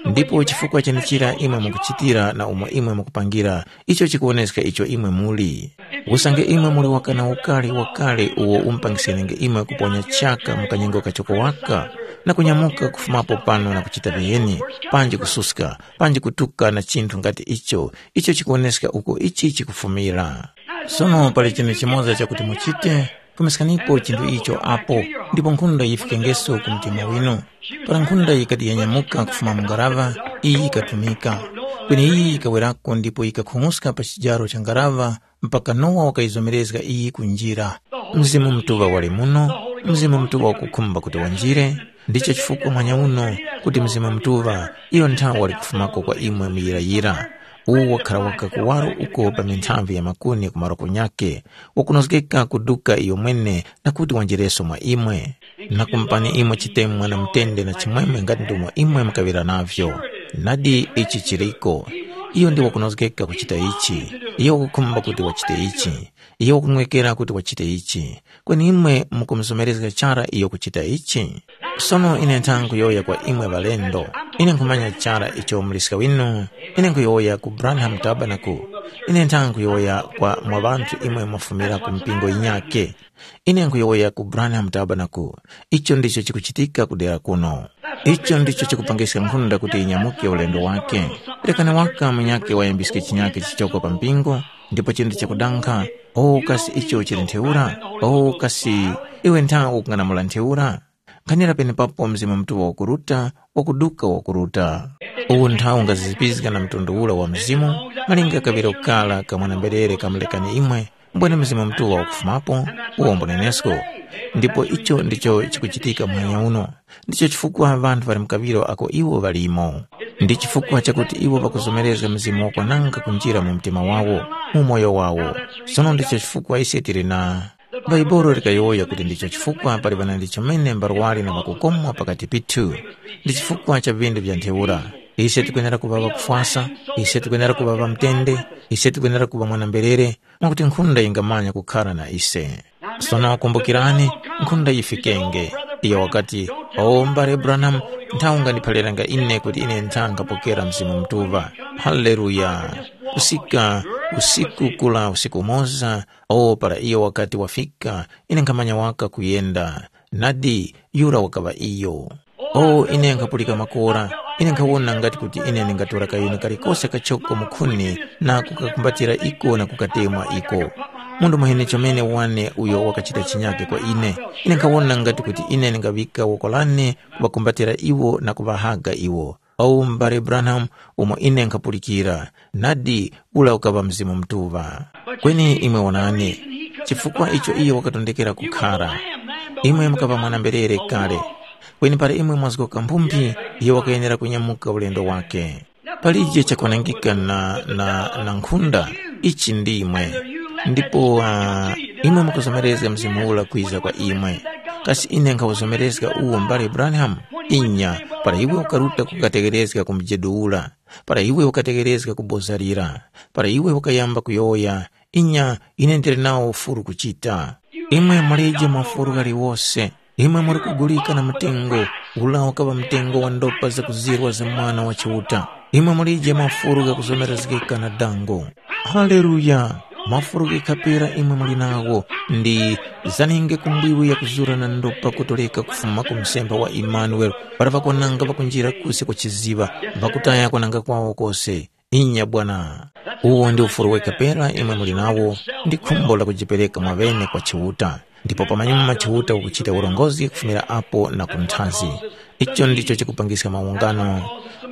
Ndipo chifukwa chenichira imwe mukuchitira na umo imwe mukupangira, icho chikuwoneska icho imwe muli. Usange imwe muli wakana ukari wakale uwo umupangisenenge imwe kuponya chaka mu kanyengo kachoko waka, na kunyamuka kufumapo pano na kuchita viheni, panji kususka, panji kutuka na chinthu ngati icho, icho chikuwoneska uko ichi chikufumira. Sono pali chinthu chimoza chakuti muchite, kumiskanipo chinthu icho apo, ndipo nkhunda yifikengeso ku mtima winu. Para nkhunda yikati yanyamuka kufuma mu ngaraŵa, iyi yikatumika. Kweni iyi yikawerako ndipo yikakhung'uska pa chijaro cha ngaraŵa mpaka Nowa wakayizomerezga iyi ku njira. Mzimu Mutuŵa wali muno, Mzimu Mutuŵa wakukhumba kuti wanjire, ndicho chifukwa mwanya uno kuti Mzimu Mutuŵa iyo nthawi wali kufumako kwa imwe muyirayira. Uwu wakhala waka kuwaro uko pa minthamvi ya makuni ku maroko nyakhe, wakunozgeka kuduka iyo mwene na kuti wanjireso mwa imwe. Na kumupani imwe chitemwa na mutende na chimwemwe ngati ndumo imwe mukaŵira navyo. Nadi ichi chiriko. Iyo ndi wakunozgeka kuchita ichi. Iyo wakukhumba kuti wachite ichi. Iyo wakunwekera kuti wachite ichi. Kweni imwe mukumuzomerezga chara iyo kuchita ichi? Sono ine nthanga kuyowoya kwa imwe ŵalendo. Ine nkhumanya chara icho muliska winu. Ine nkhuyowoya ku Branham Tabernacle. Ine nthanga kuyowoya kwa mwa ŵanthu imwe mwafumira ku mpingo yinyakhe. Ine nkhuyowoya ku Branham Tabernacle. Icho ndicho chikuchitika ku dera kuno. Icho ndicho chikupangiska nkhunda kuti inyamuke ulendo wake. Rekani waka munyakhe wayambiske chinyakhe chichoko pa mpingo, ndipo chindi chakudankha, “O kasi icho chili ntheura? O kasi iwe ntha ukung'anamula ntheura?” Nkhanira penepapo Mzimu Mutuŵa wakuruta, wakuduka wakuruta. Uwu nthawu ungazizipizga na mtundu ura wa mzimu, malinga kaŵiro kara ka mwana-mberere kamulekani imwe, mbwene Mzimu Mutuŵa wakufumapo, uwo mbunenesko. Ndipo icho ndicho chikuchitika muhanya uno. Ndicho chifukwa ŵanthu ŵali mu kaŵiro ako iwo ŵalimo. Ndi chifukwa chakuti iwo ŵakuzomerezga Mzimu wakwananga kunjira mu mtima wawo, mu umoyo wawo. Sono ndicho chifukwa ise tili na Bhaibuli likayowoya kuti ndicho chifukwa pali ŵanandi chomene mbarwari na ŵakukomwa pakati pithu. Ndi chifukwa cha vindu vya ntheura. Ise tikwenera kuŵa ŵakufwasa, ise tikwenera kuŵa ŵamtende, ise tikwenera kuŵa mwana-mberere, mwakuti nkhunda yingamanya kukhara na ise. Sono kumbukirani, nkhunda yifikenge. Iyo wakati, “O mbale Branham, nthawi ungandiphaliranga ine kuti ine nthangapokera Mzimu Mutuŵa.” Haleluya! Kusika usiku kula usiku umoza, O para iyo wakati wafika, ine nkhamanya waka kuyenda. Nadi, yura wakaŵa iyo. O ine nkhapulika makora, ine nkhawona ngati kuti ine ndingatora kayuni kalikose kachoko mukhuni na kukakumbatira iko na kukatemwa iko. Munthu muheni chomene wane uyo wakachita chinyake kwa ine. Ine nkhawona ngati kuti ine ndingaŵika woko lane kuŵakumbatira iwo na kuŵahaga iwo. Awu m'bale Branham, umo ine nkhapulikira, nadi ula ukaŵa Mzimu Mutuŵa. Kweni imwe wonani, chifukwa icho iyo wakatondekera kukhara. Imwe mukaŵa mwana-mberere kale, kweni para imwe mwazgoka mphumphi, iyo wakayenera kunyamuka ulendo wake. Palije chakwanangika na, na, na nkhunda, ichi ndimwe. Ndipo uh, imwe mukuzomerezga Mzimu ula kwiza kwa imwe. Kasi ine nkhawuzomerezga uwo m'bale Branham? Inya, para iwe ukaruta kukategherezga ku mjedu ura, para iwe ukategherezga ku boza lira, para iwe ukayamba kuyowoya, inya, ine ndili nawo ufuru kuchita. Imwe mulije mafuru ghaliwose, imwe muli kugulika na mtengo, ula ukaŵa mtengo wa ndopa zakuzirwa za Mwana wa Chiuta. Imwe mulije mafuru ghakuzomerezgeka na dango. Haleluya! Mafuru ghikapera imwe muli nagho, ndi zaninge kumbwiwi yakuzura na ndopa kutoleka kufuma ku msemba wa Imanuele, para ŵakwananga ŵakunjira kusi kwa chiziŵa, ŵakutaya kwananga kwawo kose. Inya Bwana. Uwo ndi ufuru wekha pera imwe muli nawo, ndi khumbo la kujipereka mwaŵene kwa Chiuta, ndipo pamanyuma Chiuta ukuchita urongozgi kufumira apo na ku nthazi. Icho ndicho chikupangiska mawungano,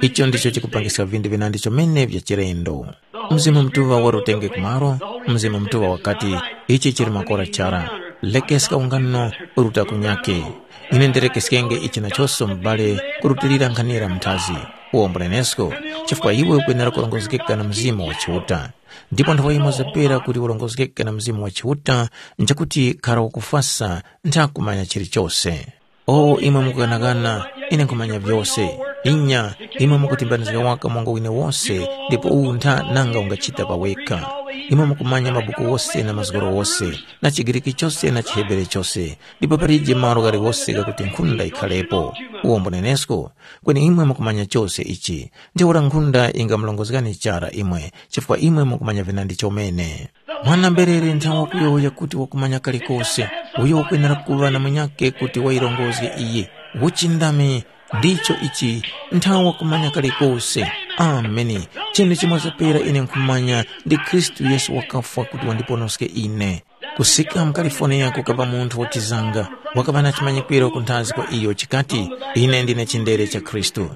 icho ndicho chikupangiska vinthu vinandi chomene vya chilendo. Mzimu Mutuŵa wali utenge kumalo, Mzimu Mutuŵa wakati, ichi chili makora chara, lekeska ungano uruta kunyakhe. Ine ndirekeskenge ichi nachoso m'bale kurutilira nkhanira mnthazi. Uwo mbunenesko, chifukwa iwe ukwenera kurongozgeka na Mzimu wa Chiuta. Ndipo nthawe yimoza pera kuti urongozgeke na Mzimu wa Chiuta, nchakuti khara wakufwasa nthakumanya chilichose. O imwe mukughanaghana, ine nkhumanya vyose. Inya, imwe mukutimbanizga waka monga wine wose, ndipo uwu ntha nanga ungachita pa wekha. Imwe mukumanya mabuku wose na mazgoro wose, na chiGriki chose na chiHebere chose, ndipo palije malo ghaliwose ghakuti nkhunda yikhalepo. Uwo mbunenesko, kweni imwe mukumanya chose ichi. Ntheura nkhunda yingamulongozgani chara imwe, chifukwa imwe mukumanya vinandi chomene. Mwana-mberere nthawa kuyowoya kuti wakumanya kalikose, uyo wakwenera kuŵa na munyakhe kuti wayirongozge iye. Uchindami ndicho ichi, nthawa wakumanya kalikose. Ameni. Chinthu chimoza pera ine nkhumanya ndi Khristu Yesu wakafwa kuti wandiponoske ine. Kusika mu California kukaŵa munthu wachizanga, wakaŵa na chimanyikwiro kunthazi kwa iyo chikati, “Ine ndine chindere cha Khristu.”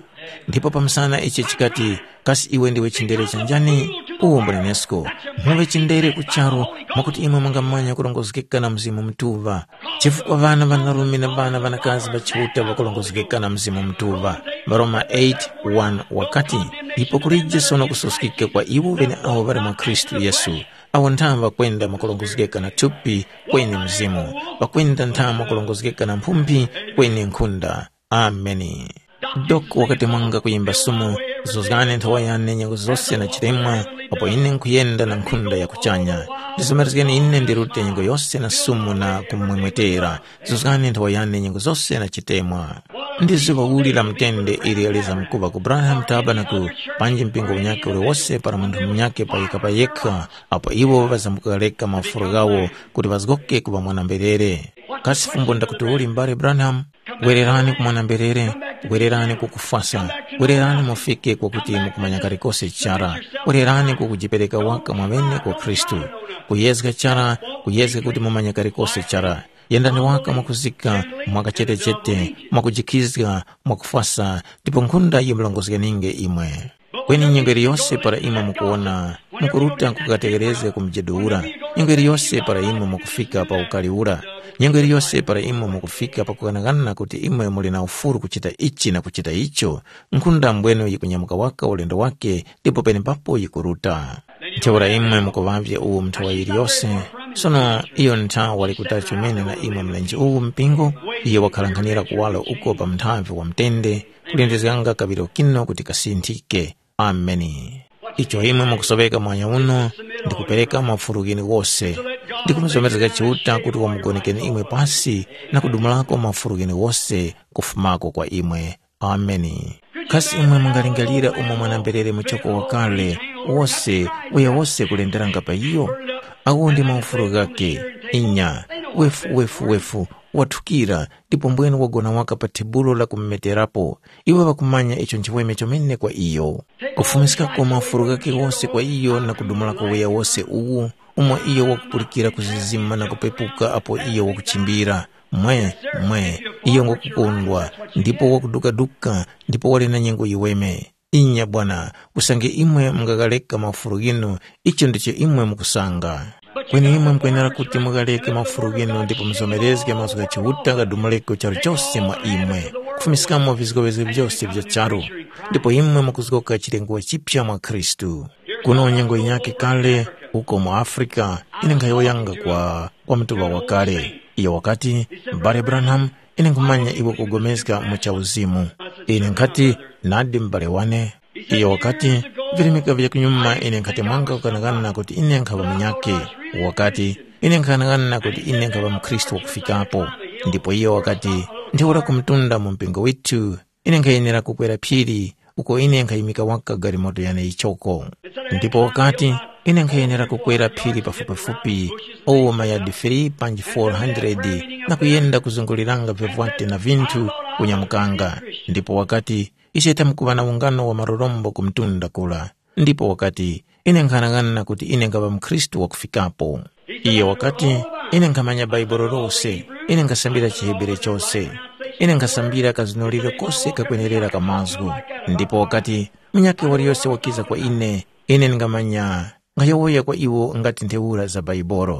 Ndipo pamsana ichi chikati, “Kasi iwe ndiwe chindere cha njani?” Uwo mbunenesko, muŵe chindere ku charu, mwakuti imwe mungamanya kurongozgeka na Mzimu Mutuŵa. Chifukwa ŵana ŵanarume na ŵana ŵanakazi ŵa Chiuta ŵakurongozgeka na Mzimu Mutuŵa. Varoma eight one wakati, ipo kulije sono kusoskika kwa iwo ŵeneawo ŵali mwa Khristu Yesu. Awo ntha ŵakwenda mwakurongozgeka na thupi kweni mzimu, ŵakwenda ntha mwakurongozgeka na mphumphi kweni nkhunda. Ameni. Doko wakatemwanga kuyimba sumu, zuzgani nthawa yane nyengo zose na chitemwa, apo ine nkhuyenda na nkhunda ya kuchanya. Ndizomerezgeni ine ndirute nyengo yose na sumu na kumwemwetera. Zuzgani nthawa yane nyengo zose na chitemwa. Ndi zuŵa uli la mutende ili alizamkuŵa ku Branham Tabernacle, panji mpingo unyakhe uliwose para munthu munyakhe payekha payekha, apo iwo ŵazamkukareka mafuro ghawo kuti ŵazgoke kuŵa mwana-mberere. Kasi fumbo ndakuti uli mbale Branham? Wererani ku mwana-mberere, wererani ku kufwasa, wererani mufike kwakuti mukumanya kalikose chara, wererani ku kujipereka waka mwamene kwa Khristu, kuyezga chara, kuyezga kuti mumanye kalikose chara. Yendani waka mwakuzika, mwakachetechete, mwakujikhizga, mwakufwasa, ndipo nkhunda yimurongozgeninge imwe. Kweni nyengo iliyose para imwe mukuwona, mukuruta kukategherezga ku mjedu ura, nyengo iliyose para imwe mukufika pa ukari ura, nyengo iliyose para imwe mukufika pakughanaghana kuti imwe muli na ufuru kuchita ichi na kuchita icho, nkhunda mbwenu yikunyamuka waka ulendo wake ndipo penepapo yikuruta. Ntheura imwe mukuŵavye uwu nthawa yiliyose, sono iyo nthawa wali kutali chomene na imwe mlenje uwu mpingo, iyo wakhalankhanira kuwaro uko pa muthavi wa mutende, kulindizganga kaŵiro kino kuti kasinthike. Ameni. Icho imwe mukusoŵeka mwanya uno, ndikupereka mafuru ghene wose, ndikumuzomerezga Chiuta kuti wamugonekeni imwe pasi na kudumulako mafuru ghene wose kufumako kwa imwe. Ameni. Kasi imwe mungalingalira umo mwana-mberere muchoko wakale wose uya wose kulenderanga pa iyo? Awo ndi maufulu ghakhe, inya, wefu wefu wefu, wathukira, ndipo mbwene wagona waka pa thebulo la kumumeterapo. Iwo ŵakumanya icho nchiweme chomene kwa iyo. Kufumiskako maufulu ghakhe ghose kwa iyo na kudumulako uya wose uwu, umo iyo wakupulikira kuzizima na kupepuka apo iyo wakuchimbira. Mwe, mwe, iyo ngwakukondwa, ndipo wakudukaduka, ndipo wali na nyengo yiweme. Inya Bwana, usange imwe mungaghareka mafuru ghinu, icho ndicho imwe mukusanga. Kweni imwe mukwenera kuti mughareke mafuru ghinu ndipo muzomerezge mazgu gha Chiuta ghadumuleko charu chose mwa imwe, kufumiskamo vizgowezgo vyose vya charu, ndipo imwe mukuzgoka chilengwa chipya mwa Khristu. Kuno nyengo yinyakhe kale, uko mu Afrika, ine nkhayowoyanga kwa, kwa mutuŵa wakale. Iyo wakati, M'bale Branham, ine nkhumanya iwe ukupulikana mu cha uzimu. Ine nkhati, nadi m'bale wane. Iyo wakati, virimika vya kunyuma ine nkhatemwanga kughanaghana kuti ine nkhaŵa munyakhe. Wakati, ine nkhaghanaghana kuti ine nkhaŵa mukhristu wakufikapo. Ndipo iyo wakati, ntheura kumtunda mu mpingo withu, ine nkhayenera kukwera phiri, uko ine nkhayimika waka galimoto yane yichoko. Ndipo wakati, ine nkhayenera kukwera phiri pafupifupi, owo mayadi three panji four hundred, na kuyenda kuzunguliranga vivwate na vinthu kunyamukanga. Ndipo wakati, ise tamkuŵa na ungano wa marorombo ku mtunda kura. Ndipo wakati, ine nkhanang'ana kuti ine nkhaŵa mukhristu wakufikapo. Iyo wakati, ine nkhamanya Bhaibuli lose, ine nkhasambira chiHebere chose, ine nkhasambira kazunuliro kose kakwenerera ka mazgu. Ndipo wakati, munyakhe waliyose wakiza kwa ine, ine ndingamanya nkhayowoya kwa iwo ngati ntheura za Bhaibuli.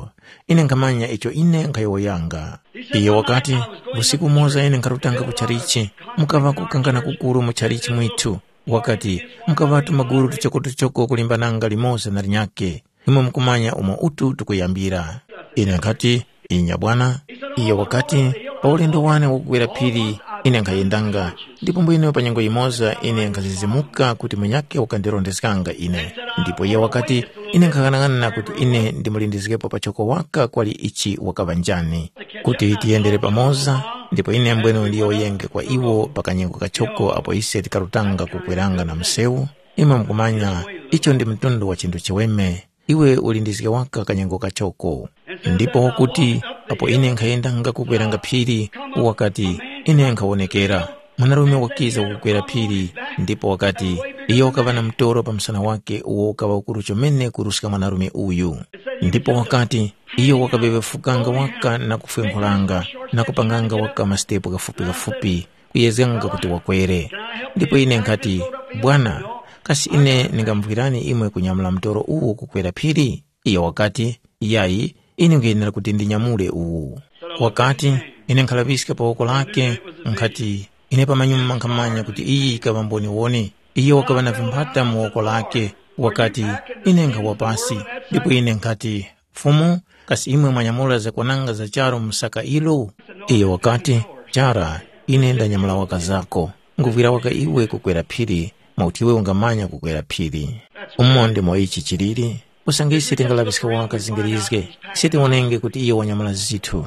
Ine nkhamanya icho ine nkhayowoyanga. Iyo wakati, usiku umoza ine nkharutanga ku chalichi, mukaŵa kukangana kukuru mu chalichi mwithu. Wakati, mukaŵatu magulu tuchokotuchoko kulimbananga limoza na linyakhe. Imwe mukumanya umo utu tukuyambira. Ine nkhati, inya bwana. Iyo wakati, pa ulendo wane wakukwera phiri, ine nkhayendanga, ndipo mbwene pa nyengo yimoza ine nkhazizimuka kuti munyakhe wakandirondeskanga ine. Ndipo iye wakati, ine nkhaghanaghananga kuti ine ndimulindizgepo pachoko waka kwali ichi wakaŵa njani, kuti tiyendere pamoza, ndipo ine mbwene ndiyowoyenge kwa iwo pa kanyengo kachoko apo ise tikarutanga kukweranga na msewu. Imwe mukumanya, icho ndi mtundu wa chinthu chiweme. Iwe ulindizge waka kanyengo kachoko. Ndipo wakuti, apo ine nkhayendanga kukweranga phiri, wakati, ine nkhawonekera mwanarume wakiza kukwera phiri, ndipo wakati, iyo wakaŵa na mtoro pa msana wake uwo ukaŵa ukuru chomene kuruska mwanarume uyu. Ndipo wakati, iyo wakaŵeŵefukanga waka na kufwenkhulanga, na kupanganga waka masitepo ghafupi-ghafupi, kuyezganga kuti wakwere. Ndipo ine nkhati, bwana, kasi ine ndingamuvwirani imwe kunyamula mtoro uwu kukwera phiri? Iyo wakati, yayi, ine nkhuyenera kuti ndinyamule uwu. Wakati, ine nkhalaŵiska pa woko lake, nkhati, ine pamanyuma nkhamanya kuti iyi yikaŵa mboniwoni. Iyo wakaŵa na vimphata mu woko lake, wakati, ine nkhawa pasi. Ndipo ine nkhati, Fumu, kasi imwe mwanyamula zakwananga za charu mu saka ilo? Iyo wakati, chara, ine ndanyamula waka zako. nguvwira waka iwe kukwera phiri, mwakuti iwe ungamanya kukwera phiri. Umo ndimo ichi chiliri, usange ise tingalaŵiska waka zingirizge, ise tiwonenge kuti iyo wanyamula zithu.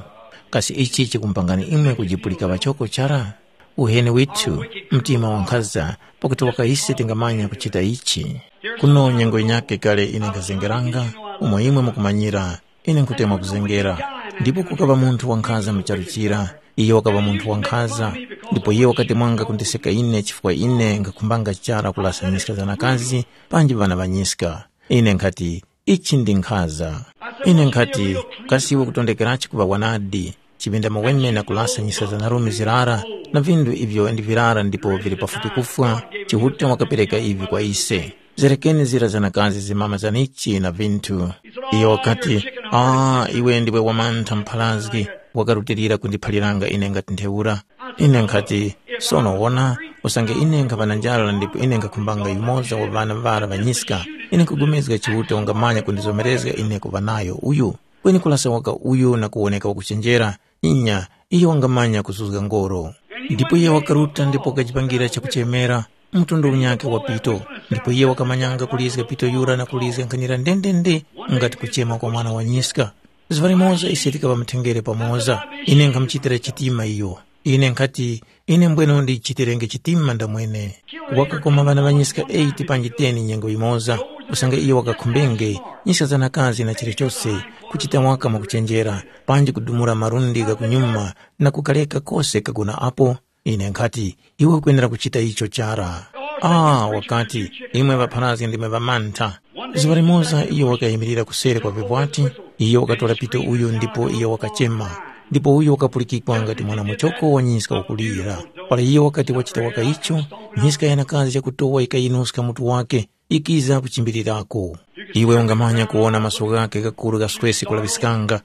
Kasi ichi chikumpangani imwe kujipulika ŵachoko chara? Uheni withu, mtima wankhaza, pakuti waka ise tingamanya kuchita ichi. Kuno nyengo yinyakhe kale ine nkhazengeranga, umo imwe mukumanyira, ine nkhutemwa kuzengera. Ndipo kukaŵa munthu wankhaza mu charu chira, iyo wakaŵa munthu wankhaza, ndipo iye wakati mwanga kundiseka ine chifukwa ine nkhakhumbanga chara kulasa nyiska za nakazi panji ŵana ŵa nyiska. Ine nkhati, ichi ndi nkhaza. Ine nkhati, kasi iwe kutondekerachi kuŵa wanadi? Chipinda maweme na kulasa nyiska za narume zirara na vindu ivyo ndi virara ndipo vili pafupi kufwa, Chiuta wakapereka ivi kwa ise. Zerekeni zira za nakazi zimama zanichi na vinthu. Iyo wakati, ah, iwe ndiwe wamantha mpharazgi, wakarutilira kundiphaliranga ine ngati ntheura. Ine nkhati, sono wona, usange ine nkhaŵa na njara ndipo ine nkhakhumbanga yumoza wa ŵana ŵara ŵanyiska, ine nkhupulikana Chiuta ungamanya kundizomerezga ine kuŵa nayo uyu. Kweni kulasa waka uyu na kuwoneka wakuchenjera, inya, iyo wangamanya kuzuzga ngoro. Ndipo iye wakaruta ndipo wakajipangira chakuchemera mtundu unyakhe wa pito, ndipo iye wakamanyanga kulizga pito yura na kulizga nkhanira ndendende ngati kuchema kwa mwana wa nyiska. Zuŵa limoza ise tikaŵa mutengere pamoza, ine nkhamuchitira chitima iyo. Ine nkhati, ine mbweno ndichitirenge chitima ndamwene. Wakakoma ŵana ŵanyiska eight panji ten nyengo yimoza, usange iyo wakakhumbenge nyiska za nakazi na chilichose, kuchita waka mwakuchenjera, panji kudumula malundi gha kunyuma na kukareka kose kagona apo. Ine nkhati, iwe ukwenera kuchita icho chara. Ah, wakati, imwe ŵapharazgi ndimwe ŵamantha. Zuŵa limoza iyo wakayimirira kuseri kwa vivwati, iyo wakatora pito uyu ndipo iyo wakachema. Ndipo uyo wakapulikikwa ngati mwana muchoko wa nyiska wakulira. Para iyo wakati wachita waka icho, nyiska yanakazi yakutowa yikayinuska mutu wake, yikiza kuchimbirirako. Iwe ungamanya kuwona maso ghakhe ghakuru ghaswesi kulaŵiskanga.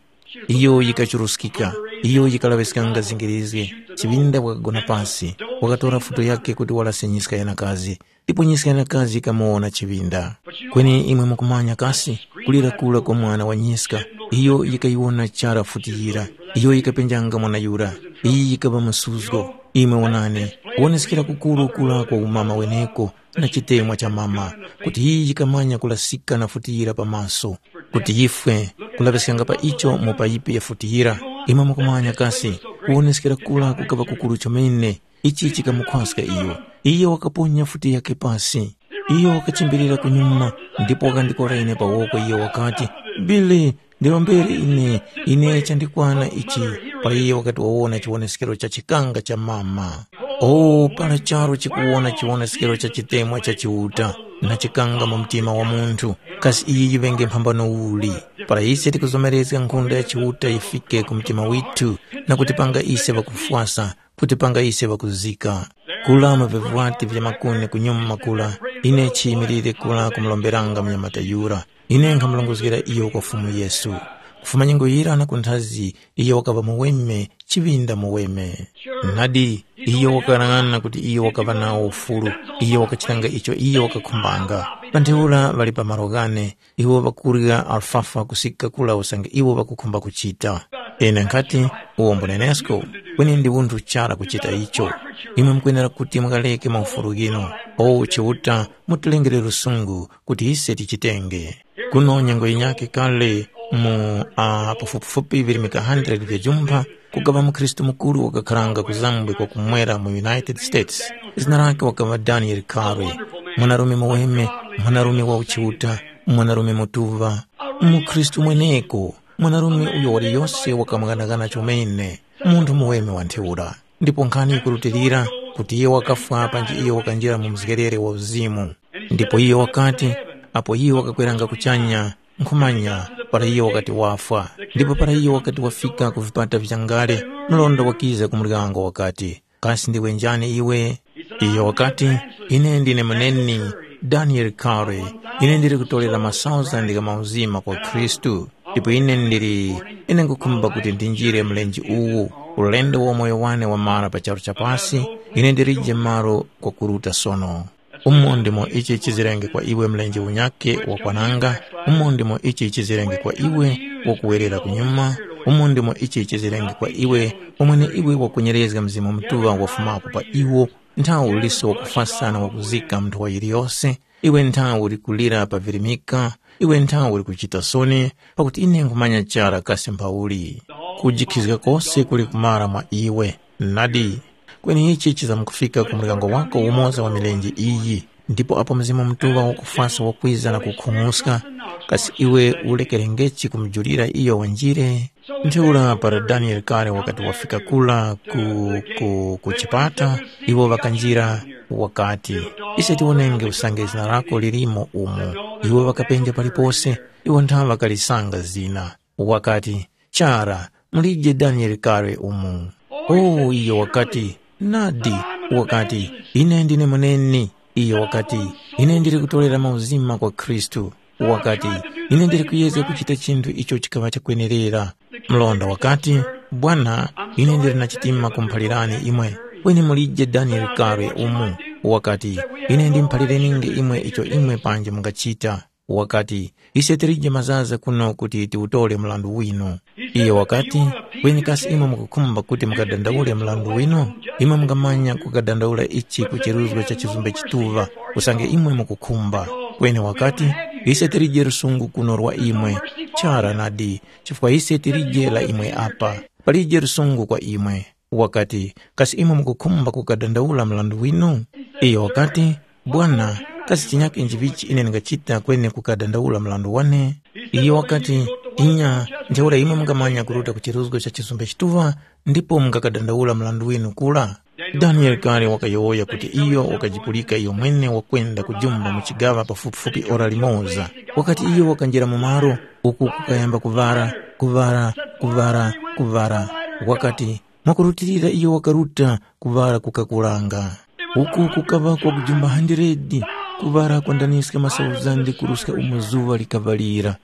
Iyo yikachuruskika, iyo yikalaŵiskanga zingirizge. Chiŵinda wakagona pasi, wakatora futo yakhe kuti walase nyiska yanakazi. Ndipo nyiska yanakazi yikamuwona chiŵinda. Kweni imwe mukumanya kasi, kulira kura kwa mwana wa nyiska, iyo yikayiwona chara futi yira, iyo yikapenjanga mwana yura. Iyi yikaŵa msuzgo. Imwe wonani, kuwoneskera kukuru kura kwa umama weneko na chitemwa cha mama, kuti iyi yikamanya kulasika na futi yira pa maso, kuti yifwe, kulaŵiskanga pa icho mu payipi ya futi yira. Imwe mukumanya kasi, kuwoneskera kura kukaŵa kukuru chomene. Ichi chikamukhwaska iyo. Iyo wakaponya futi yake pasi. Iyo wakachimbilira kunyuma ndipo wakandikora ine pa woko. Iyo wakati, “Billy, ndirombere ine, ine chandikwana ichi.” Para iyo wakati wawona chiwoneskero cha chikanga cha mama. O, para charu chikuwona chiwoneskero cha chitemwa cha Chiuta na chikanga mu mtima wa munthu, kasi iyi yiŵenge mphambano uli? Para ise tikuzomerezga nkhunda ya Chiuta yifike ku mtima withu na kutipanga ise ŵakufwasa, kutipanga ise ŵakuzika. Kula mu vivwati vya makuni kunyuma kula, ine chiyimilire kula kumuromberanga munyamata yura. Ine nkhamurongozgera iyo kwa Fumu Yesu. Kufuma nyengo yira na kunthazi, iyo wakaŵa muweme, chiŵinda muweme. Nadi, iyo wakalang'ana kuti iyo wakaŵa nawo ufulu, iyo wakachitanga icho iyo wakakhumbanga. Pa ntheura ŵali pa malo ghane, iwo ŵakurya alfafa kusika kula usange iwo ŵakukhumba kuchita. Ine nkhati, uwo mbunenesko, kweni ndi unthu chara kuchita icho. Imwe mukwenera kuti mukaleke maufulu ghinu. O Chiuta, mutilengere lusungu kuti ise tichitenge. Kuno nyengo yinyakhe kale mu uh, pafupifupi virimika one hundred vya jumpha, kukaŵa mukhristu mukuru wakakharanga ku zambwe kwa kumwera mu United States. Zina lake wakaŵa Daniel Carey, mwanarume muweme, mwanarume wa uchiuta, mwanarume mutuŵa, mukhristu mweneko, mwanarume uyo waliyose wakamughanagana chomene, munthu muweme wa ntheura. Ndipo nkhani yikurutilira kuti iyo wakafwa panji iyo wakanjira mu mzgerere wa uzimu. Ndipo iyo wakati, apo iyo wakakweranga kuchanya, nkhumanya, para iyo wakati wafwa. Ndipo para iyo wakati wafika ku vipata vichangale, mlonda wakiza ku muryango wakati, “Kasi ndiwe njani iwe?” Iyo wakati, “Ine ndine muneni Daniel Carey. Ine ndili kutorera masauzandi gha mauzima kwa Khristu. Ndipo ine ndili, ine nkhukhumba kuti ndinjire mlenje uwu, ulendo wa moyo wane wamara pa charu cha pasi, ine ndilije malo kwakuruta sono.” Umo ndimo ichi chizirenge kwa iwe mlenje unyakhe wakwananga, umo ndimo ichi chizirenge kwa iwe wakuwerera kunyuma, umo ndimo ichi chizirenge kwa iwe umwene iwe wakunyerezga Mzimu Mutuŵa wafumapo pa iwo, Nthawe uliso wakufwa sana wakuzika munthu wa yiliyose, iwe nthawe uli kulira pa virimika, iwe nthawe uli kuchita soni, pakuti ine nkhumanya chara kasi mphauli. Kujikhizga kose kuli kumara mwa iwe. Nadi, kweni ichi chizamkufika ku muryango wako umoza wa milenje iyi. Ndipo apo Mzimu Mutuŵa wakufwasa wakwiza na kukhung'uska, kasi iwe ulekerengechi kumujulira iyo wanjire? Ntheura para Daniele kale wakati wafika kura ku, ku, ku chipata, iwo ŵakanjira, wakati, “Ise tiwonenge usange zina lako lilimo umu.” Iwo ŵakapenja palipose, iwo nthawe ŵakalisanga zina. Wakati, “Chara, mulije Daniele kale umu.” Oh, iyo wakati, “Nadi.” Wakati, “Ine ndine mweneni.” Iyo wakati, “Ine ndili kutorera mauzima kwa Khristu.” Wakati, “Ine ndili kuyezga kuchita chinthu icho chikaŵa chakwenerera.” Mlonda wakati, “Bwana, ine ndili na chitima kumuphalirani imwe, kweni mulije Daniele kale umu.” Wakati, “Ine ndimuphalirininge imwe icho imwe panji mungachita.” Wakati, “Ise tilije mazaza kuno kuti tiwutore mrandu winu.” Iyo wakati, “Kweni kasi imwe mukukhumba kuti mukadandaule mrandu winu? Imwe mungamanya kukadandaula ichi ku chiruzgo cha chizumbe chituŵa, usange imwe mukukhumba.” Kweni wakati, “Ise tilije lusungu kuno lwa imwe. Chara nadi, chifukwa ise tilije la imwe apa. Palije lusungu kwa imwe.” Wakati, “Kasi imwe mukukhumba kukadandaula mrandu winu?” Iyo wakati, “Bwana, kasi chinyake nchivichi ine ndingachita kweni kukadandaula mrandu wane?” Iyo wakati, “Inya, ntheura imwe mungamanya kuruta ku chiruzgo cha chizumbe chituŵa ndipo mungakadandaula mrandu winu kura.” Daniele kale wakayowoya kuti iyo wakajipulika iyo mwene wakwenda kujumba mu chigaŵa pafupifupi ora limoza. Wakati iyo wakanjira mu malo, uku kukayamba kuŵara, kuŵara, kuŵara, kuŵara. Wakati, mwakurutilira iyo wakaruta kuŵala kukakulanga. Uku kukaŵa kwakujumba handiredi, kuŵala kwandaniska masauzande kuruska umo zuŵa likaŵalira.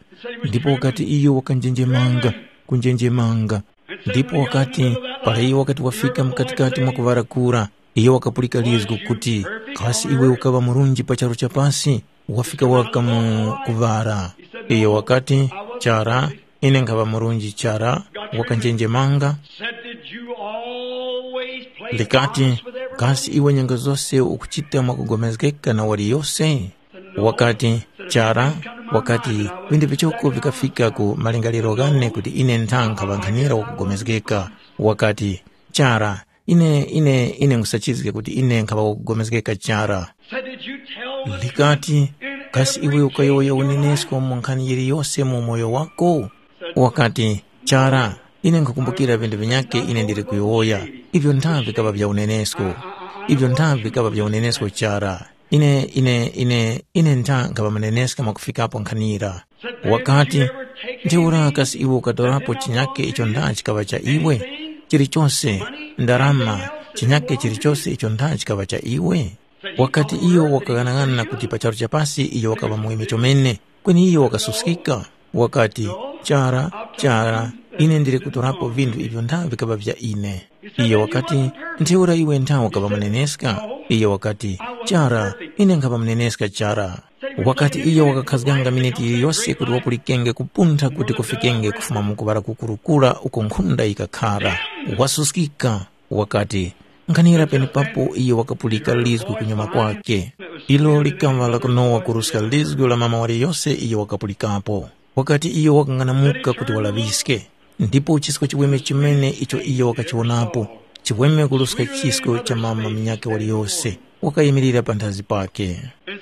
Ndipo wakati iyo wakanjenjemanga, kunjenjemanga. Ndipo wakati, para iyo wakati wafika mkatikati mwa kuŵala kura, iyo wakapulika lizgu kuti, kasi iwe ukaŵa murunji pa charu cha pasi? Wafika waka mu kuŵala. Iyo wakati, chara, ine nkhaŵa murunji chara, wakanjenjemanga. Said, did you always play likati, games with everybody? Kasi iwe nyengo zose ukuchita mwakugomezgeka na waliyose? Wakati, chara, wakati, vinthu vichoko vikafika ku malingaliro ghane kuti ine nthankha ŵankhanira wakugomezgeka. Wakati, chara, ine ine ine nkhusachizga kuti ine nkhaŵa wakugomezgeka chara. Said, did you tell the likati, truth in kasi iwe every ukayowoya case in your life? Unenesko mu nkhani yiliyose mu umoyo wako? Wakati, chara, ine nkhukumbukira vinthu vinyakhe ine ndili kuyowoya. Ivyo ntha vikaŵa vya unenesko. Ivyo ntha vikaŵa vya unenesko chara. Ine ine ine ine ntha nkhaŵa muneneska mwakufikapo nkhanira. Wakati, ntheura kasi iwe ukatorapo chinyakhe icho ntha chikaŵa cha iwe? Chilichose, ndarama, chinyakhe chilichose icho ntha chikaŵa cha iwe? Wakati iyo wakaghanaghanana kuti pa charu cha pasi iyo wakaŵa muweme chomene, kweni iyo wakasuskika. Wakati, chara, chara, ine ndili kutorapo vinthu ivyo ntha vikaŵa vya ine. Iyo wakati, ntheura iwe ntha ukaŵa muneneska? Iyo wakati, chara, ine nkhaŵa muneneska chara. Wakati iyo wakakhazganga miniti yiliyose kuti wapulikenge kupuntha kuti kufikenge kufuma mu kuŵala kukurukura uko nkhunda yikakhara, wasuskika. Wakati, nkhanira penepapo iyo wakapulika lizgu kunyuma kwake. Ilo likaŵa lakunowa kuruska lizgu la mama waliyose iyo wakapulikapo. Wakati iyo wakang'anamuka kuti walaŵiske, ndipo chisko chiweme chimene icho iyo wakachiwonapo, chiweme kuruska chisko cha mama munyakhe waliyose, wakayimirira panthazi pake.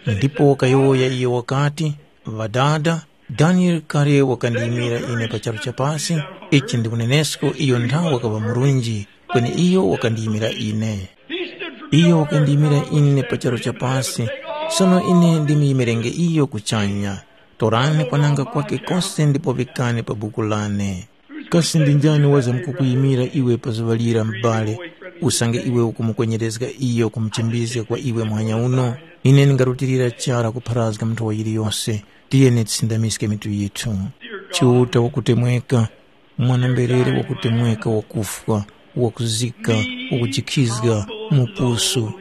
Ndipo wakayowoya iyo wakati, Ŵadada, Daniele kale wakandiyimira ine pa charu cha pasi, ichi ndi unenesko iyo nthawe wakaŵa murunji, kweni iyo wakandiyimira ine. Iyo wakandiyimira ine pa charu cha pasi, sono ine ndimuyimirenga iyo kuchanya. Torani kwananga kwake kose ndipo vikani pa buku lane. Kasi ndi njani wazamkukuyimira iwe pa zuŵa lira m'bale, usange iwe ukumukwenyerezga iyo kumuchimbizga kwa iwe muhanya uno? Ine ndingarutilira chara kupharazga nthowa yiliyose. Tiyeni tisindamiske mitu yithu. Chiuta wakutemweka, mwana-mberere wakutemweka wakufwa, wakuzika, wakujikhizga, mupusu.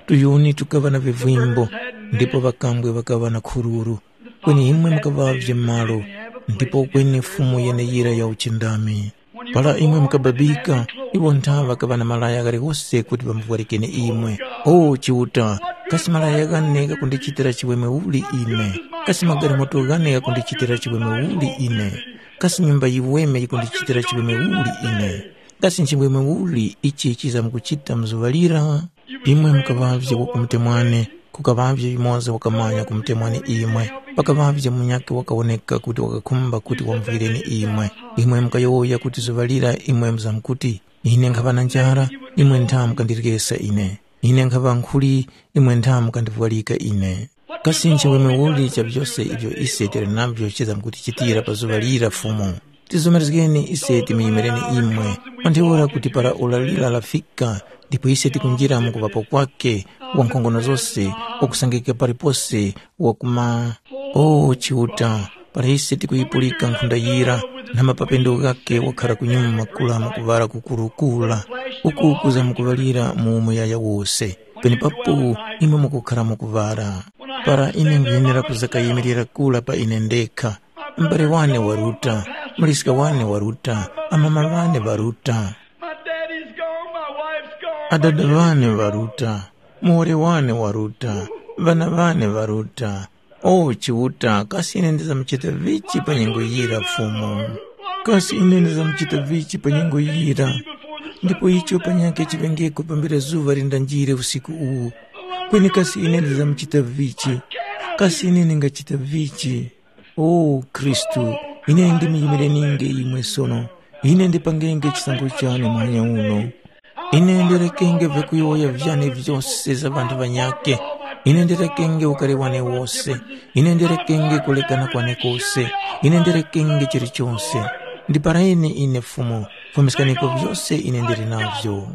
Tuyuni tukaŵa na vivimbo, ndipo ŵakambwe ŵakaŵa na khururu. Kweni imwe mukaŵavye malo, ndipo kweni Fumu yeneyira ya uchindami. Para imwe mukababika, iwo ntha ŵakaŵa na malaya ghaliwose kuti ŵamuvwarikeni imwe. O Chiuta, kasi malaya ghane ghakundichitira chiweme uli ine? Kasi magalimoto ghane ghakundichitira chiweme uli ine? Kasi nyumba yiweme yikundichitira chiweme uli ine? Kasi nchiweme uli ichi chizamkuchita mu zuŵa lira? Imwe mukaŵavye wakumutemwani, kukaŵavye yumoza wakamanya kumutemwani imwe. Pakaŵavye munyakhe wakawoneka kuti wakakhumba kuti wamuvwireni imwe. Imwe mukayowoya kuti zuŵa lira imwe muzamkuti, “Ine nkhaŵa na njara, imwe ntha mukandiryesa ine. Ine nkhaŵa nkhuli, imwe ntha mukandivwarika ine.” Kasi nchiweme uli cha vyose ivyo ise tili navyo chizamkutichitira pa zuŵa lira Fumu? Tizomerezgeni ise timuyimireni imwe, pa ntheura kuti para ora lira lafika, ndipo ise tikunjira mu kuŵapo kwakhe, wankhongono zose, wakusangika palipose, wakuma. O Chiuta, para ise tikuyipulika nkhunda yira, na mapapendo ghakhe wakhara kunyuma kula mu kuŵala kukurukura, uku kuza mu kuŵalira mu muyaya wose. Penepapo imwe mukukhara mu kuŵala. Para ine nkhuyenera kuza kayimirira kula pa ine ndekha, m'bale wane waruta, muliska wane waruta, amama ŵane ŵaruta, My daddy's gone, my wife's gone, my adada ŵane ŵaruta, muwoli wane waruta, ŵana ŵane ŵaruta. O Chiuta, kasi ine ndizamuchita vichi pa nyengo yira Fumu? Kasi ine ndizamuchita vichi pa nyengo yira? Ndipo icho panyakhe chiŵengeko pambere zuŵa lindanjire usiku uwu. Kweni kasi ine ndizamuchita vichi? Kasi ine ndingachita vichi? O Khristu, ine ndimuyimireninge imwe sono. Ine ndipangenge chisankho chane muhanya uno. Ine ndirekenge vyakuyowoya vyane vyose za ŵanthu ŵanyakhe. Ine ndirekenge ukari wane wose. Ine ndirekenge kulekana kwane kose. Ine ndirekenge chilichose. Ndipareni ine Fumu, fumiskaniko vyose ine ndili navyo.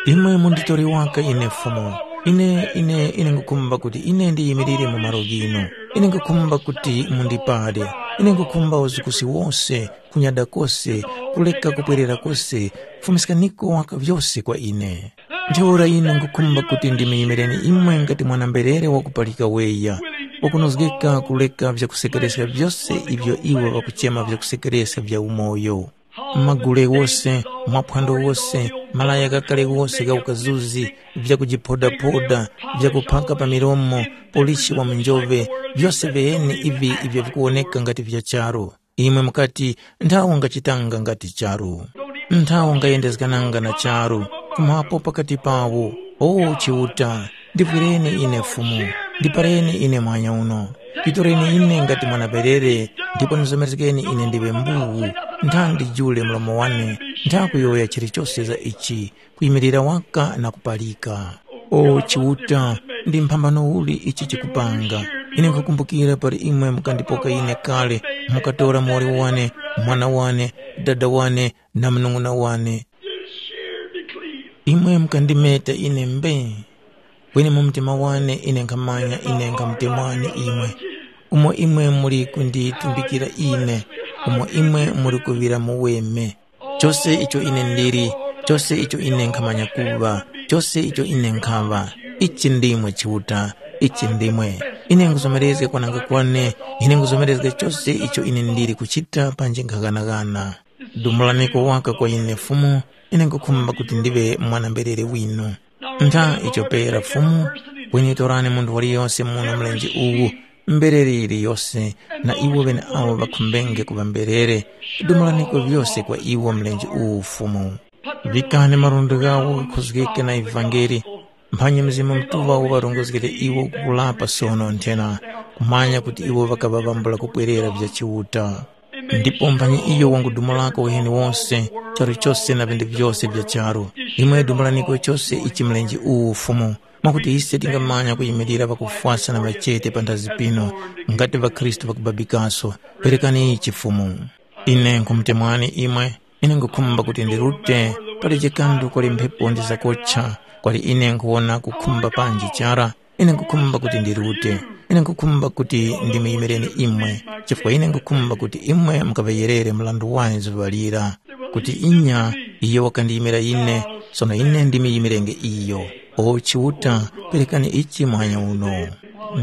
Imwe munditore waka ine Fumu. Ine, ine, ine ngukhumba kuti ine ndiyimirire mu malo ghinu. Ine ngukhumba kuti mundipade. Ine ngukhumba uzukusi wose, kunyada kose, kuleka kupwerera kose, fumiskaniko waka vyose kwa ine. Ntheura ine ngukhumba kuti ndimuyimileni imwe ngati mwana-mberere wakupalika weya, wakunozgeka kuleka vyakusekereska vyose ivyo iwo ŵakuchema vyakusekereska vya umoyo. Magule wose, maphwando wose, malaya ghakale wose gha ukazuzi, vyakujiphodaphoda, vyakuphaka pa milomo, polishi wa munjove, vyose viheni ivi ivyo vikuwoneka ngati vya charu. Imwe mukati, nthawo ngachitanga ngati charu. Nthawo ngayendezgananga na charu, kumapo pakati pawo. O Chiuta, ndivwireni ine Fumu, ndipareni ine mwanya uno. Nditoreni ine ngati mwana-perere, ndipo ndizomerezgeni ine ndiŵe mbuwu. Ntha ndijule mlomo wane, ntha kuyowoya chilichose za ichi, kuyimirira waka na kupalika. O Chiuta, ndi mphambano uli ichi chikupanga? Ine nkhukumbukira pali imwe mukandipoka ine kale, mukatora muwoli wane, mwana wane, dada wane, na munung'una wane. Imwe mukandimeta ine mbee. Kweni mu mtima wane ine nkhamanya ine nkhamutemwani imwe. Umo imwe muli kunditumbikira ine, umo imwe muli kuŵira muweme. Chose icho ine ndili, chose icho ine nkhamanya kuŵa, chose icho ine nkhaŵa, ichi ndimwe Chiuta, ichi ndimwe. Ine nguzomerezga kwananga kwane, ine nguzomerezga chose icho ine ndili kuchita panji nkhaghanagana. Dumulaniko waka kwa ine Fumu, ine nkukhumba kuti ndiŵe mwana-mberere winu. Ntha icho pera Fumu, kweni torani munthu waliyose muno mlenje uwu, mberere yiliyose, na iwo ŵeneawo ŵakhumbenge kuŵa mberere, dumulaniko vyose kwa iwo mlenje uwu Fumu. Vikani malundi ghawo ghakhozgeke na ivangeli, mphanyi Mzimu Mutuŵa uŵarongozgere iwo kukulapa sono nthena, kumanya kuti iwo ŵakaŵa ŵambula kupwerera vya Chiuta. Ndipo mphanyi iyo wangudumulako uheni wose, charu chose na vinthu vyose vya charu. Imwe dumulaniko chose ichi mlenje uwu Fumu, mwakuti ise tingamanya kuyimilira ŵakufwasa na ŵachete panthazi pino, ngati ŵakhristu ŵakubabikaso. Perekani ichi Fumu. Ine nkhumutemwani imwe, ine nkhukhumba kuti ndirute, pali chikandu kwali mphepo ndi zakocha, kwali ine nkhuwona kukhumba panji chara, ine nkhukhumba kuti ndirute, ine nkhukhumba kuti ndimuyimireni imwe, chifukwa ine nkhukhumba kuti imwe mukaŵayerere mrandu wane zuŵa lira, kuti inya iyo wakandiyimira ine, sono ine ndimuyimire iyo. O Chiuta, perekani ichi muhanya uno.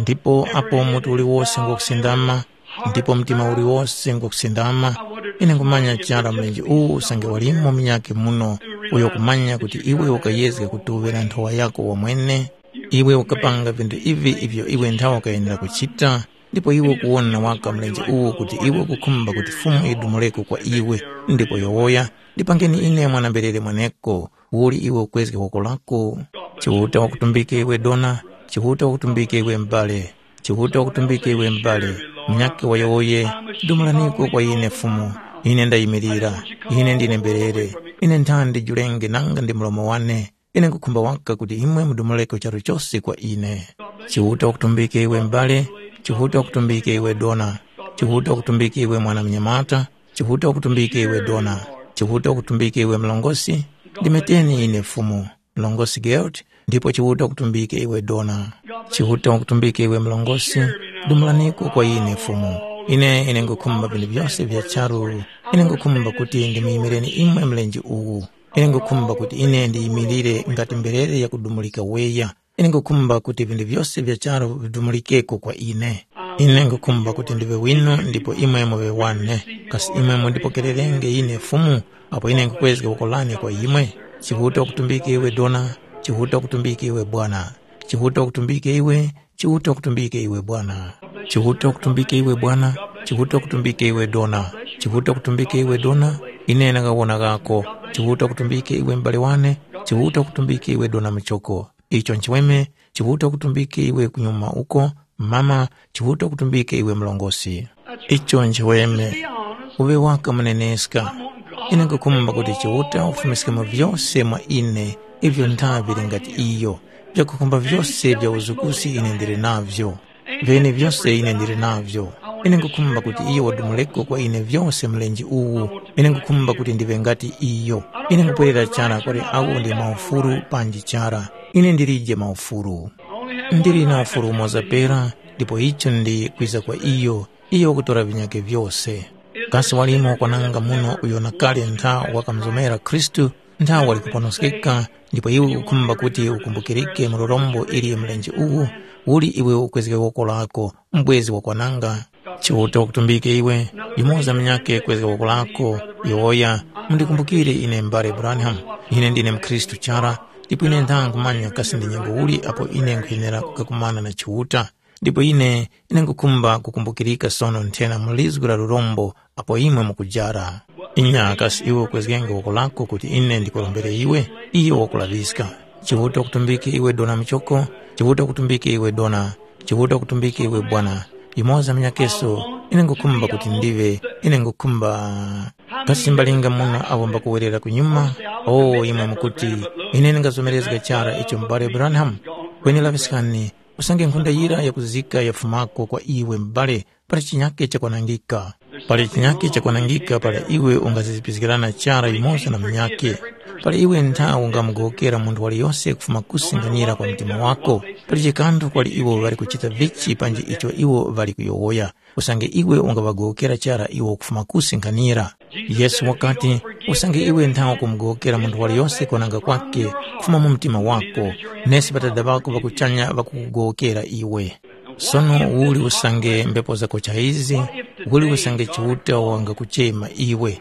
Ndipo apo mutu uliwose ngwakusindama, ndipo mtima uliwose ngwakusindama. Ine nkhumanya chara mlenje uwu usange walimo munyakhe muno, uyo kumanya kuti iwe ukayezga kutuŵe na nthowa yako wamwene. Iwe ukapanga vinthu ivi ivyo iwe nthawe ukayenera kuchita, ndipo iwe ukuwona waka mlenje uwu kuti iwe ukukhumba kuti Fumu yidumuleko kwa iwe, ndipo yowoya, ndipangeni ine mwana-mberere mweneko. Uli iwe ukwezge woko lako? Chiuta wakutumbike iwe dona, Chiuta wakutumbike iwe m'bale, Chiuta wakutumbike iwe m'bale, munyakhe wayowoye, dumulaniko kwa ine Fumu. Ine ndayimirira, ine ndine mberere, ine nthandi julenge nanga ndi mlomo wane. Ine nkhukhumba waka kuti imwe mudumuleko charu chose kwa ine. Chiuta wakutumbike iwe m'bale, Chiuta wakutumbike iwe dona, Chiuta wakutumbike iwe mwana mnyamata, Chiuta wakutumbike iwe dona, Chiuta wakutumbike iwe mlongosi, ndimeteni ine Fumu, mlongosi Gert, ndipo Chiuta wakutumbike iwe dona. Chiuta wakutumbike iwe mlongosi, dumulaniko kwa ine Fumu. Ine ine nkhukhumba vinthu vyose vya charu. Ine nkhukhumba kuti ndimuyimireni imwe mlenje uwu. Ine nkhukhumba kuti ine ndiyimirire ngati mberere yakudumulika weya. Ine nkhukhumba kuti vinthu vyose vya charu vidumulikeko kwa ine. Ine nkhukhumba kuti ndiŵe winu ndipo imwe muŵe wane. Kasi imwe mundipokererenge ine Fumu, apo ine nkhukwezga woko lane kwa imwe? Chiuta wakutumbike iwe dona, Chiuta wakutumbike iwe bwana, Chiuta wakutumbike iwe, Chiuta wakutumbike iwe bwana. Chiuta wakutumbike iwe bwana, Chiuta wakutumbike iwe dona, Chiuta wakutumbike iwe dona, ine ndangawona ghako. Chiuta wakutumbike iwe m'bale wane, Chiuta wakutumbike iwe dona muchoko. Icho nchiweme, Chiuta wakutumbike iwe kunyuma uko, mama, Chiuta wakutumbike iwe mlongosi. Icho nchiweme, uŵe waka muneneska. Ine nkhukhumba kuti Chiuta ufumiske mu vyose mwa ine, ivyo nthavi vili ngati iyo. Vyakukhumba vyose vya uzukusi ine ndili navyo. Vyenevyose ine ndili navyo. Ine nkhukhumba kuti iyo wadumuleko kwa ine vyose mlenje uwu. Ine nkhukhumba kuti ndiŵe ngati iyo. Ine nkupwerera chara kuli awo ndi maufulu panji chara. Ine ndilije maufulu. Ndili na ufulu umoza pera, ndipo icho ndi kwiza kwa iyo, iyo wakutora vinyakhe vyose. Kasi walimo wakwananga muno uyo na kale ntha wakamuzomera Khristu, ntha wali kuponoskeka, ndipo iwe ukukhumba kuti ukumbukirike mu lurombo ili mlenje uwu, uli iwe ukwezge woko lako, mbwezi wakwananga? Chiuta wakutumbike iwe, yumoza munyakhe kwezga woko lako, yowoya, mundikumbukire ine mbale Branham, ine ndine mkhristu chara, ndipo ine ntha nkhumanya kasi ndi nyengo uli apo ine nkhuyenera kukakumana na Chiuta. Ndipo ine, ine nkhukhumba kukumbukirika sono nthena mu lizgu la lurombo apo imwe mukujara. Inya kasi iwe ukwezgenge woko lako kuti ine ndikurombere iwe? Iyo wakulaŵiska. Chiuta wakutumbike iwe dona muchoko, Chiuta wakutumbike iwe dona, Chiuta wakutumbike iwe bwana. Yumoza munyakeso, ine nkhukhumba kuti ndiŵe, ine nkhukhumba. Kasi mbalinga muno awo mbakuwerera kunyuma? O, imwe mukuti, ine ndingazomerezga chara icho m'bale Branham? Kweni laŵiskani, usange nkhunda yira yakuzika yafumako kwa iwe m'bale, pali chinyake chakwanangika. Pali chinyake chakwanangika para iwe ungazizipizgirana chara yumoza na munyakhe. Pali iwe ntha ungamugowokera munthu waliyose kufuma kusi nkhanira kwa mtima wako. Pali chikanthu kwali iwo ŵali kuchita vichi panji icho iwo ŵali kuyowoya. Usange iwe ungaŵagowokera chara iwo kufuma kusi nkhanira. Yesu wakati, usange iwe ntha ukumugowokera munthu waliyose kwananga kwake kufuma mu mtima wako, nesi Ŵadada ŵako ŵa kuchanya ŵakukugowokera iwe. Sono uli usange mbepo zakocha izi, uli usange Chiuta wangakuchema iwe.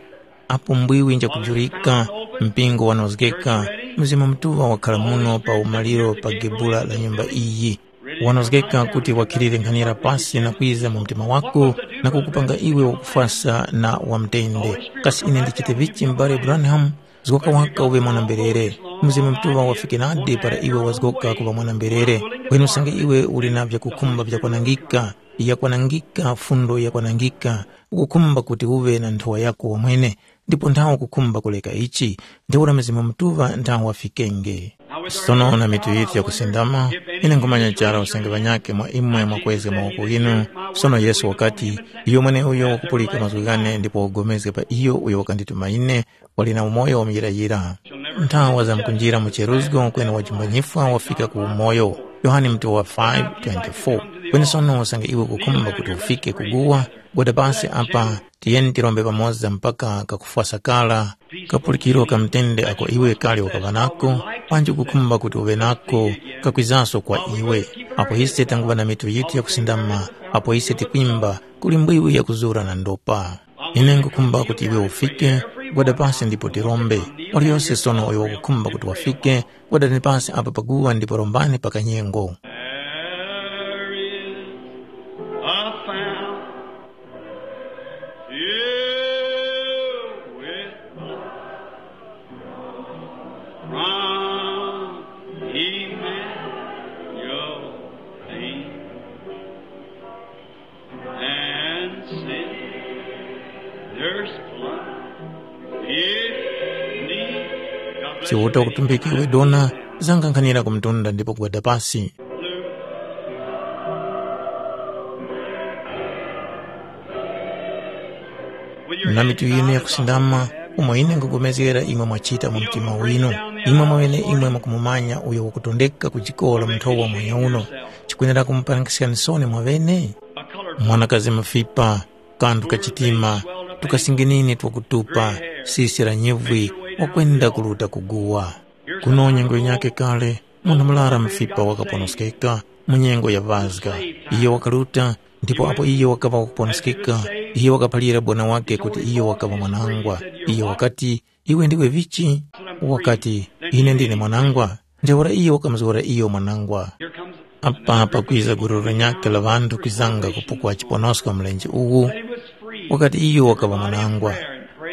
Apo mbwiwi njakujurika, mpingo wanozgeka, Mzimu Mutuŵa wakhala muno pa umaliro pa gebula la nyumba iyi. Wanozgeka kuti wakhilire nkhanira pasi na kwiza mu mtima wako na kukupanga iwe wakufwasa na wamutende. Kasi ine ndichite vichi m'bale Branham? Zgoka waka uŵe mwana-mberere. Mzimu Mutuŵa wafike nadi para iwe wazgoka kuŵa mwana-mberere. Kweni usange iwe uli na vyakukhumba vyakwanangika, yakwanangika, fundo yakwanangika, ukukhumba kuti uŵe na nthowa yako wamwene, ndipo nthawe ukukhumba kuleka ichi, ntheura Mzimu Mutuŵa nthawe wafikenge. Sono na mitu yithu yakusindama, ine nkhumanya chara usange ŵanyakhe mwa imwe mwakwezga mawoko ghinu. Sono Yesu wakati, iyo mweneuyo wakupulika mazgu ghane ndipo wapulikana pa iyo uyo wakandituma ine, wali na umoyo wa muyirayira. Nthawa zamkunjira mu cheruzgo kweni wajumbanyifwa wafika ku umoyo. Yohane mutu wa five twenty-four. Kweni sono usange iwe ukukhumba kuti ufike ku guwa, gwada pasi apa, tiyeni tirombe pamoza mpaka kakufwasa kara, kapulikiro ka mtende ako iwe kale wakaŵa nako, panji ukukhumba kuti uŵe nako, kakwizanso kwa iwe. Apo ise tanguŵa na mitu yithu yakusindama, apo ise tikwimba, kuli mbwiwi yakuzura na ndopa. Ine nkhukhumba kuti iwe ufike, gwada pasi ndipo tirombe. Waliyose sono uyo wakukhumba kuti wafike, gwadani pasi apa paguwa ndipo rombani pa kanyengo. There is a fountain filled with blood from Emmanuel. And sinners come if need. Chiuta kutumbika iwe dona, zanga nkhanira ku mtunda ndipo gwada pasi. Na mitu yinu yakusindama, umo ine nkhugomezgera imwe mwachita mu mtima winu, imwe mwaŵene imwe mwakumumanya uyo wakutondeka ku jikolo mnthowa mwanya uno, chikwenera kumuparangiskani soni mwaŵene? Mwanakazi mufipa, kanthu ka chitima, tukasinginini twakutupa, sisi la nyivwi, wakwenda kuruta kuguwa. Kuno nyengo yinyakhe kale, munthu murara mufipa wakaponoskeka mu nyengo ya Paska. Iyo wakaruta, ndipo apo iyo wakaŵa wakuponoskeka, iyo wakaphalira bwana wakhe kuti iyo wakaŵa mwanangwa. Iyo wakati, “Iwe ndiwe vichi?” Wakati, “Ine ndine mwanangwa.” Ntheura iyo wakamuzgora iyo mwanangwa. Apa pakwiza gulu linyakhe la ŵanthu kwizanga kupukwa chiponosko mlenje uwu, wakati iyo wakaŵa mwanangwa.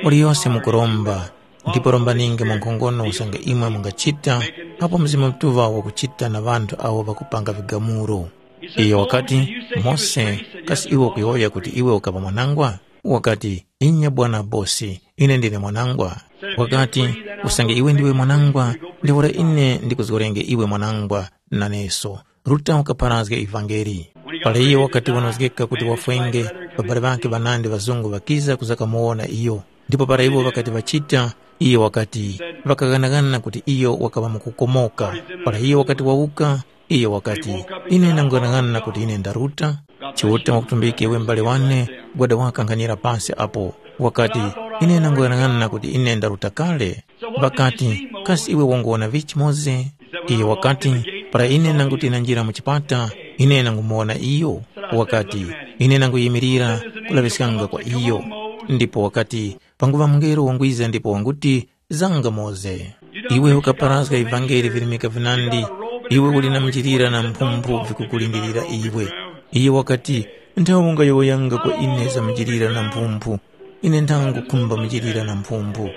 Waliyose mukuromba, ndipo rombaninge mwankhongono usange imwe mungachita apo Mzimu Mutuŵa wakuchita na ŵanthu awo ŵakupanga vigamulo. Iyo wakati, “Mose, kasi iwe ukuyowoya kuti iwe ukaŵa mwanangwa?” Wakati, “Inya Bwana Bosi, ine ndine mwanangwa.” Wakati, “Usange iwe ndiwe mwanangwa, ntheura ine ndikuzgorenge iwe mwanangwa naneso.” Ruta wakapharazga ivangeli. Para iyo wakati wanozgeka kuti wafwenge, ŵabali ŵakhe ŵanandi ŵazungu ŵakiza kuzakamuwona iyo. Ndipo para iwo ŵakati ŵachita, iyo wakati ŵakaghanaghana kuti iyo wakaŵa mukukomoka. Para iyo wakati wawuka, iyo wakati, “Ine ndang'anang'ana kuti ine ndaruta.” Chiuta wakutumbika iwe m'bale wane, gwada wakankhanira pasi apo. Wakati, “Ine ndang'anang'ana kuti ine ndaruta kale.” Ŵakati, “Kasi iwe wanguwona vichi Mose?” Iyo wakati, “Para ine nanguti nanjira mu chipata, ine nangumuwona iyo.” Wakati, “Ine nanguyimirira kulaŵiskanga kwa iyo.” Ndipo wakati, panguŵa mungelo wangwiza ndipo wanguti, “Zanga Mose. Iwe ukaparazga ivangeli virimika vinandi, iwe uli na njilira na mphumphu vikukulindirira iwe.” Iyo wakati, “Nthawe ungayowoyanga kwa ine za njilira na mphumphu, ine nthangukhumba njilira na mphumphu.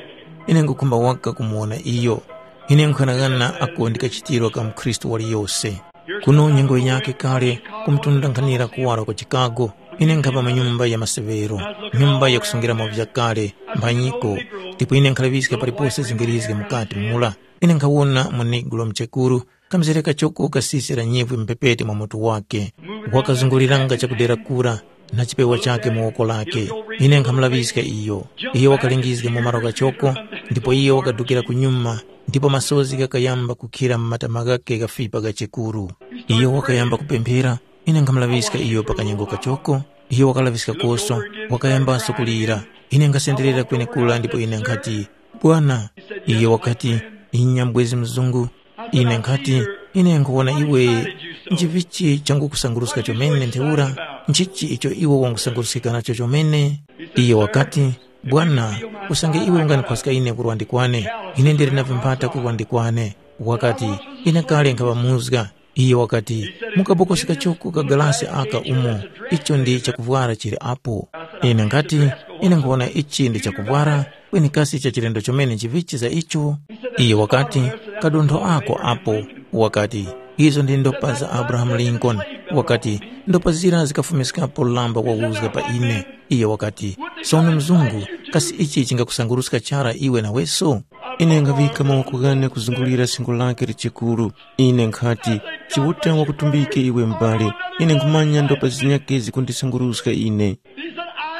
Ine nkhukhumba waka kumuwona iyo. Ine nkhanang'ana ako ndi kachitiro ka mukhristu waliyose.” Kuno nyengo yinyakhe kale kumutunda nkhanira kuwaro kwa Chicago, ine nkhapa mu nyumba ya maseŵero, nyumba yakusungiramo vyakale, mphanyiko, ndipo ine nkhalaŵiska palipose zingirizge mukati mura. Ine nkhawona mu-negro muchekuru, kamzere kachoko kasisira nyivwi mphepete mwa mutu wakhe. Wakazunguliranga chakudera kura na chipewa chakhe mu woko lakhe. Ine nkhamulaŵiska iyo. Iyo wakalingizga mu malo kachoko, ndipo iyo wakadukira kunyuma, ndipo masozi ghakayamba kukhira mu matama ghakhe ghafipa ghachekuru. Iyo wakayamba kupemphera, ine nkhamulaŵiska iyo pa kanyengo kachoko, iyo wakalaŵiska koso, wakayambaso kulira. Ine nkhasenderera kwenekura ndipo ine nkhati, “Bwana,” iyo wakati, “Inya mubwezi mzungu.” Ine nkhati, “Ine nkhuwona iwe nchivichi changukusanguruska chomene ntheura? Nchichi icho iwe wangusanguruskika nacho chomene?” Iyo wakati, “Bwana, usange iwe ungandikhwaska ine kurwa ndi kwane, ine ndili na vimpata kurwa ndi kwane.” Wakati, “Ine kale nkhaŵamuzga.” Iyo wakati, “Mu kabokosi kachoko ka galasi aka umo, icho ndi chakuvwara chili apo.” Ine nkhati, “Ine nkhuwona ichi ndi chakuvwara, kweni kasi cha chilendo chomene nchivichi za icho?” Iyo wakati, “Kadontho ako apo.” Wakati, “Izo ndi ndopa za Abrahamu Lincoln.” Wakati, “Ndopa zira zikafumiskapo lamba wawuzga pa ine.” Iyo wakati, “Sono mzungu, kasi ichi chingakusanguruska chara iwe naweso?” Ine nkhaŵika mawoko ghane kuzungulira singo lakhe lichikuru. Ine nkhati, “Chiuta wakutumbike iwe m'bale. Ine nkhumanya ndopa zinyakhe zikundisanguruska ine.”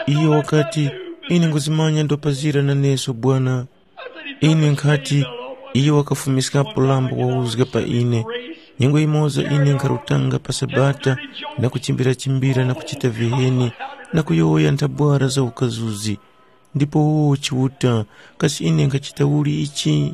Iyo wakati, “Ine nguzimanya ndopa zira naneso Bwana.” Ine nkhati, “Iyo wakafumiskapo lambo wawuzga pa ine.” Nyengo yimoza ine nkharutanga pa Sabata na kuchimbira-chimbira na kuchita viheni na kuyowoya nthabwara za ukazuzi. Ndipo wowo Chiuta, kasi ine nkhachita uli ichi?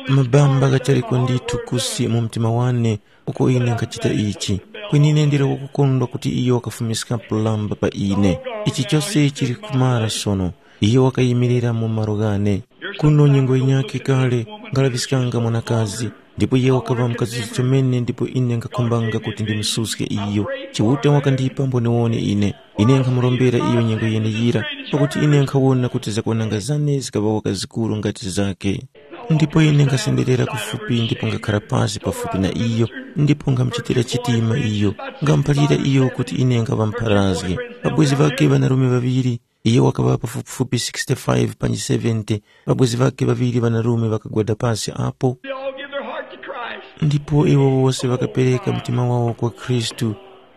Mabamba ghataliko ndithu kusi mu mtima wane uko ine nkhachita ichi. Kweni ine ndili wakukondwa kuti iyo wakafumiskapo lamba pa ine. Ichi chose chili kumara sono. Iyo wakayimirira mu malo ghane. Kuno nyengo yinyakhe kale nkhalaŵiskanga mwanakazi, ndipo iye wakaŵa mkazi chomene ndipo ine nkhakhumbanga kuti ndimususke iyo. Chiuta wakandipa mboniwone ine. Ine nkhamurombera iyo nyengo yeneyira, pakuti ine nkhawona kuti zakwananga zane zikaŵa waka zikuru ngati zakhe. Ndipo ine nkhasenderera kufupi ndipo ngakhara pasi pafupi na iyo, ndipo nkhamuchitira chitima iyo, nkhamuphalira iyo kuti ine nkhaŵa mpharazgi. Pabwezi ŵakhe ŵanarume ŵaŵiri, iyo wakaŵa pafupifupi sixty-five panji seventy, pabwezi ŵakhe ŵaŵiri ŵanarume ŵakagwada pasi apo. They all give their heart to Christ. Ndipo iwo wose ŵakapereka mtima wawo kwa Khristu.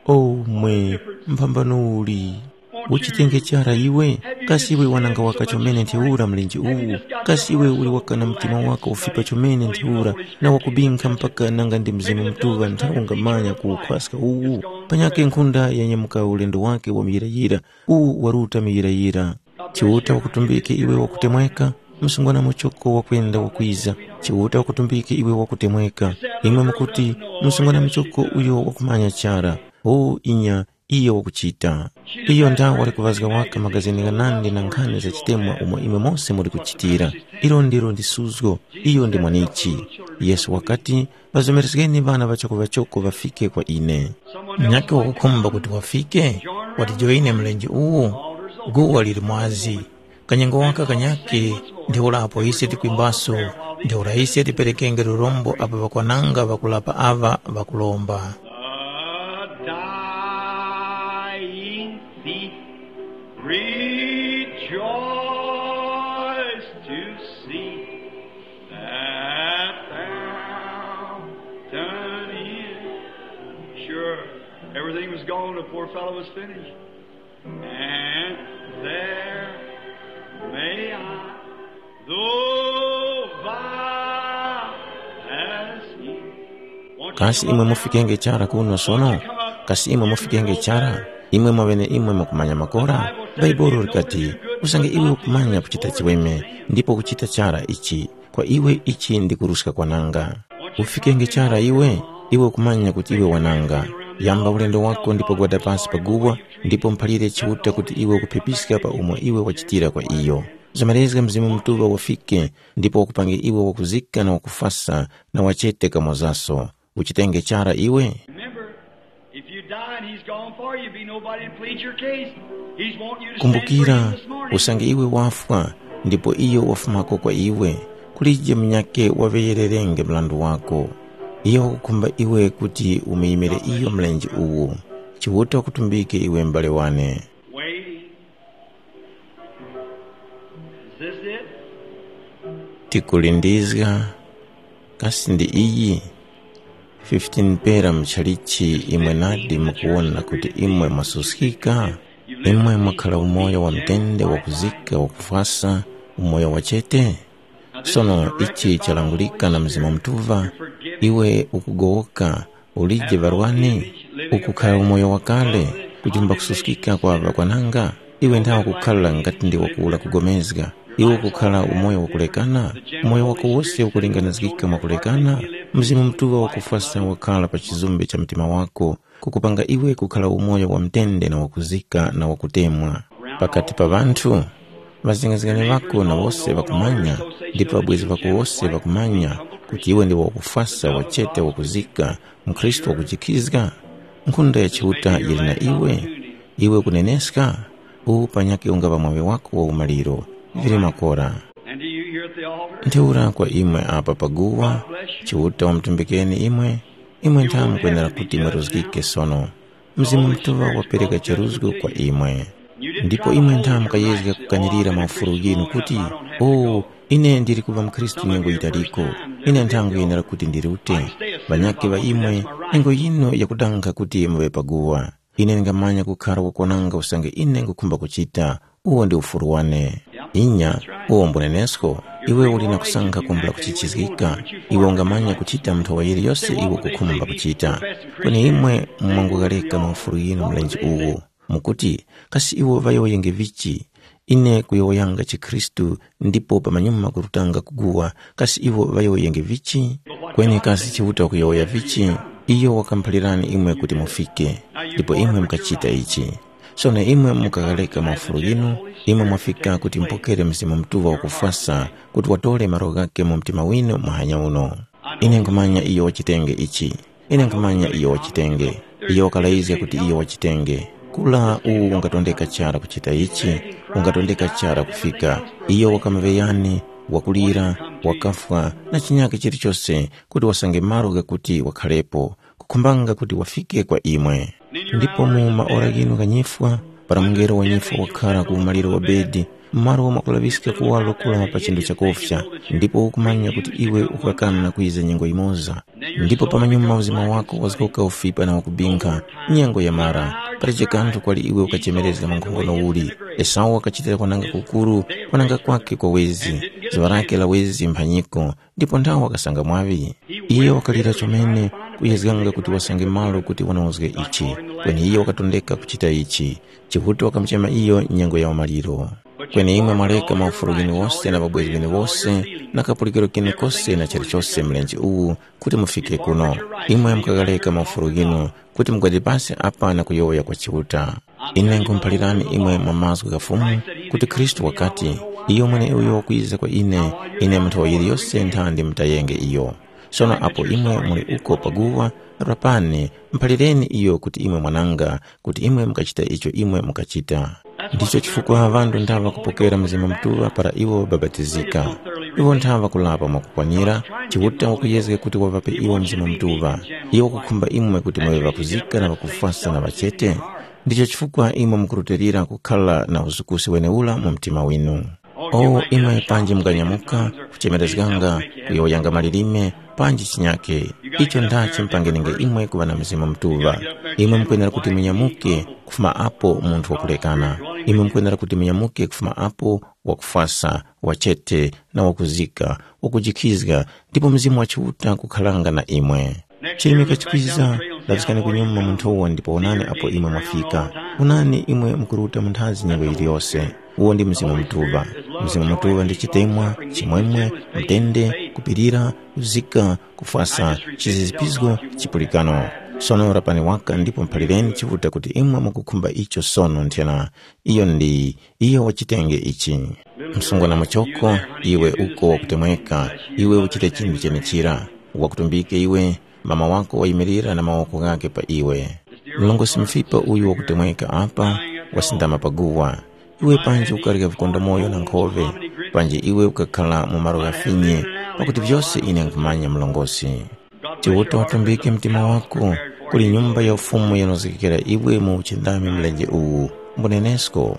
O mwe, mphambano uli! Uchitenge chara iwe, kasi iwe wananga waka chomene ntheura mlenje uwu? Kasi iwe uli wakana mtima wako ufipa chomene ntheura, na wakubinkha mpaka nanga ndi Mzimu Mutuŵa nthawi ungamanya kuwukhwaska uwu? Panyakhe nkhunda yanyamuka ulendo wake wa muyirayira, uwu waruta muyirayira. Chiuta wakutumbike iwe wakutemweka, msungwana muchoko wakwenda wakwiza. Chiuta wakutumbike iwe wakutemweka. Imwe mukuti, msungwana muchoko uyo wakumanya chara. O inya, iyo wakuchita. Iyo ndawo wali kuvazga waka magazini ghanandi na nkhani za chitemwa umo imwe mose muli kuchitira. Ilo ndilo ndi suzgo, iyo ndi mwanichi. Yesu wakati, ŵazomerezgeni ŵana ŵachoko-ŵachoko ŵafike kwa ine. Munyakhe wakukhumba kuti wafike, watijoyine mlenje uwu. Guwa lili mwazi. Kanyengo waka kanyakhe, ntheura apo ise tikwimbaso, ntheura ise tiperekenge lurombo apo ŵakwananga ŵakulapa aŵa ŵakuromba. A dying thief, rejoice to see that fountain is. Sure, everything was gone, the poor fellow was finished. And there may I, though vile as he. Kasi imwe mufikenge chara kuno sono? Kasi imwe mufikenge chara? Imwe mwaŵene imwe mukumanya makora? Bhaibuli likati, usange iwe ukumanya kuchita chiweme, ndipo ukuchita chara ichi, kwa iwe ichi ndi kuruska kwananga. Ufikenge chara iwe, iwe ukumanya kuti iwe wananga. Yamba ulendo wako ndipo gwada pasi pa guwa, ndipo mphalire Chiuta kuti iwe ukuphepiska pa umo iwe wachitira kwa iyo. Zamalezga Mzimu Mutuŵa wafike, ndipo wakupange iwe wakuzika na wakufasa na wachete kamozaso. Uchitenge chara iwe. Remember, if you die and he's gone for you, be nobody to plead your case. He's wanting you to stand for him. Kumbukira, this morning. Usange iwe wafwa, ndipo iyo wafumako kwa iwe, kulije munyakhe waŵeyererenge mrandu wako. Iyo wakukhumba iwe kuti umuyimire iyo mlenje uwu. Chiuta wakutumbike iwe m'bale wane. Waiting. Is this it? Tikulindizga, kasi ndi iyi? fifteen pera muchalichi imwe nadi mukuwona kuti imwe mwasuskika? Imwe mwakhala umoyo wa mtende wakuzika wakufwasa, umoyo wachete? Sono ichi chalangulika na Mzimu Mutuŵa, iwe ukugowoka, ulije ŵarwani, ukukhala umoyo wakale, kujumba kususkika kwa ŵakwananga, iwe nthawe ukukhala ngati ndi wakuwura kugomezga, iwe ukukhala umoyo wakulekana, umoyo wako wose ukulinganizgika mwakulekana, Mzimu Mutuŵa wakufwasa wakhala pa chizumbe cha mtima wako, kukupanga iwe kukhala umoyo wa mtende na wakuzika na wakutemwa. Pakati pa ŵanthu, ŵazengezgani ŵako na wose ŵakumanya, ndipo ŵabwezi ŵako wose ŵakumanya kuti iwe ndiwe wakufwasa wachete wakuzika, mukhristu wakujikizga. Nkhunda ya Chiuta yili na iwe, iwe kuneneska, uwu panyakhe ungaŵa mwaŵi wako wa umaliro. Vili makora. And do you here at the altar? Ntheura kwa imwe apa paguwa, Chiuta wamutumbikeni imwe, imwe ntha mukwenera kuti mweruzgike sono. Mzimu Mutuŵa wapereka cheruzgo kwa imwe. Ndipo imwe ntha mukayezga kukanirira maufulu ghinu kuti, o, ine ndili kuŵa mukhristu nyengo yitaliko, ine ntha nkhuyenera kuti ndirute. Ŵanyakhe ŵa imwe, nyengo yinu yakudanga kuti muŵe paguwa. Ine ndingamanya kukhara wakwananga usange ine nkhukhumba kuchita, uwo ndi ufuru wane. Inya, uwo mbunenesko, Iwe uli na kusankha kumbula kuchichizgika, iwe ungamanya kuchita nthowa yiliyose iwe ukukhumba kuchita. Kweni imwe mwangughareka maufulu ghinu mlenje uwu, mukuti, kasi iwo ŵayowoyenge vichi? Ine kuyowoyanga chikhristu ndipo pamanyuma kurutanga kuguwa, kasi iwo ŵayowoyenge vichi? Kweni kasi Chiuta wakuyowoya vichi? Iyo wakamuphalirani imwe kuti mufike, ndipo imwe mukachita ichi. Sono imwe mukaghareka maufulu ghinu, imwe mwafika kuti mupokere Mzimu Mutuŵa wakufwasa kuti watore malo ghakhe mu mtima winu muhanya uno. Ine nkhumanya iyo wachitenge ichi. Ine nkhumanya iyo wachitenge. Iyo wakalayizga kuti iyo wachitenge. Kula uwu ungatondeka chara kuchita ichi, ungatondeka chara kufika. Iyo wakamuŵeyani, wakulira, wakafwa, na chinyakhe chilichose kuti wasange malo ghakuti wakhalepo, kukhumbanga kuti wafike kwa imwe. Ndipo mu maora ghinu gha nyifwa, para mungelo wa nyifwa wakhara ku umaliro wa bedi, malo mwakulaŵiska kuwaro kula pa chinthu chakufya, ndipo ukumanya kuti iwe ukakana na kwiza nyengo yimoza. Ndipo pamanyuma uzima wako wazgoka ufipa na wakubinkha, nyengo yamara, palije kanthu kwali iwe ukachemerezga mwa nkhongono uli. Esau wakachitira kwananga kukuru, kwananga kwakhe kwa wezi, zuŵa lakhe la wezi mphanyiko, ndipo nthawe wakasanga mwaŵi. Iye wakalira chomene, kuyezganga kuti wasange malo kuti wanozge ichi, kweni iye wakatondeka kuchita ichi. Chiuta wakamuchema iyo nyengo ya umaliro. Kweni imwe mwaleka maufulu gheneghose na ŵabwezi gheneghose na kapulikiro kene kose na chilichose mlenje uwu kuti mufike kuno. Imwe mukaghareka maufulu ghinu kuti mugwade pasi apa na kuyowoya kwa Chiuta. Ine nkhumuphalirani imwe mwa mazgu gha Fumu kuti Khristu wakati, iyo mweneuyo wakwiza kwa ine, ine mu nthowa yiliyose nthandi mutayenge iyo. Sono apo imwe muli uko paguwa, rapani, muphalireni iyo kuti imwe mwananga, kuti imwe mukachita icho imwe mukachita. Ndicho chifukwa ŵanthu nthaŵa kupokera Mzimu Mutuŵa para iwo ŵabapatizika. Iwo nthaŵa kulapa mwakukwanira, Chiuta wakuyezga kuti waŵape iwo Mzimu Mutuŵa. Iyo wakukhumba imwe kuti muŵe ŵakuzika na ŵakufwasa na ŵachete. Ndicho chifukwa imwe mukurutilira kukhala na uzukusi wenewura mu mtima winu. O imwe panji mukanyamuka, kuchemerezganga, kuyowoyanga malilime, panji chinyake, icho ndachi mupangeninge imwe kuŵa na Mzimu Mutuŵa. Imwe mukwenera kuti munyamuke kufuma apo munthu wakulekana. Imwe mukwenera kuti munyamuke kufuma apo wakufwasa, wachete, na wakuzika, wakujikhizga, ndipo Mzimu wa Chiuta kukharanga na imwe. Chirimika chikwiza, laŵiskani kunyuma mu nthowa ndipo wonani apo imwe mwafika. Wonani imwe mukuruta mu nthazi nyengo yiliyose. Uwo ndi Mzimu Mutuŵa. Mzimu Mutuŵa ndi chitemwa, chimwemwe, mtende, kupirira, kuzika, kufwasa, chizizipizgo, chipulikano. Sono rapani waka ndipo muphalireni Chiuta kuti imwe mukukhumba icho sono nthena. Iyo ndi, iyo wachitenge ichi. Msungwana muchoko, iwe uko wakutemweka, iwe uchite chinthu chenechira. Wakutumbike iwe, mama wako wayimirira na mawoko ghakhe pa iwe. Mlongosi mufipa uyu wakutemweka apa, wasindama pa guwa. Iwe panji ukarya vikondomoyo na nkhove, panji iwe ukakhala mu malo ghafinye, pakuti vyose ine nkhumanya mlongosi. Chiuta watumbike mtima wako, kuli nyumba ya ufumu yanozgekera iwe mu uchindami mlenje uwu, mbunenesko.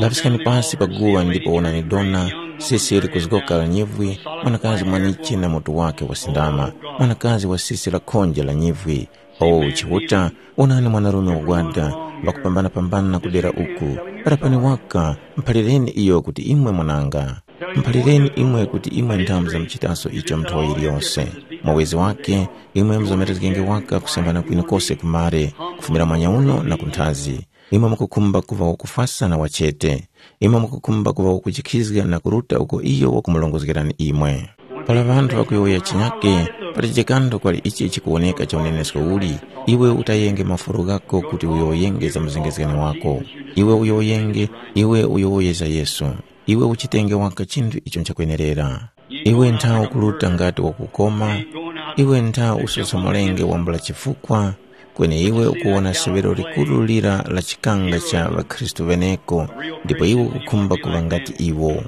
Laŵiskani pasi pa guwa ndipo wonani dona, sisi likuzgoka la nyivwi, mwanakazi mwaniche na mutu wake wasindama, mwanakazi wa sisi la khonje la nyivwi. O Chiuta, wonani mwanarume wagwada, ŵakupambana-pambana kudera uku. Rapani waka, mphalireni iyo kuti imwe mwananga. Mphalireni imwe kuti imwe nthamu za muchitaso icho nthowa yiliyose. Mwawezi wake, imwe muzomerezgenge waka kusambana kwinu kose kumare, kufumira mwanya uno na kunthazi. Imwe mukukhumba kuŵa wakufwasa na wachete. Imwe mukukhumba kuŵa wakujikhizga na kuruta uko iyo wakumulongozgerani imwe. Para ŵanthu ŵakuyowoya chinyake, patije kanthu kwali ichi chikuwoneka cha unenesko uli, iwe utayenge maforo ghako kuti uyowoyenge za muzengezgani wako. Iwe uyowoyenge, iwe uyowoye za Yesu. Iwe uchitenge waka chinthu icho nchakwenerera. Iwe ntha ukuruta ngati wakukoma, iwe ntha usosomolenge wambula chifukwa, kweni iwe ukuwona seŵero likuru lira la chikanga cha ŵakhristu ŵeneko, ndipo iwe ukukhumba kuŵa ngati iwo.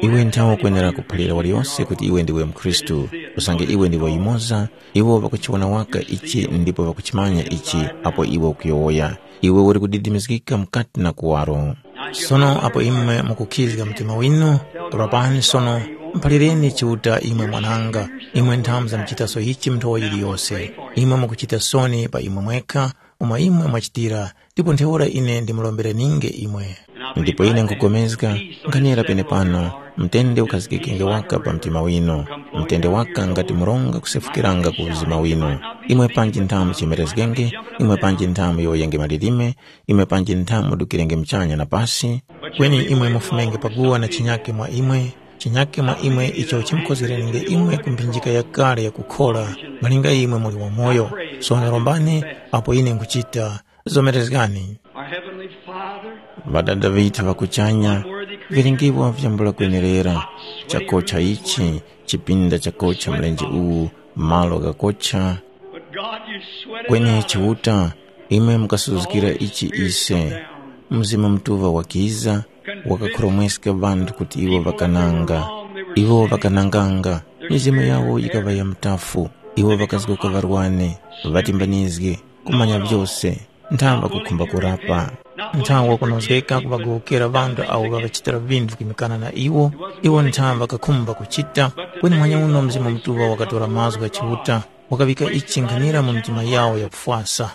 Iwe ntha ukwenera kuphalira waliyose kuti iwe ndiwe mukhristu, usange iwe ndiwe yumoza, iwo ŵakuchiwona waka ichi ndipo ŵakuchimanya ichi apo iwe ukuyowoya. Iwe uli kudidimizgika mukati na kuwaro. Sono apo imwe mukukhizga mtima winu, rapani sono, mphalireni Chiuta imwe mwananga, imwe nthamu za muchitaso ichi mu nthowa yiliyose. Imwe mukuchita soni pa imwe mwekha, umo imwe mwachitira, ndipo ntheura ine ndimurombereninge imwe. Ndipo ine nkhupulikana, nkhanira penepano, Mtende ukhazikikenge waka pa mtima winu. Mtende waka ngati mronga kusefukiranga ku uzima winu. Imwe panji nthamu chimerezgenge, imwe panji nthamu yoyenge malilime, imwe panji nthamu mudukirenge muchanya na pasi. Kweni imwe mufumenge paguwa na chinyake mwa imwe, chinyake mwa imwe icho chimkozgerenenge imwe ku mphinjika yakale yakukhora, malinga imwe muli wamoyo. Sono rombani, apo ine nkuchita. Zomerezgani. Our Heavenly Father, Ŵadada ŵithu ŵa kuchanya, vilingipo vyambula kwenerera, chakocha ichi, chipinda chakocha mlenje uwu, malo ghakocha. But God, you sweat it kweni out. Chiuta, imwe mukasuzukira ichi ise. Mzimu Mutuŵa wakiza, wakakhoromweska ŵanthu kuti iwo ŵakananga. Iwo ŵakananganga, mizimu yawo yikaŵa ya mutafu. Iwo ŵakazgoka ŵarwane, ŵatimbanizge, kumanya vyose. Nthawe ŵakukhumba kurapa. Nthawe wakunozgeka kuŵagowokera ŵanthu awo ŵaŵachitira vinthu kimikana na iwo, iwo nthawe ŵakakhumba kuchita, kweni manyauno Mzimu Mutuŵa wakatora mazgu gha Chiuta, wakaŵika ichi nkhanira mu mitima yawo yakufwasa.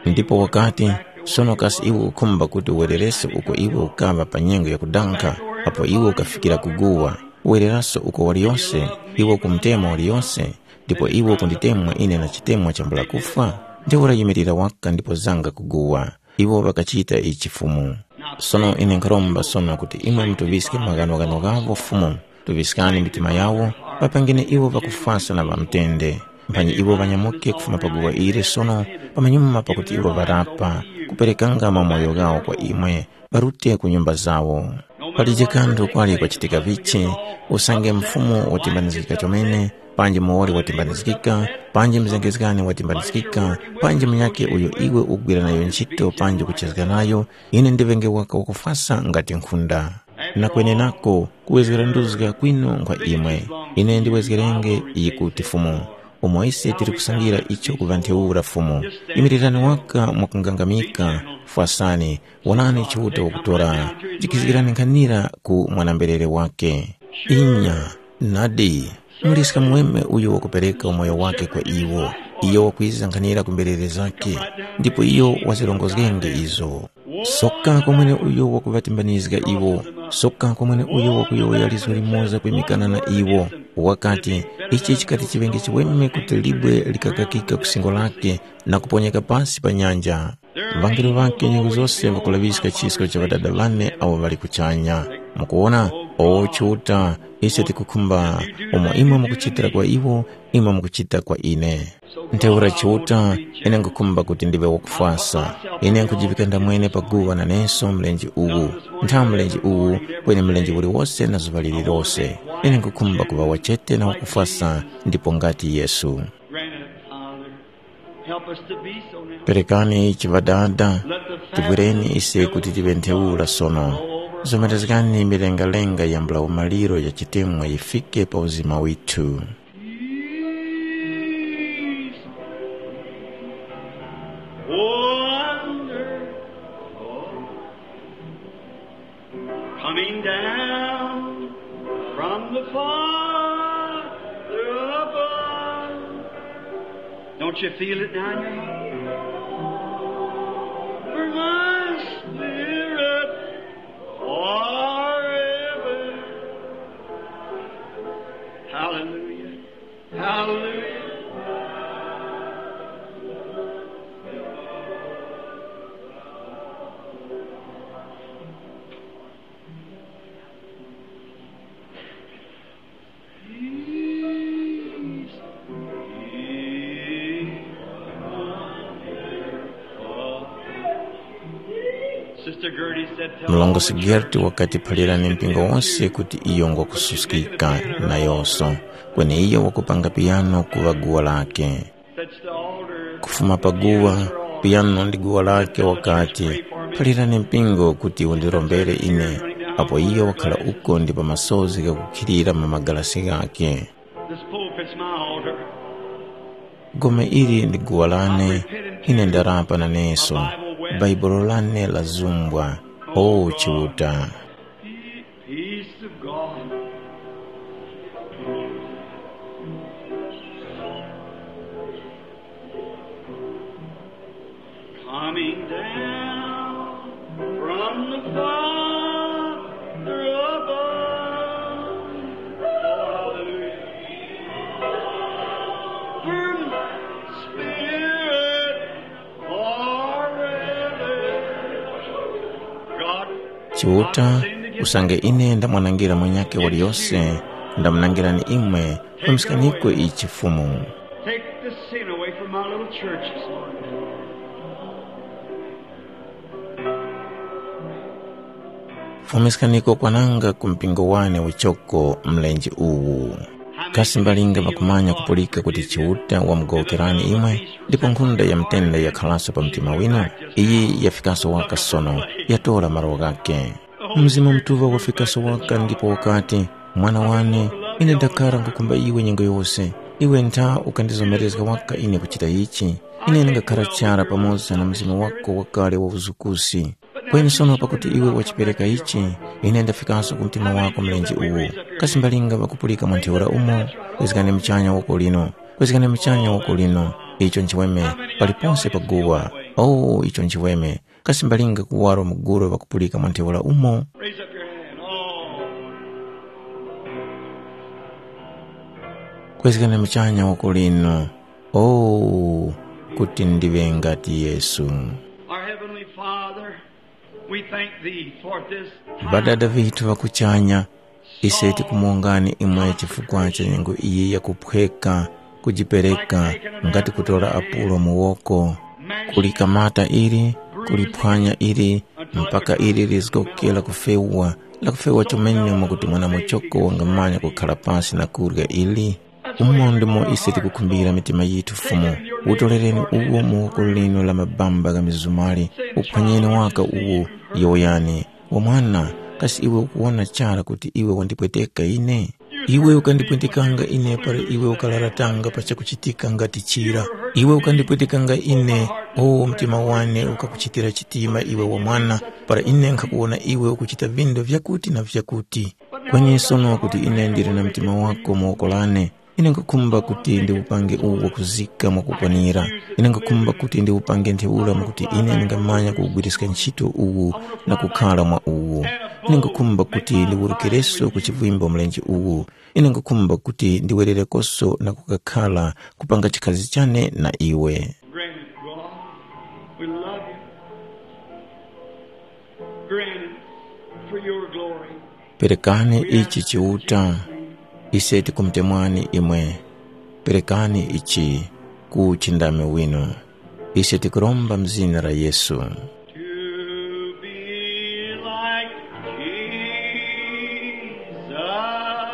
Ndipo wakati, sono kasi iwe ukukhumba kuti uwererese uko iwe ukaŵa pa nyengo yakudankha, apo iwe ukafikira kuguwa, wereraso uko waliyose, iwe ukumutema waliyose, ndipo iwe ukunditemwa ine na chitemwa chambula kufwa? Ntheura yimirira waka ndipo zanga kuguwa. Iwo ŵakachita ichi Fumu. Sono ine nkharomba sono kuti imwe mutuŵiske maghanoghano ghavo Fumu, tuŵiskani mitima yawo, ŵapangeni iwo ŵakufwasa na ŵamutende. Mphanyi iwo ŵanyamuke kufuma pa guwa ili sono, pamanyuma pakuti iwo ŵarapa, kuperekanga mamoyo ghawo kwa imwe, ŵarute ku nyumba zawo. Palije kanthu kwali kwachitika vichi, usange mfumu watimbanizgika chomene, panji muwoli watimbanizgika, panji mzengezgani watimbanizgika, panji munyakhe uyo iwe ukugwira nayo nchito panji kuchezga nayo, ine ndiŵenge waka wakufwasa ngati nkhunda. Na kwenenako, kuwezgera nduzga kwinu nkhwa imwe. Ine ndiwezgerenge iyi kuti Fumu. Umo ise tili kusangira icho kuŵa ntheura Fumu. Imirirani waka mwakungangamika, fwasani, wonani Chiuta wakutora, jikhizgirani nkhanira ku mwanamberere wake. Inya, nadi, muliska mweme uyo wakupereka umoyo wake kwa iwo, iyo wakwiza nkhanira ku mberere zake, ndipo iyo wazirongozgenge izo. Soka kwa mwene uyo wakuŵatimbanizga iwo, soka kwa mwene uyo wakuyowoya lizgu limoza kwimikana na iwo, wakati, ichi chikati chiŵenge chiweme kuti libwe likakakika ku singo lake na kuponyeka pasi pa nyanja. Ŵangelo ŵake nyengo zose ŵakulaŵiska chisko cha Ŵadada ŵane awo ŵali kuchanya. Mukuwona, o Chiuta, ise tikukhumba umo imwe mukuchitira kwa iwo, imwe mukuchita kwa ine. Ntheura Chiuta, ine nkhukhumba kuti ndiŵe wakufwasa. Ine nkhujivika ndamwene pa guwa naneso mlenje uwu. Ntha mlenje uwu, kweni mlenje uliwose na zuŵa lililose. Ine nkhukhumba kuŵa wachete na wakufwasa ndipo ngati Yesu. Granted, Father, help us to be so now. Perekani ichi Ŵadada, tigwireni ise kuti tiŵe ntheura sono. Zomerezgani milengalenga yambula umaliro ya chitemwa yifike pa uzima withu. Peace. Wonderful. Coming down from the Father above. Don't you feel it down your heart? For my spirit forever. Hallelujah. Hallelujah. Sister Gertie said, "Tell all the church." Mlongosi Gerti wakati, phalirani mpingo wose kuti iyo ngwakususkika nayonso, kweni iyo wakupanga piyano kuŵa guwa lake. Kufuma pa guwa, piyano ndi guwa lake wakati, phalirani mpingo kuti undirombere ine, apo iyo wakhala uko ndi pa masozi ghakukhilira mu magalasi ghakhe. This pulpit's my altar. Gome ili ndi guwa lane, ine ndarapa naneso, Baibulo lane lazumbwa, o Chiuta. Peace of God. Coming down from the Father above. Chiuta, usange ine ndamwanangira mwenyakhe waliyose, ndamunangirani imwe, pamisikaniko ichi Fumu. Take the sin away from my little church this morning. Fumiskaniko kwananga ku mpingo wane uchoko mlenje uwu. Kasi mbalinga ŵakumanya kupulika kuti Chiuta wamugowokerani imwe, ndipo nkhunda ya mtende yakhalaso pa mtima winu? Iyi yafikaso waka sono, yatora malo ghakhe. Mzimu Mutuŵa wafikaso waka ndipo wakati, "Mwana wane, ine ndakhara nkhukhumba iwe nyengo yose. Iwe ntha ukandizomerezga waka ine kuchita ichi. Ine ndingakhara chara pamoza na mzimu wako wakale wa uzukusi. Kweni sono pakuti iwe wachipereka ichi, ine ndafikaso ku mtima wako mlenje uwu. Kasi mbalinga ŵakupulika mwa ntheura umo? Kwezgani muchanya woko lino. Kwezgani muchanya woko lino. Icho nchiweme, paliponse pa guwa. Oh, icho nchiweme. Kasi mbalinga kuwaro muguro ŵakupulika mwa ntheura umo? Raise up your hand. Oh. Kwezgani muchanya woko lino. Oh, kuti ndiŵe ngati Yesu. Our Heavenly Father, we thank thee for this time. Ŵadada ŵithu ŵa kuchanya, ise tikumuwongani imwe chifukwa cha nyengo iyi yakuphweka, kujipereka, ngati kutora apulo mu woko, kulikamata ili, kuliphwanya ili, mpaka ili lizgokela kufewa, lakufewa chomene mwakuti mwana muchoko wangamanya kukhala pasi na kurya ili. Umo ndimo ise tikukhumbira mitima yithu, Fumu. Utorereni uwo mu woko linu la mabamba gha mizumari, uphwanyeni waka uwo, yowoyani, "Wa mwana, kasi iwe ukuwona chara kuti iwe wandipweteka ine? Iwe ukandipwetekanga ine para iwe ukalaratanga pa chakuchitika ngati chira. Iwe ukandipwetekanga ine, o mtima wane ukakuchitira chitima iwe wa mwana, para ine nkhakuwona iwe ukuchita vindu vyakuti na vyakuti. Kweni sono kuti ine ndili na mtima wako mu woko lane, ine nkhakhumba kuti ndiwupange uwo kuzika mwakukwanira. Ine nkhakhumba kuti ndiwupange ntheura mwakuti ine ndingamanya kuwugwiriska ntchito uwu na kukhara mwa uwu. Ine nkhakhumba kuti ndiwurukireso ku chivimbo mlenje uwu. Ine nkhakhumba kuti ndiwererekoso na kukakhara kupanga chikhazi chane na iwe." Granted, God. We love you. Granted for your glory. Perekani ichi Chiuta, ise tikumutemwani imwe. Perekani ichi ku uchindami winu. Ise tikuromba mu zina la Yesu. To be like Jesus.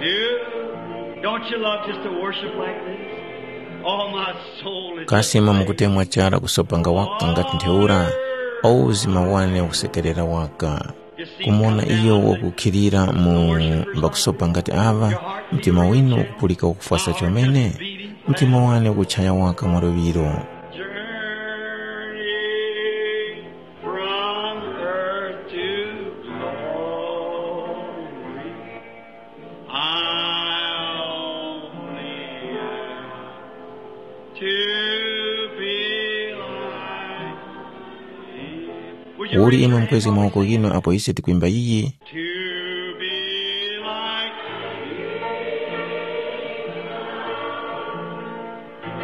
To, don't you love just to worship like this? Oh, my soul is Kasi imwe mukutemwa chara kusopanga waka ngati ntheura? O uzima wane ukusekerera waka. Kumuwona iyo wakukhilira mu mbakusopa ngati ava, mtima winu ukupulika wakufwasa chomene? Mtima wane ukuchaya waka mwa luŵiro. Journey from earth to glory. I only ask to be like thee. Uli imwe mukwezge mawoko ghinu apo ise tikwimba iyi? To be like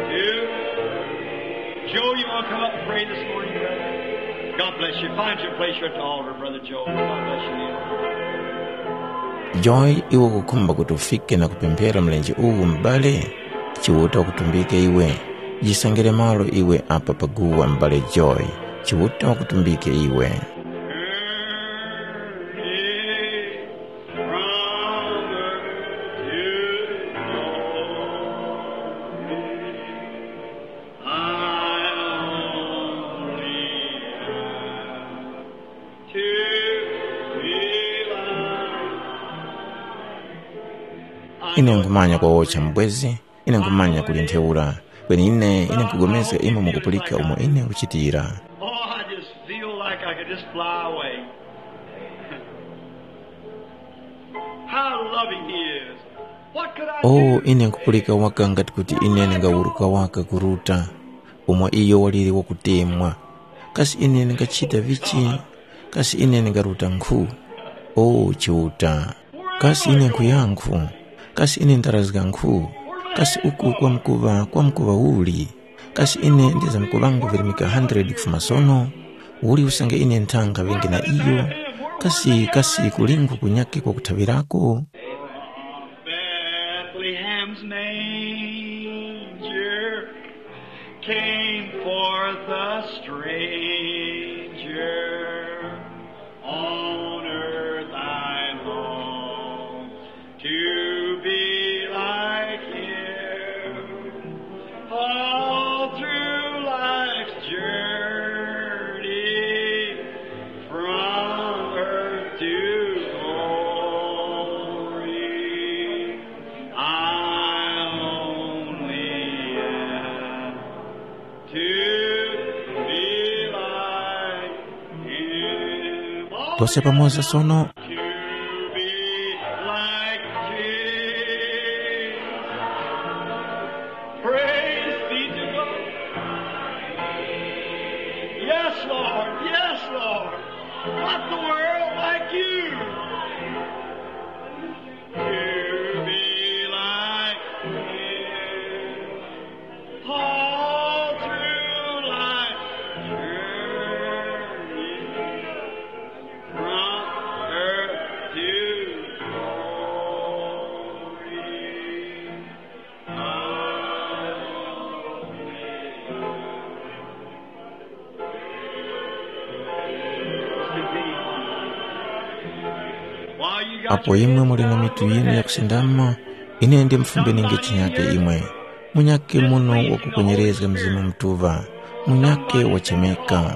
thee. Joe, you want to come up and pray this morning, brother? God bless you. Find your place here at the altar, Brother Joe. God bless you. Joy, iwe ukukhumba kuti ufike na kupemphera mlenje uwu, m'bale? Chiuta wakutumbike iwe. Jisangire malo iwe apa paguwa, m'bale Joy. Chiuta wakutumbike iwe. Ine nkhumanya kwawocha mbwezi, ine nkhumanya kuli ntheura. Kweni ine, ine nkhupulikana imwe mukupulika umo ine nkuchitira. Oh, I just feel like I could just fly away. How loving he is. What could I Oh, do? Ine nkupulika waka ngati kuti ine ndingawuruka waka kuruta, umo iyo waliri wakutemwa. Kasi ine ndingachita vichi? Kasi ine ndingaruta nkhu? Oh, Chiuta. Kasi ine nkhuyankhu? Kasi ine ndarazga nkhu? Kasi uku kwamkuŵa, kwamkuŵa uli? Kasi ine ndizamkuŵangu virimika hundred kufuma sono? Uli usange ine nthanga ŵenge na iyo, kasi kasi kulingu kunyake kwakuthaŵirako? Bethlehem's manger came forth a stranger. On earth I long to be like him. All through life's journey, from earth to glory, I only am to be like him. Tose pamoza sono. To be like Jesus. Praise be to God. Yes, Lord. Yes, Lord. Not the world, like you. To be like him. All through life's journey, from earth to glory, I only Apo imwe muli na mitu yinu yakusindama, ine ndimufumbeninge chinyake imwe. Munyake muno wakukwenyerezga Mzimu Mutuŵa, munyake wachemeka.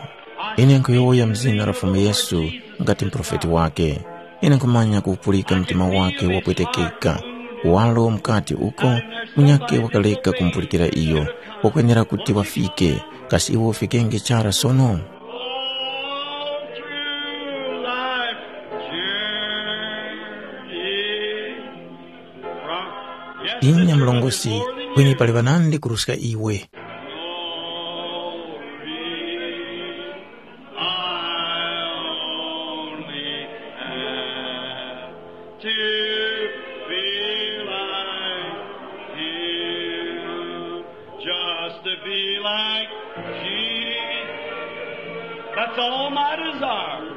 Ine nkhuyowoya mu zina la Fumu Yesu ngati muprofeti wake. Ine nkhumanya kuwupulika mtima wake wapwetekeka. Walo mukati uko, munyake wakareka kumupulikira iyo, wakwenera kuti wafike. Kasi iwe ufikenge chara sono? All through life journey. Inya mlongosi, kweni pali ŵanandi kuruska iwe. Glory, I only have to be like him. Just to be like Jesus. That's all my desire.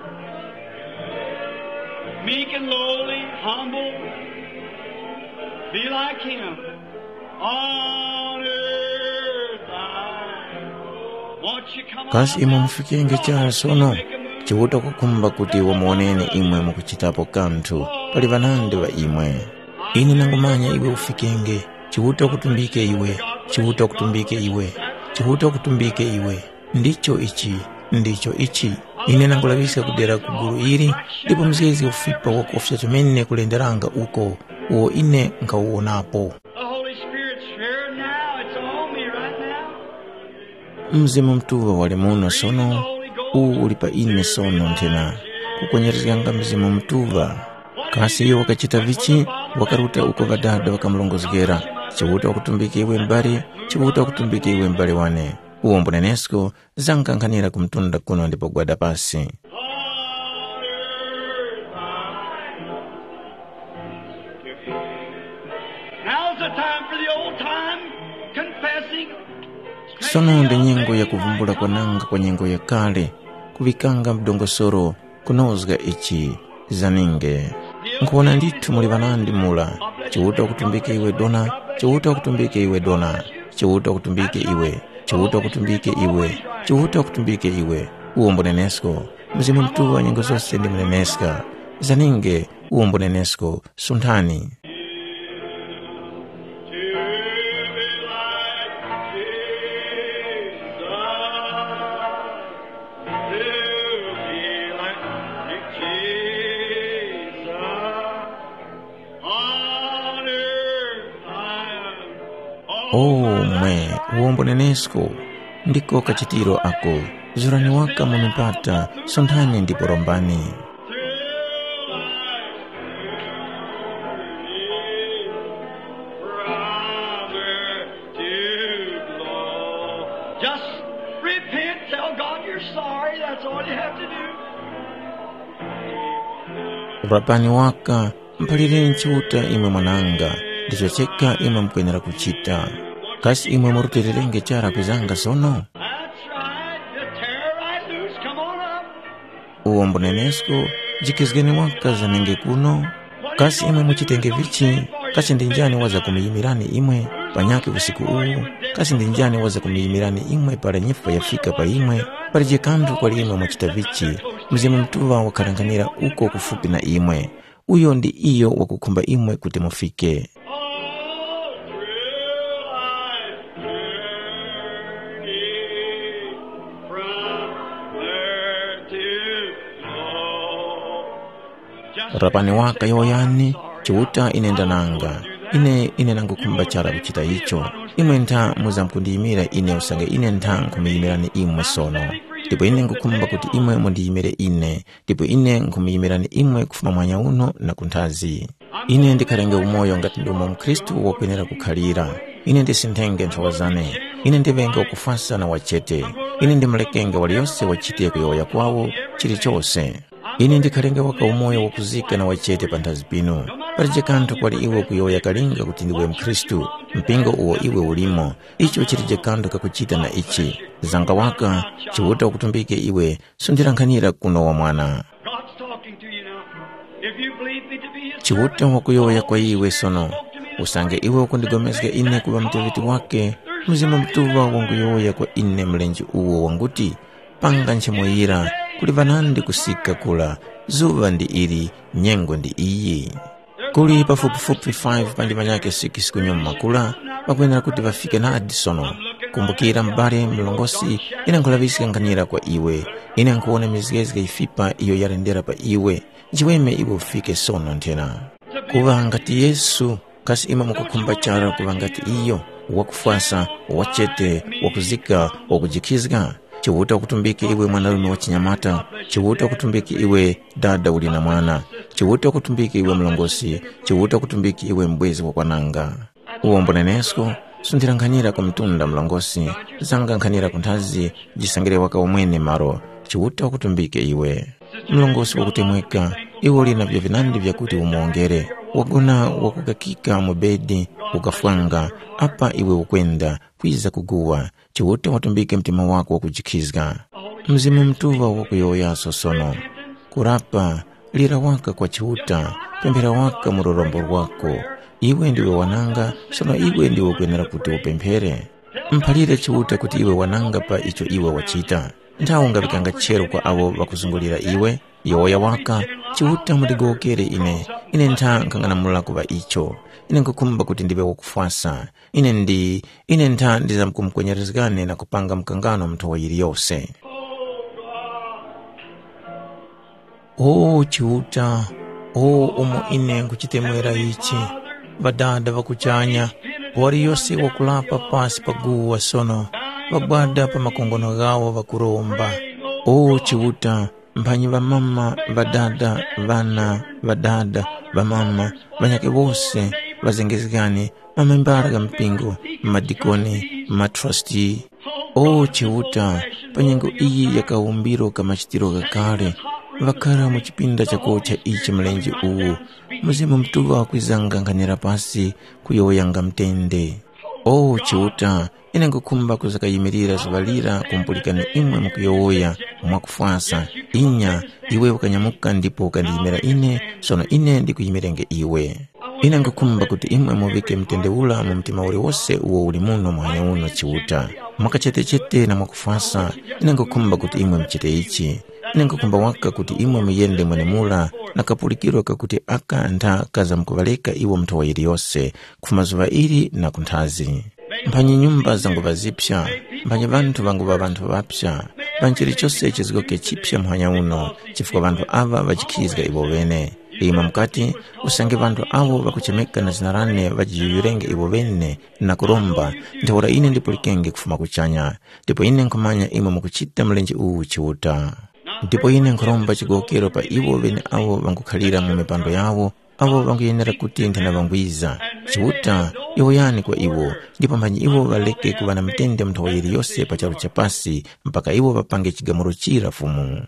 Meek and lowly, humble, be like him. On earth I want you come on. Kasi imwe mufikenge chara sono? Chiuta kukhumba kuti wamuwoneni imwe mukuchitapo kanthu. Pali ŵanandi ŵa imwe. Ine nangumanya iwe ufikenge. Chiuta ukutumbike iwe, Chiuta ukutumbike iwe, Chiuta ukutumbike iwe. Ndicho ichi, ndicho ichi. Ine nangulaŵiska kudera ku gulu ili, ndipo mzgezi ufipa wakufya chomene kulenderanga uko, uwo ine nkhawuwonapo. The Holy Spirit's here now. It's on me right now. Mzimu Mutuŵa wali muno sono, uwu uli pa ine sono nthena, kukwenyerezganga Mzimu Mutuŵa. Kasi iyo wakachita vichi? Wakaruta uko Ŵadada ŵakamurongozgera, Chiuta wakutumbika iwe m'bali, Chiuta wakutumbika iwe m'bali wane. Uwo mbunenesko zankankhanira ku mtunda kuno ndipo gwada pasi. Now's the time for the old time confessing. Sono ndi nyengo ya kuvumbula kwananga kwa nyengo yakale, kuŵikanga mdongosoro, kunozga ichi. Zaninge. Nkhuwona ndithu muli ŵanandi mura, Chiuta wakutumbike iwe dona, Chiuta wakutumbike iwe dona, Chiuta wakutumbike iwe, Chiuta wakutumbike iwe, Chiuta wakutumbike iwe. Uwo mbunenesko, Mzimu Mutuŵa nyengo zose ndi muneneska. Zaninge, uwo mbunenesko, sunthani. O mwe, uwombo nenesko, ndiko kachitiro ako. Zurani waka mu mipata, sunthani ndipo rombani. Just repent, tell God you're sorry, that's all you have to do. Rapani waka, mphalireni Chiuta imwe mwananga, ndicho cheka imwe mukwenera kuchita. Kasi imwe murutilirenge chara kwizanga sono? That's right. Just tear right loose. Come on up. Uwo mbunenesko, jikhizgeni waka zanenge kuno. Kasi imwe muchitenge vichi? Kasi ndi njani waza kumuyimirani imwe panyakhe usiku uwu? Kasi ndi njani waza kumuyimirani imwe para nyifwa yafika pa imwe? Palije kanthu kwali imwe mwachita vichi. Mzimu Mutuŵa wakharanghanira uko kufupi na imwe. Uyo ndi iyo wakukhumba imwe kuti mufike. All through life's journey, from earth to throne. Rapani waka yowoyani, Chiuta ine ndananga. Ine, ine nangukhumba chara kuchita icho. Imwe ntha muzamkundiyimira ine usange ine ntha nkhumuyimirani imwe sono. Ndipo ine ngukhumba kuti imwe mundiyimire ine. Ndipo ine nkhumuyimirani imwe kufuma muhanya uno na kunthazi. Ine ndikharenge umoyo ngati ndomwe mukhristu wakwenera kukhalira. Ine ndisinthenge nthowa zane. Ine ndiŵenge wakufwasa na wachete. Ine ndimulekenge waliyose wachite kuyowoya kwawo chilichose. Ine ndikharenge waka umoyo wakuzika na wachete panthazi pinu. Palije kanthu kwali iwe kuyowoya kalinga kuti ndiwe mukhristu, mpingo uwo iwe ulimo. Icho chilije kanthu kakuchita na ichi. Zanga waka, Chiuta wakutumbike iwe. Sundira nkhanira kuno wa mwana. God's talking to you now. If you believe me to be his Chiuta wakuyowoya kwa iwe sono. Usange iwe ukundigomezga ine kuŵa muteŵeti wake, Mzimu Mutuŵa wanguyowoya kwa ine mlenje uwo wanguti, panga nchemuyira, kuli ŵanandi kusika kula, zuŵa ndi ili, nyengo ndi iyi. Kuli pafupifupi five panji manyake six kunyuma kula, ŵakwenera kuti ŵafike nadi sono. Kumbukira m'bale mlongosi, ine nkhulaŵiska nkhanira kwa iwe. Ine nkhuwona mizgezge yifipa iyo yalendera pa iwe. Nchiweme iwe ufike sono nthena. Kuŵa ngati Yesu, kasi imwe mukukhumba chara kuŵa ngati iyo, wakufwasa, wachete, wakuzika, wakujikhizga? Chiuta wakutumbike iwe mwanarume wa chinyamata, Chiuta wakutumbike iwe dada uli na mwana, Chiuta wakutumbike iwe mlongosi, Chiuta wakutumbike iwe mbwezi wakwananga. Uwo mbunenesko, sunthira nkhanira kwa mtunda mlongosi, zanga nkhanira ku nthazi, jisangire waka umwene malo, Chiuta wakutumbike iwe. Mlongosi wakutemweka, iwe uli na vyo vinandi vyakuti umuwongere, wagona wakukakika mu bedi, ukafwanga, apa iwe ukwenda, kwiza kuguwa, Chiuta watumbike mtima wako wakujikhizga. Mzimu Mutuŵa wakuyowoyaso sono. Kurapa, lira waka kwa Chiuta, pemphera waka mu lurombo lwako. Iwe ndiwe wananga, sono iwe ndiwe ukwenera kuti upemphere. Mphalire Chiuta kuti iwe wananga pa icho iwe wachita. Nthawe ungaŵikanga chero kwa awo ŵakuzungulira iwe, yowoya waka, Chiuta mundigowokere ine, ine ntha nkhang'anamula kuŵa icho. Ine nkhukhumba kuti ndiŵe wakufwasa. Ine ndi, ine ntha ndizamkumukwenyerezgani na kupanga mkangano nthowa yiliyose. O Chiuta, o umo ine nkhuchitemwera ichi, Ŵadada ŵa kuchanya, waliyose wakulapa pasi pa guwa sono, ŵagwada pa makongono ghawo ŵakuromba. O Chiuta, mphanyi ŵamama, ŵadada, ŵana, ŵadada, ŵamama, ŵanyakhe wose, ŵazengezgani, mamembara gha mpingo, madikoni, matrasti. O Chiuta, pa nyengo iyi ya kawumbiro ka machitiro ghakale, ŵakhara mu chipinda chakocha ichi mlenje uwu, Mzimu Mutuŵa wakwizanga nkhanira pasi kuyowoyanga mtende. O Chiuta, ine nkhukhumba kuzakayimirira zuŵa lira kumpulikani imwe mukuyowoya mwakufwasa, inya, iwe ukanyamuka ndipo ukandiyimira ine, sono ine ndikuyimirenge iwe. Ine nkhukhumba kuti imwe muŵike mtende ura mu mtima uliwose uwo uli muno muhanya uno Chiuta. Mwakachetechete na mwakufwasa, ine nkhukhumba kuti imwe muchite ichi. Ine nkhukhumba waka kuti imwe muyende mwenemura na kapulikiro kakuti aka ntha kazamkuŵareka iwo nthowa yiliyose, kufuma zuŵa ili na kunthazi. Mphanyi nyumba zanguŵa ziphya, mphanyi ŵanthu ŵanguŵa ŵanthu ŵaphya, mphanyi chilichose chizgoke chiphya muhanya uno, chifukwa ŵanthu aŵa ŵajikhizga iwo ŵene. Imwe mukati, usange ŵanthu awo ŵakuchemeka na zina lane ŵajiyuyurenge iwo ŵene na kuromba, ntheura ine ndipulikenge kufuma kuchanya, ndipo ine nkhumanya imwe mukuchita mlenje uwu Chiuta. Ndipo ine nkhuromba chigowokero pa iwo ŵeneawo ŵangukhalira mu mipando yawo, awo ŵanguyenera kuti nthena ŵangwiza. Chiuta, yowoyani kwa iwo, ndipo mphanyi iwo ŵareke kuŵa na mutende mu nthowa yiliyose pa charu cha pasi, mpaka iwo ŵapange chigamulo chira Fumu.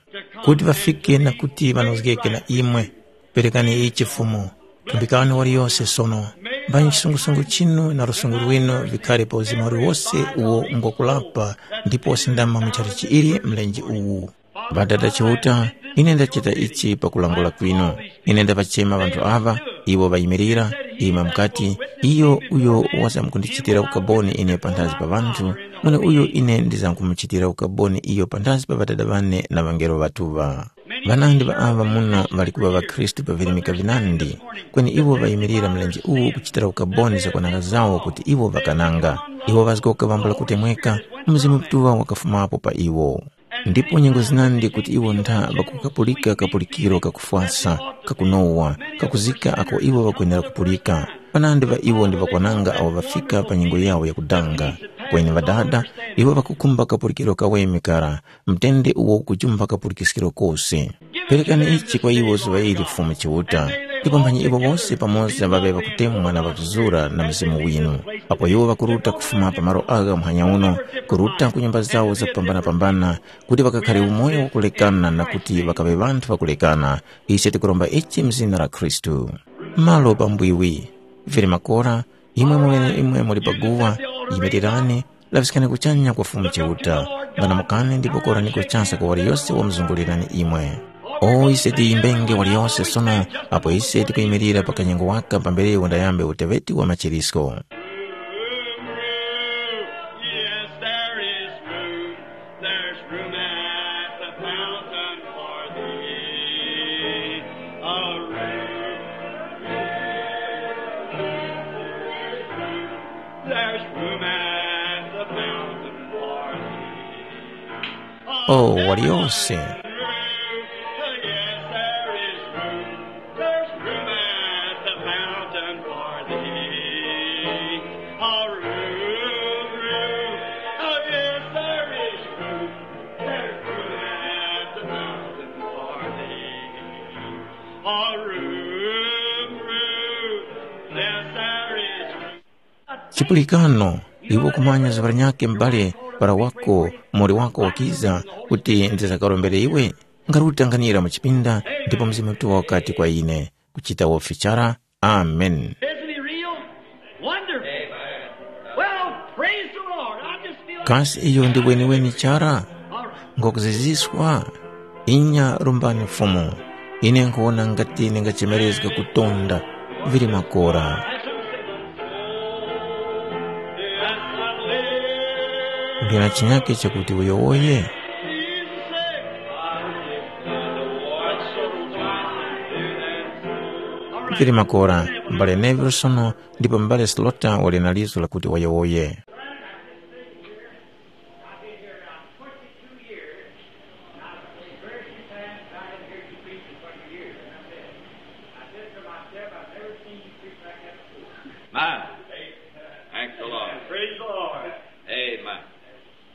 Kuti ŵafike na kuti ŵanozgeke na imwe, perekani ichi Fumu, tumbikani waliyose sono. Mphanyi chisungusungu chinu na lusungu lwinu vikhare pa uzima uliwose uwo ngwakulapa ndipo wasindama mu chalichi ili mlenje uwu. Ŵadada Chiuta, Ine ndachita ichi pakulangula kwinu. Ine ndaŵachema ŵanthu aŵa, iwo ŵayimirira, ima mukati, iyo uyo wazamkundichitira ukaboni ine panthazi pa ŵanthu, mweneuyo ine ndizamkumuchitira ukaboni iyo panthazi pa Ŵadada ŵane na ŵangelo ŵatuŵa. Ŵanandi ŵa aŵa muno ŵali kuŵa ŵakhristu pa virimika vinandi, kweni iwo ŵayimirira mlenje uwu kuchitira ukaboni zakwananga zawo kuti iwo ŵakananga. Iwo ŵazgoka vambula kutemweka, Mzimu Mutuŵa wakafumapo pa iwo. Ndipo nyengo zinandi kuti iwo ntha ŵakukapulika kapulikiro kakufwasa, kakunowa, kakuzika ako iwo ŵakwenera kupulika. Ŵanandi ŵa iwo ndi ŵakwananga awo ŵafika pa nyengo yawo yakudanga. Kweni Ŵadada, iwo ŵakukhumba kapulikiro kaweme kara, mtende uwo ukujumpha kapulikiskiro kose. Perekani ichi kwa iwo zuŵa ili Fumu Chiuta, ndipo mphanyi iwo wose pamoza ŵaŵe ŵakutemwa na ŵakuzura na Mzimu winu. Apo iwo ŵakuruta kufuma pa malo agha muhanya uno, kuruta ku nyumba zawo zakupambana-pambana, kuti ŵakakhare umoyo wakulekana na kuti ŵakaŵe ŵanthu ŵakulekana, ise tikuromba ichi mu zina la Khristu. Malo pambwiwi, vili makora, imwe mweneimwe muli pa guwa, yimirirani, laŵiskani kuchanya kwa Fumu Chiuta, ng'anamukani ndipo koraniko chase kwa waliyose wamuzungulirani imwe. O ise tiyimbenge waliyose sono, apo ise tikuyimirira pa kanyengo waka pambere wandayambe uteŵeti wa machirisko. Yes, there is room. There's room at the fountain for thee. A room. There's room at the fountain for thee. Oh, waliyose. Yes, there is room. There's room at the fountain for thee. A room, room. Oh, yes, there is room. There's room at the fountain for thee. A room, room. Yes, there is room. Chipulikano, iwe ukumanya zuŵa linyakhe m'bale para wako, muwoli wako wakiza kuti ndizakarombere iwe? Ngarutanganira mu chipinda, ndipo Mzimu Mutuŵa wakati kwa ine, kuchita wofi chara. Amen. Isn't he real? Wonderful. Well, praise the Lord. I just feel like Kasi iyo ndi weniweni chara? All right. Ngokuziziswa? Inya, rombani Fumu. Ine nkhuwona ngati ndingachemerezga kutonda, vili makora. Ndina chinyake chakuti uyowoye? Vili makora, m'bale Nevilsono ndipo m'bale Slota wali na lizo lakuti wayowoye. I've been here around twenty-two years. Now, the first few times I didn't hear you preach for twenty years, and I said, I said to myself, "I've never seen you preach like that before." Amen. Thanks the Lord. Praise the Lord. Amen.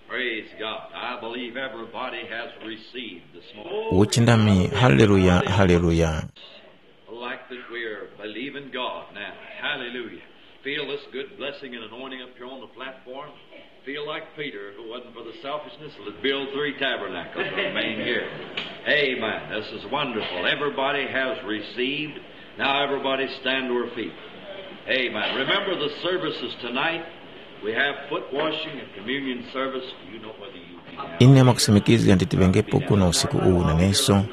Praise God. I believe everybody has received this morning. Uchindami, haleluya, haleluya. Like that we're believing God now. Hallelujah. Feel this good blessing and anointing up here on the platform. Feel like Peter, if it wasn't for the selfishness, would build three tabernacles and remain here. Amen. This is wonderful. Everybody has received. Now everybody stand to our feet. Amen. Remember the services tonight. We have foot washing and communion service. Do you know whether you be Ine mwakusimikizga nditiŵengepo kuno usiku uwu naneso.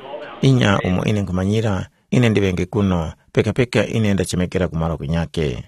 Inya umo ine nkhumanyira, ine ndiŵenge kuno, pekapeka ine ndachemekera kumalo kunyake.